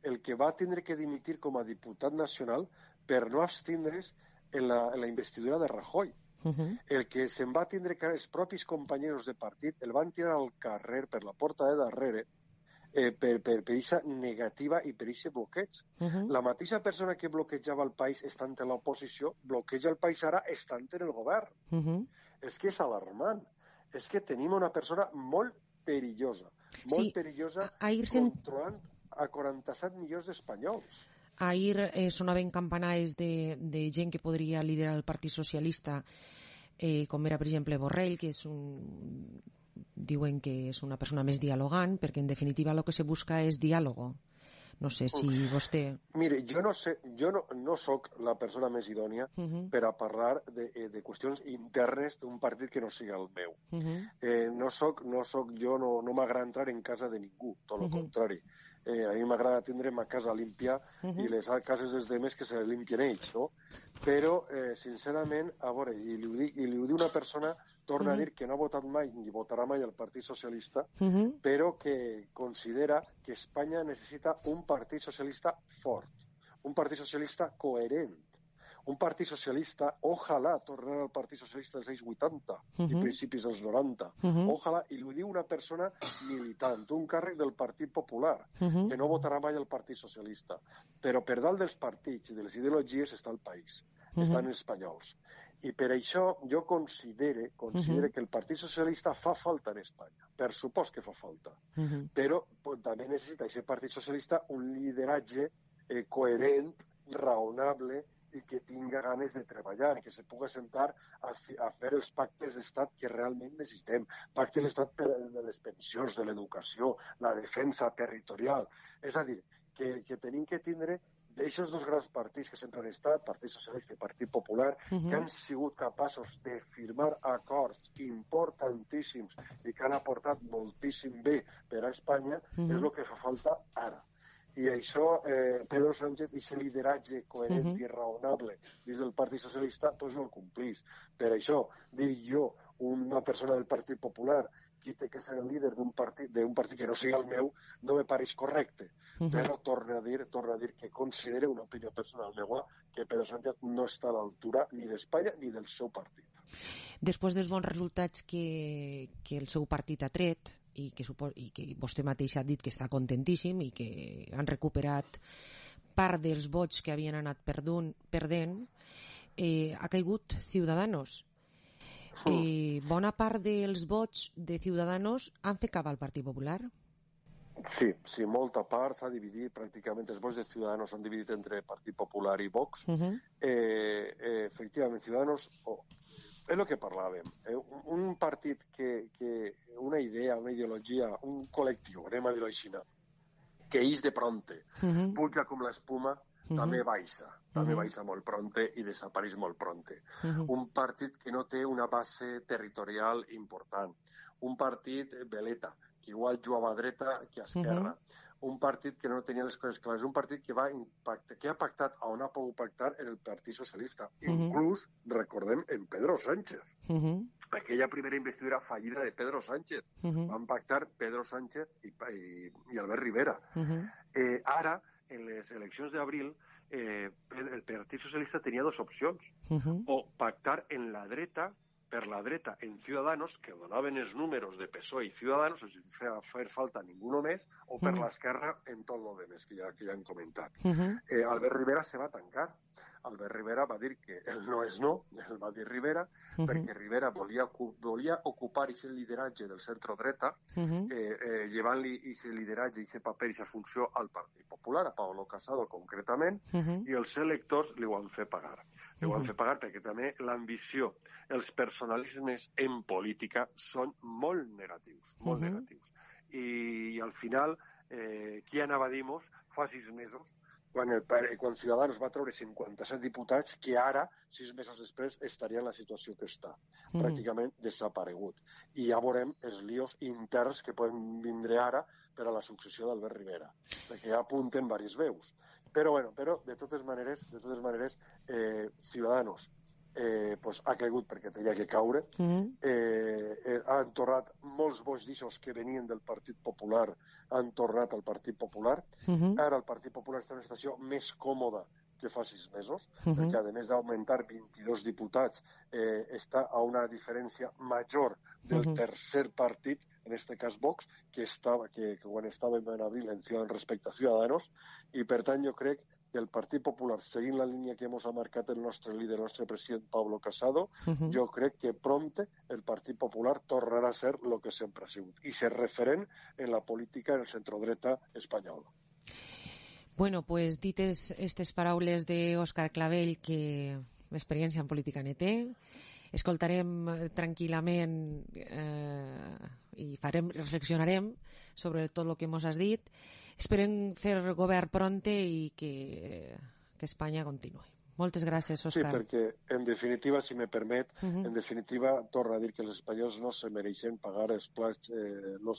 El que va tindre que dimitir com a diputat nacional per no abstindre's en la investidura de Rajoy. El que se'n va tindre que els propis companys de partit el van tirar al carrer per la porta de darrere per aquesta negativa i per aquest bloqueig. La mateixa persona que bloquejava el país estant en l'oposició bloqueja el país ara estant en el govern. És que és alarmant. És que tenim una persona molt perillosa. Molt perillosa controlant a 47 milions d'espanyols. Ahir sonaven campanades de gent que podria liderar el Partit Socialista, com era, per exemple, Borrell, que és diuen que és una persona més dialogant, perquè en definitiva el que se busca és diàlogo. No sé si vostè... Mire, jo no soc la persona més idònia per a parlar de qüestions internes d'un partit que no sigui el meu. No m'agrada entrar en casa de ningú, tot el contrari. A mi m'agrada tindre ma casa límpia i les cases dels demés que se les limpien ells, no? Però, sincerament, a veure, i li ho diu una persona, torna a dir que no ha votat mai ni votarà mai el Partit Socialista, però que considera que Espanya necessita un Partit Socialista fort, un Partit Socialista coherent, un Partit Socialista, ojalà tornar al Partit Socialista dels anys 80 i principis dels 90. Ojalà, i ho diu una persona militant, un càrrec del Partit Popular, que no votarà mai el Partit Socialista. Però per dalt dels partits i de les ideologies està el país, estan els espanyols. I per això jo considere que el Partit Socialista fa falta en Espanya. Per supost que fa falta. Però també necessita aquest Partit Socialista un lideratge coherent, raonable, i que tinga ganes de treballar i que se pugui sentar a fer els pactes d'estat que realment necessitem. Pactes d'estat per a les pensions, de l'educació, la defensa territorial. És a dir, que tenim que tindre d'aixòs dos grans partits que sempre han estat, Partit Socialista i Partit Popular, que han sigut capaços de firmar acords importantíssims i que han aportat moltíssim bé per a Espanya, és el que fa falta ara. I això, Pedro Sánchez, aquest lideratge coherent i raonable dins del Partit Socialista, doncs no el complís. Per això, dir jo, una persona del Partit Popular, qui té que ser el líder d'un partit que no sigui el meu, no me pareix correcte. Però torna a dir que considera una opinió personal meva que Pedro Sánchez no està a l'altura ni d'Espanya ni del seu partit. Després dels bons resultats que el seu partit ha tret, i que vostè mateix ha dit que està contentíssim i que han recuperat part dels vots que havien anat perdent, ha caigut Ciudadanos. Bona part dels vots de Ciudadanos han fet cap al Partit Popular? Sí, molta part s'ha dividit, pràcticament els vots de Ciudadanos s'han dividit entre Partit Popular i Vox. Efectivament, Ciudadanos... És el que parlàvem. Un partit una idea, una ideologia, un col·lectiu, anem a dir-ho així, que ix de pronte, puja com l'espuma, també baixa molt pronte i desapareix molt pronte. Un partit que no té una base territorial important. Un partit veleta, que igual jugava a dreta que a esquerra. Un partit que no tenia les coses clares. Un partit que ha pactat on ha pogut pactar en el Partit Socialista. Inclús, recordem, en Pedro Sánchez. Aquella primera investidura fallida de Pedro Sánchez. Van pactar Pedro Sánchez i Albert Rivera. Ara, en les eleccions d'abril, el Partit Socialista tenia dues opcions. O pactar en la dreta, per la dreta en Ciudadanos, que donaven els números de PSOE i Ciudadanos, sense fer falta ningú més, o per l'esquerra en tot el demés que ja hem comentat. Albert Rivera se va tancar. Albert Rivera va dir que el no és no, el va dir Rivera, perquè Rivera volia ocupar aquest lideratge del centre-dreta, llevant-li aquest lideratge, aquest paper, aquesta funció al Partit Popular, a Pablo Casado concretament, i els electors li ho han fet pagar. Li ho han fet pagar perquè també l'ambició, els personalismes en política són molt negatius, molt negatius. I al final, qui anava a dir-nos fa 6 mesos, quan Ciudadanos va treure 57 diputats, que ara, 6 mesos després, estaria en la situació que està, pràcticament desaparegut. I ja veurem els líos interns que poden vindre ara per a la successió d'Albert Rivera, perquè ja apunten diverses veus. Però de totes maneres, Ciudadanos ha caigut perquè tenia que caure, han tornat molts vots d'aixòs que venien del Partit Popular, han tornat al Partit Popular. Ara el Partit Popular està en una situació més còmoda que fa 6 mesos, perquè a més d'augmentar 22 diputats, està a una diferència major del tercer partit, en este cas Vox, que quan estava en abril en Ciudadanos respecte a Ciudadanos, i per tant jo crec que el Partit Popular, seguint la línia que hemos marcat el nostre líder, el nostre president Pablo Casado, jo crec que prompte el Partit Popular tornarà a ser el que sempre ha sigut, i ser referent en la política en el centrodreta espanyol. Bueno, pues dites aquestes paraules d'Òscar Clavell, que experiència en política ne té, escoltarem tranquil·lament i reflexionarem sobre tot el que ens has dit. Esperem fer govern pronte i que Espanya continuï. Moltes gràcies, Òscar. Sí, perquè, en definitiva, si me permet, en definitiva, torna a dir que els espanyols no se mereixen pagar els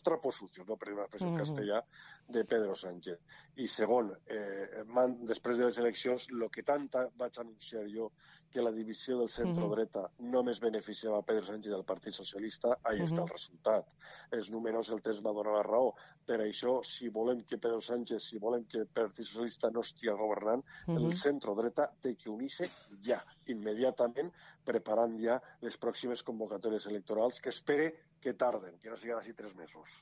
trapos sucios, no per dir una expressió en castellà, de Pedro Sánchez. I segon, després de les eleccions, el que tant vaig anunciar jo, que la divisió del centre-dreta només beneficiava a Pedro Sánchez del Partit Socialista, ahí està el resultat. Els números el temps va donar la raó. Per això, si volem que Pedro Sánchez, si volem que el Partit Socialista no estigui governant, el centre-dreta té que unir-se ja, immediatament, preparant ja les pròximes convocatòries electorals, que espere que tarden, que no siguin així 3 mesos.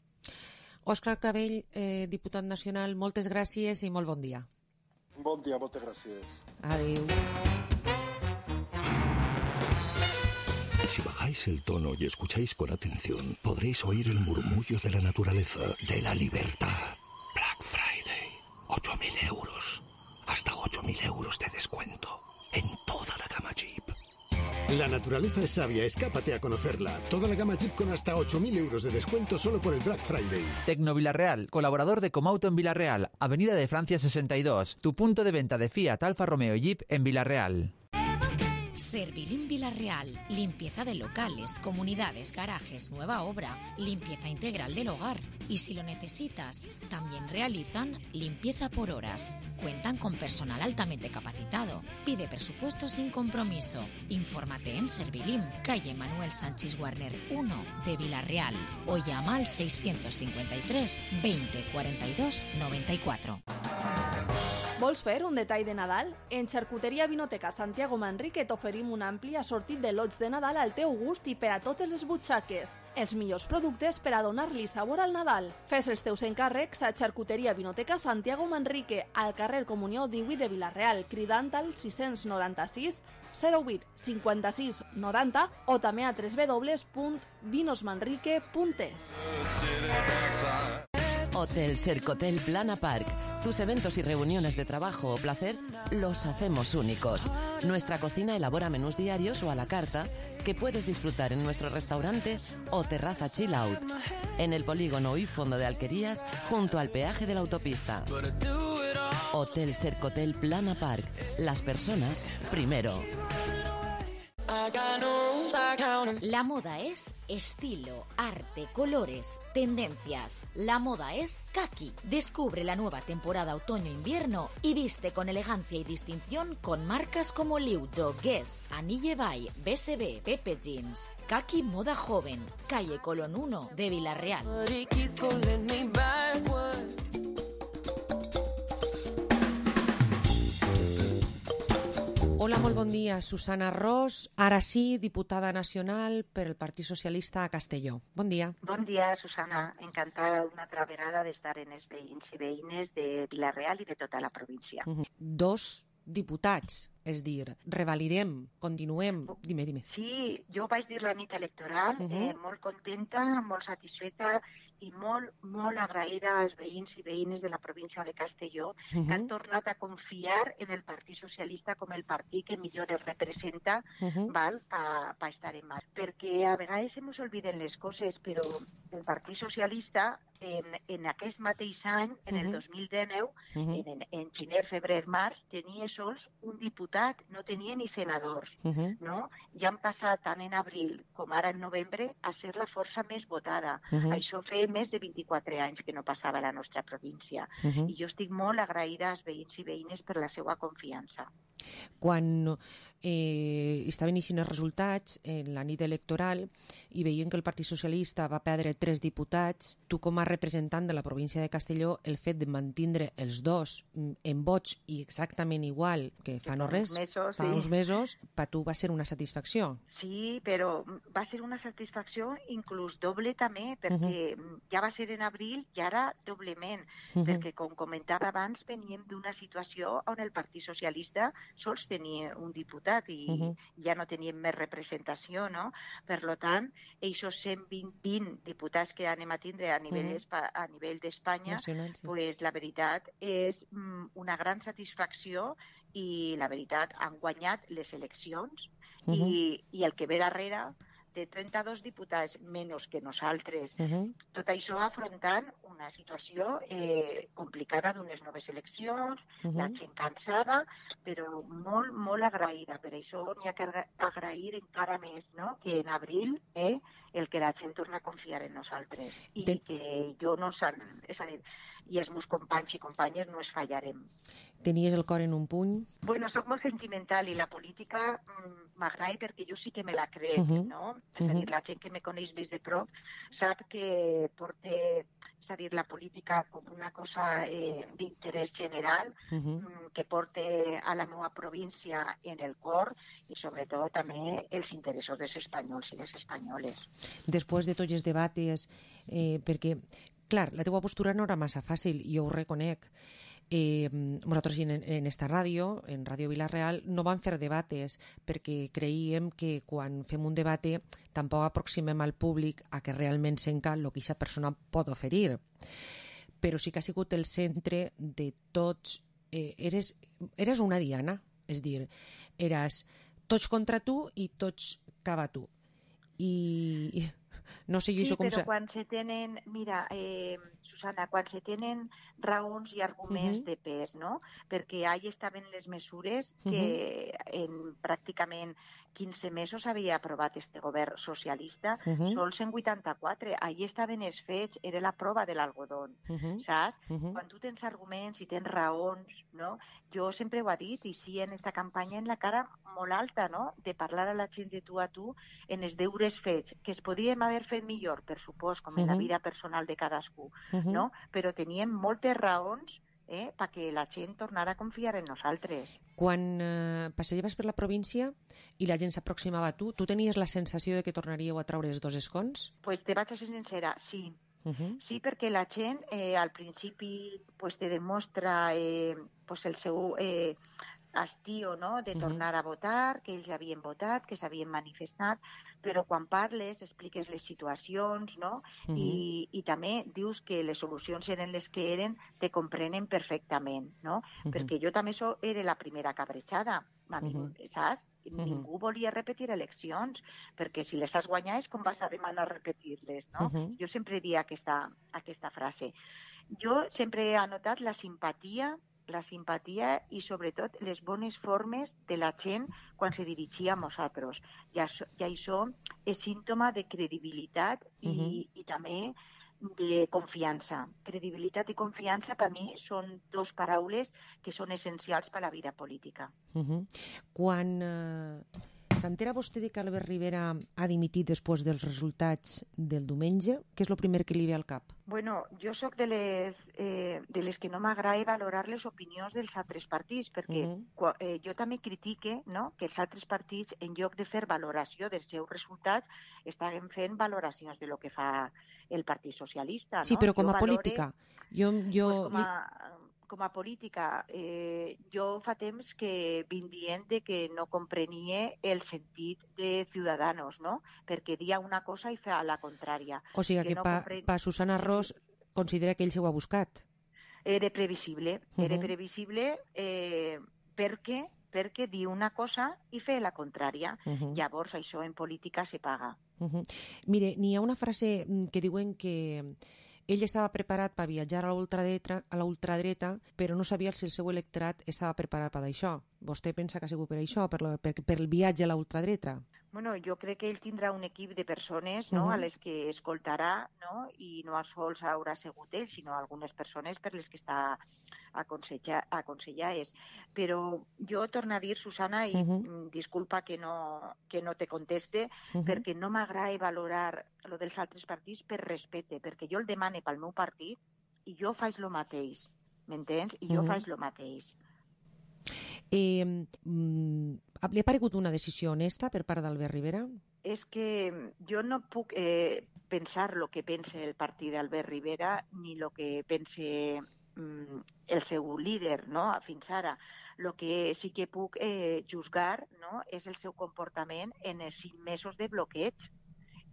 Òscar Clavell, diputat nacional, moltes gràcies i molt bon dia. Bon dia, moltes gràcies. Adéu. Si bajáis el tono y escucháis con atención, podréis oír el murmullo de la naturaleza, de la libertad. Black Friday, 8.000 euros. Hasta 8.000 euros de descuento en toda la gama Jeep. La naturaleza es sabia, escápate a conocerla. Toda la gama Jeep con hasta 8.000 euros de descuento solo por el Black Friday. Tecno Villarreal, colaborador de Comauto en Villarreal, Avenida de Francia 62, tu punto de venta de Fiat, Alfa Romeo y Jeep en Villarreal. Servilim Villarreal, limpieza de locales, comunidades, garajes, nueva obra, limpieza integral del hogar. Y si lo necesitas, también realizan limpieza por horas. Cuentan con personal altamente capacitado. Pide presupuesto sin compromiso. Infórmate en Servilim, calle Manuel Sánchez Warner 1 de Villarreal, o llama al 653 20 42 94. Vols fer un detall de Nadal? En Xarcuteria Vinoteca Santiago Manrique t'oferim un ampli assortit de lots de Nadal al teu gust i per a totes les butxaques. Els millors productes per a donar-li sabor al Nadal. Fes els teus encàrrecs a Xarcuteria Vinoteca Santiago Manrique, al carrer Comunió 18 de Villarreal, cridant al 696 08 56 90 o també a www.vinosmanrique.es. Hotel Sercotel Plana Park. Tus eventos y reuniones de trabajo o placer los hacemos únicos. Nuestra cocina elabora menús diarios o a la carta que puedes disfrutar en nuestro restaurante o terraza chill out, en el polígono y fondo de Alquerías, junto al peaje de la autopista. Hotel Sercotel Plana Park. Las personas primero. La moda es estilo, arte, colores, tendencias. La moda es Kaki. Descubre la nueva temporada otoño-invierno y viste con elegancia y distinción con marcas como Liujo, Guess, Anille Bay, BSB, Pepe Jeans. Kaki Moda Joven, calle Colón 1 de Villarreal. molt bon dia. Susana Ros, ara sí, diputada nacional per el Partit Socialista a Castelló. Bon dia. Bon dia, Susana. Encantada una altra vegada d'estar en els veïns i veïnes de Vila-real i de tota la província. Dos diputats, és dir, revalidem, continuem... Dime. Sí, jo vaig dir la nit electoral, molt contenta, molt satisfeta i molt agraïda als veïns i veïnes de la província de Castelló que han tornat a confiar en el Partit Socialista com el partit que millor els representa per estar en mà. Perquè a vegades ens oblidem les coses, però el Partit Socialista en aquest mateix any, en el 2019, en gener, febrer, març, tenia sols un diputat, no tenia ni senadors. No? Ja han passat tant en abril com ara en novembre a ser la força més votada. Això feia més de 24 anys que no passava a la nostra província. I jo estic molt agraïda als veïns i veïnes per la seva confiança. Quan estaven eixint els resultats en la nit electoral i veien que el Partit Socialista va perdre 3 diputats, tu com a representant de la província de Castelló, el fet de mantindre els dos en vots i exactament igual que fa no res, fa uns mesos, per tu va ser una satisfacció. Sí, però va ser una satisfacció inclús doble també, perquè ja va ser en abril i ara doblement, perquè com comentava abans, veníem d'una situació on el Partit Socialista sols tenia un diputat i ja no teníem més representació, no? Per tant, aquests 120 diputats que anem a tindre a nivell d'Espanya, pues, la veritat és una gran satisfacció i la veritat han guanyat les eleccions i el que ve darrere de 32 diputats menys que nosaltres. Tot això afrontant una situació complicada d'unes noves eleccions, la gent cansada, però molt agraïda. Per això n'hi ha que agrair encara més, no? Que en abril el que la gent torna a confiar en nosaltres i que jo no és a dir, i els meus companys i companyes no es fallarem. Tenies el cor en un puny? Bueno, soc molt sentimental i la política m'agrada perquè jo sí que me la crec, no? És a dir, la gent que me coneix més de prop sap que porta, és a dir, la política com una cosa d'interès general, que porta a la meva província en el cor i sobretot també els interessos dels espanyols i les espanyoles. Després de tots els debats, perquè, clar, la teva postura no era massa fàcil, jo ho reconec. Nosaltres en esta ràdio, en Ràdio Vila-real, no vam fer debates perquè creiem que quan fem un debat tampoc aproximem al públic a que realment senta el que aquesta persona pot oferir. Però sí que ha sigut el centre de tots. Eres una diana, és dir, eres tots contra tu i tots cap a tu. I no sé jo com... Sí, però quan se tenen... Mira, Susana, quan se tenen raons i arguments de pes, no? Perquè ahí estaven les mesures que en pràcticament 15 mesos havia aprovat este govern socialista, sols en 84. Ahí estaven els fets, era la prova de l'algodón, saps? Quan tu tens arguments i tens raons, no? Jo sempre ho he dit, i sí en esta campanya en la cara molt alta, no? De parlar a la gent de tu a tu en els deures fets, que es podríem haver fet millor, per supost, com en la vida personal de cadascú, no? Però teníem moltes raons perquè la gent tornara a confiar en nosaltres. Quan passejaves per la província i la gent s'aproximava a tu, tu tenies la sensació de que tornaríeu a traure els 2 escons? Pues te vaig a ser sincera, sí. Sí, perquè la gent al principi te demostra el seu estiu, no? De tornar a votar, que ells havien votat, que s'havien manifestat, però quan parles, expliques les situacions, no? I també dius que les solucions eren les que eren, te comprenen perfectament, no? Perquè jo també era la primera cabrejada, saps? Ningú volia repetir eleccions, perquè si les has guanyat és com vas a demanar repetir-les, no? Jo sempre dic aquesta frase. Jo sempre he anotat la simpatia i sobretot les bones formes de la gent quan se dirigia a nosaltres. I això és símptoma de credibilitat i també de confiança. Credibilitat i confiança per mi són 2 paraules que són essencials per a la vida política. Quan s'entera vostè de que Albert Rivera ha dimitit després dels resultats del diumenge? Què és el primer que li ve al cap? Bueno, jo sóc de les que no m'agrada valorar les opinions dels altres partits, perquè jo també critique, no?, que els altres partits, en lloc de fer valoració dels seus resultats, estan fent valoracions de lo que fa el Partit Socialista. No? Sí, però com a política. Com a política, jo fa temps que vinc dient que no comprenia el sentit de Ciudadanos, no? Perquè dia una cosa i fa la contrària. O sigui que pa Susana Ros considera que ell s'ho ha buscat. Era previsible, perquè diu una cosa i fer la contrària. Llavors això en política se paga. Mire, n'hi ha una frase que diuen que ell estava preparat per viatjar a la ultradreta, però no sabia si el seu electorat estava preparat per això. Vostè pensa que ha sigut per això, per el viatge a la ultradreta? Bueno, jo crec que ell tindrà un equip de persones, no?, a les que escoltarà, no?, i no sols haurà sigut ell, sinó algunes persones per les que està aconsellades. Però jo torno a dir, Susana, i disculpa que no te conteste, perquè no m'agrada valorar lo dels altres partits per respecte, perquè jo el demane pel meu partit i jo faig lo mateix, m'entens? I jo faig lo mateix. Li ha paregut una decisió honesta per part d'Albert Rivera? És que jo no puc pensar el que pensa el partit d'Albert Rivera ni el que pensa el seu líder, no?, fins ara. El que sí que puc juzgar, no?, és el seu comportament en els 5 mesos de bloqueig.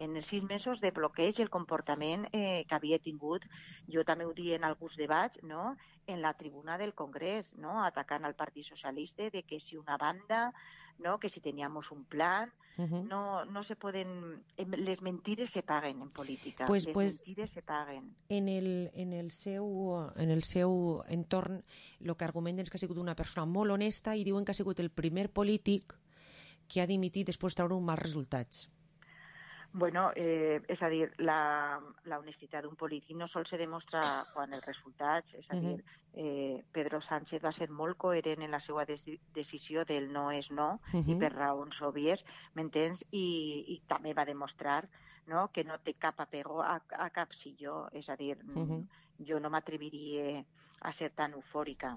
En els 6 mesos de bloqueig, el comportament que havia tingut, jo també ho dic en alguns debats, no?, en la tribuna del Congrés, no?, atacant al Partit Socialista de que si una banda, no?, que si teníamos un plan, no se poden... Les mentires se paguen en política, les mentires se paguen. En el seu entorn, el que argumenten és que ha sigut una persona molt honesta i diuen que ha sigut el primer polític que ha dimitit després de treure uns mals resultats. Bueno, és a dir, la honestitat d'un polític no sol se demostra quan els resultats, és a dir, Pedro Sánchez va ser molt coherent en la seva decisió del no és no, i per raons òbvies, m'entens? I també va demostrar, no?, que no té cap apego a cap silló, és a dir, jo no m'atreviria a ser tan eufòrica,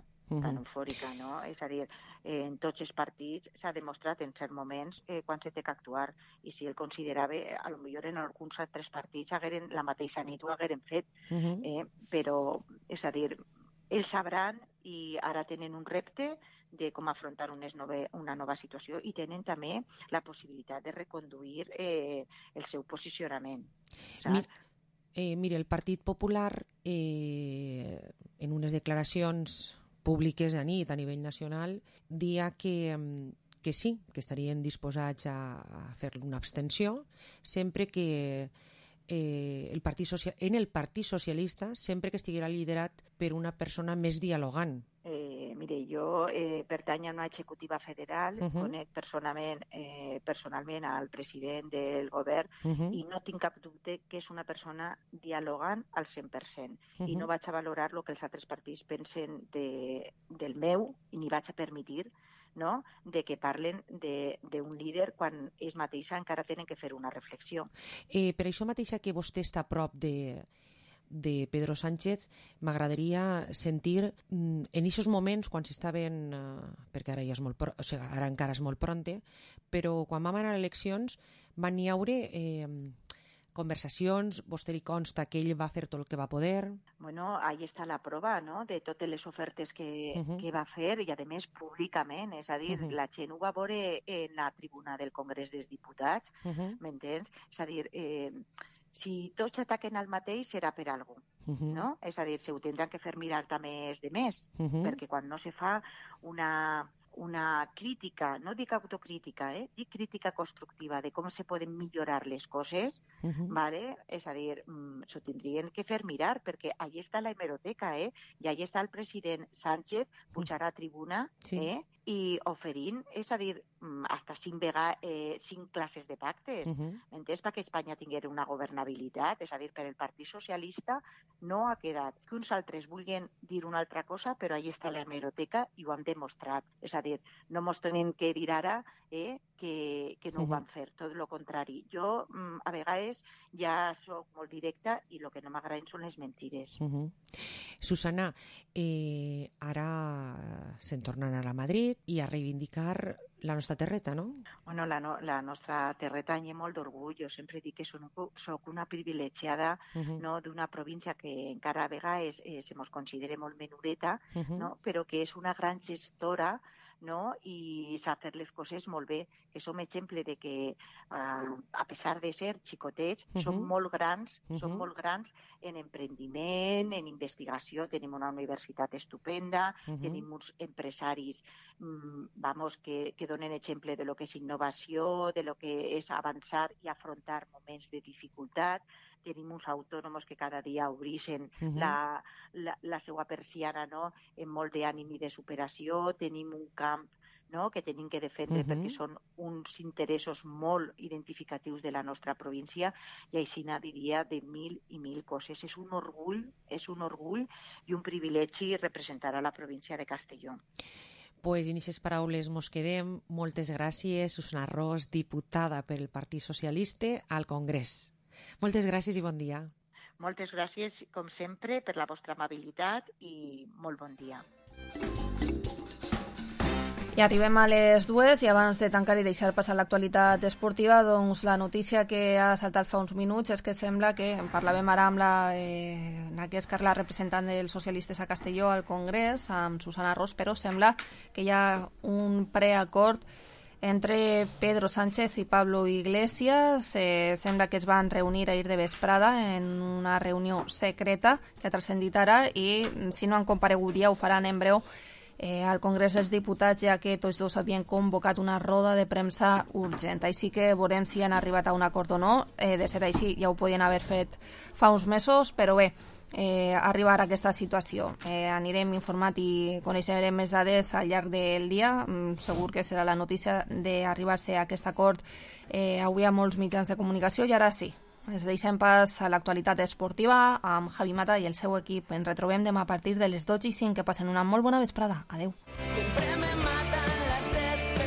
no? És a dir, en tots els partits s'ha demostrat en certs moments quan se té que actuar, i si ell considerava, potser en alguns altres partits la mateixa nit ho hagueren fet, però, és a dir, ells sabran i ara tenen un repte de com afrontar una nova situació i tenen també la possibilitat de reconduir el seu posicionament. Mira, el Partit Popular, en unes declaracions públiques a nit a nivell nacional, dia que sí, que estarien disposats a fer una abstenció sempre que en el Partit Socialista sempre que estiguera liderat per una persona més dialogant. Mire, jo pertany a una executiva federal, conec personalment al president del govern i no tinc cap dubte que és una persona dialogant al 100%. I no vaig a valorar el que els altres partits pensen del meu i ni vaig a permetre, no?, de que parlen d'un líder quan ells mateixa encara tenen que fer una reflexió. Per això mateixa que vostè està a prop de Pedro Sánchez, m'agradaria sentir en aquests moments quan s'estaven, perquè ara ja és ara encara és molt pronte, però quan vam anar a eleccions van hi haure conversacions, vostè li consta que ell va fer tot el que va poder? Bueno, ahí està la prova, no?, de totes les ofertes que va fer i, a més, públicament. És a dir, la gent ho va veure en la tribuna del Congrés dels Diputats, m'entens? És a dir, si tots ataquen al mateix serà per alguna cosa, no? És a dir, se ho tindran que fer mirar també els demés, perquè quan no se fa una crítica, no dic autocrítica, dic crítica constructiva de com se poden millorar les coses, ¿vale? És a dir, s'ho tindrien que fer mirar, perquè allà està la hemeroteca, i allà està el president Sánchez pujar a tribuna i oferint, és a dir, hasta 5 classes de pactes, m'entens? Perquè Espanya tinguera una governabilitat, és a dir, per el Partit Socialista no ha quedat. Que uns altres vulguin dir una altra cosa, però ahí està l'hemeroteca i ho han demostrat. És a dir, no mos tenen que dir ara que no ho van fer, tot el contrari. Jo, a vegades, ja soc molt directa i el que no m'agraden són les mentires. Susana, ara se'n tornen a Madrid i a reivindicar la nostra terreta, no? Bueno, la nostra terreta n'hi ha molt d'orgull. Jo sempre dic que soc una privilegiada d'una província que encara a vegades se mos considera molt menudeta, però que és una gran gestora i sap fer les coses molt bé, que som exemple de que, a pesar de ser xicotets, som molt grans en emprendiment, en investigació, tenim una universitat estupenda, tenim uns empresaris que donen exemple de lo que és innovació, de lo que és avançar i afrontar moments de dificultat. Tenim uns autònoms que cada dia obreixen la seva persiana amb molt d'ànim i de superació. Tenim un camp que tenim que defendre perquè són uns interessos molt identificatius de la nostra província i així diria de mil i mil coses. És un orgull i un privilegi representar a la província de Castelló. Pues en aquestes paraules mos quedem. Moltes gràcies, Susana Ros, diputada pel Partit Socialista al Congrés. Moltes gràcies i bon dia. Moltes gràcies, com sempre, per la vostra amabilitat i molt bon dia. I arribem a les 2 i abans de tancar i deixar passar l'actualitat esportiva, doncs la notícia que ha saltat fa uns minuts és que sembla que, parlàvem ara amb la representant dels socialistes a Castelló al Congrés, amb Susana Ros, però sembla que hi ha un preacord entre Pedro Sánchez i Pablo Iglesias. Sembla que es van reunir ahir de vesprada en una reunió secreta que ha transcendit ara i si no han comparegut ja ho faran en breu al Congrés dels Diputats, ja que tots dos havien convocat una roda de premsa urgent. Així que veurem si han arribat a un acord o no. De ser així ja ho podien haver fet fa uns mesos, però bé, arribar a aquesta situació. Anirem informat i coneixerem més dades al llarg del dia. Segur que serà la notícia d'arribar-se a aquest acord avui a molts mitjans de comunicació. I ara sí, ens deixem pas a l'actualitat esportiva amb Javi Mata i el seu equip. Ens retrobem demà a partir de les 12:05. Que passen una molt bona vesprada. Adeu.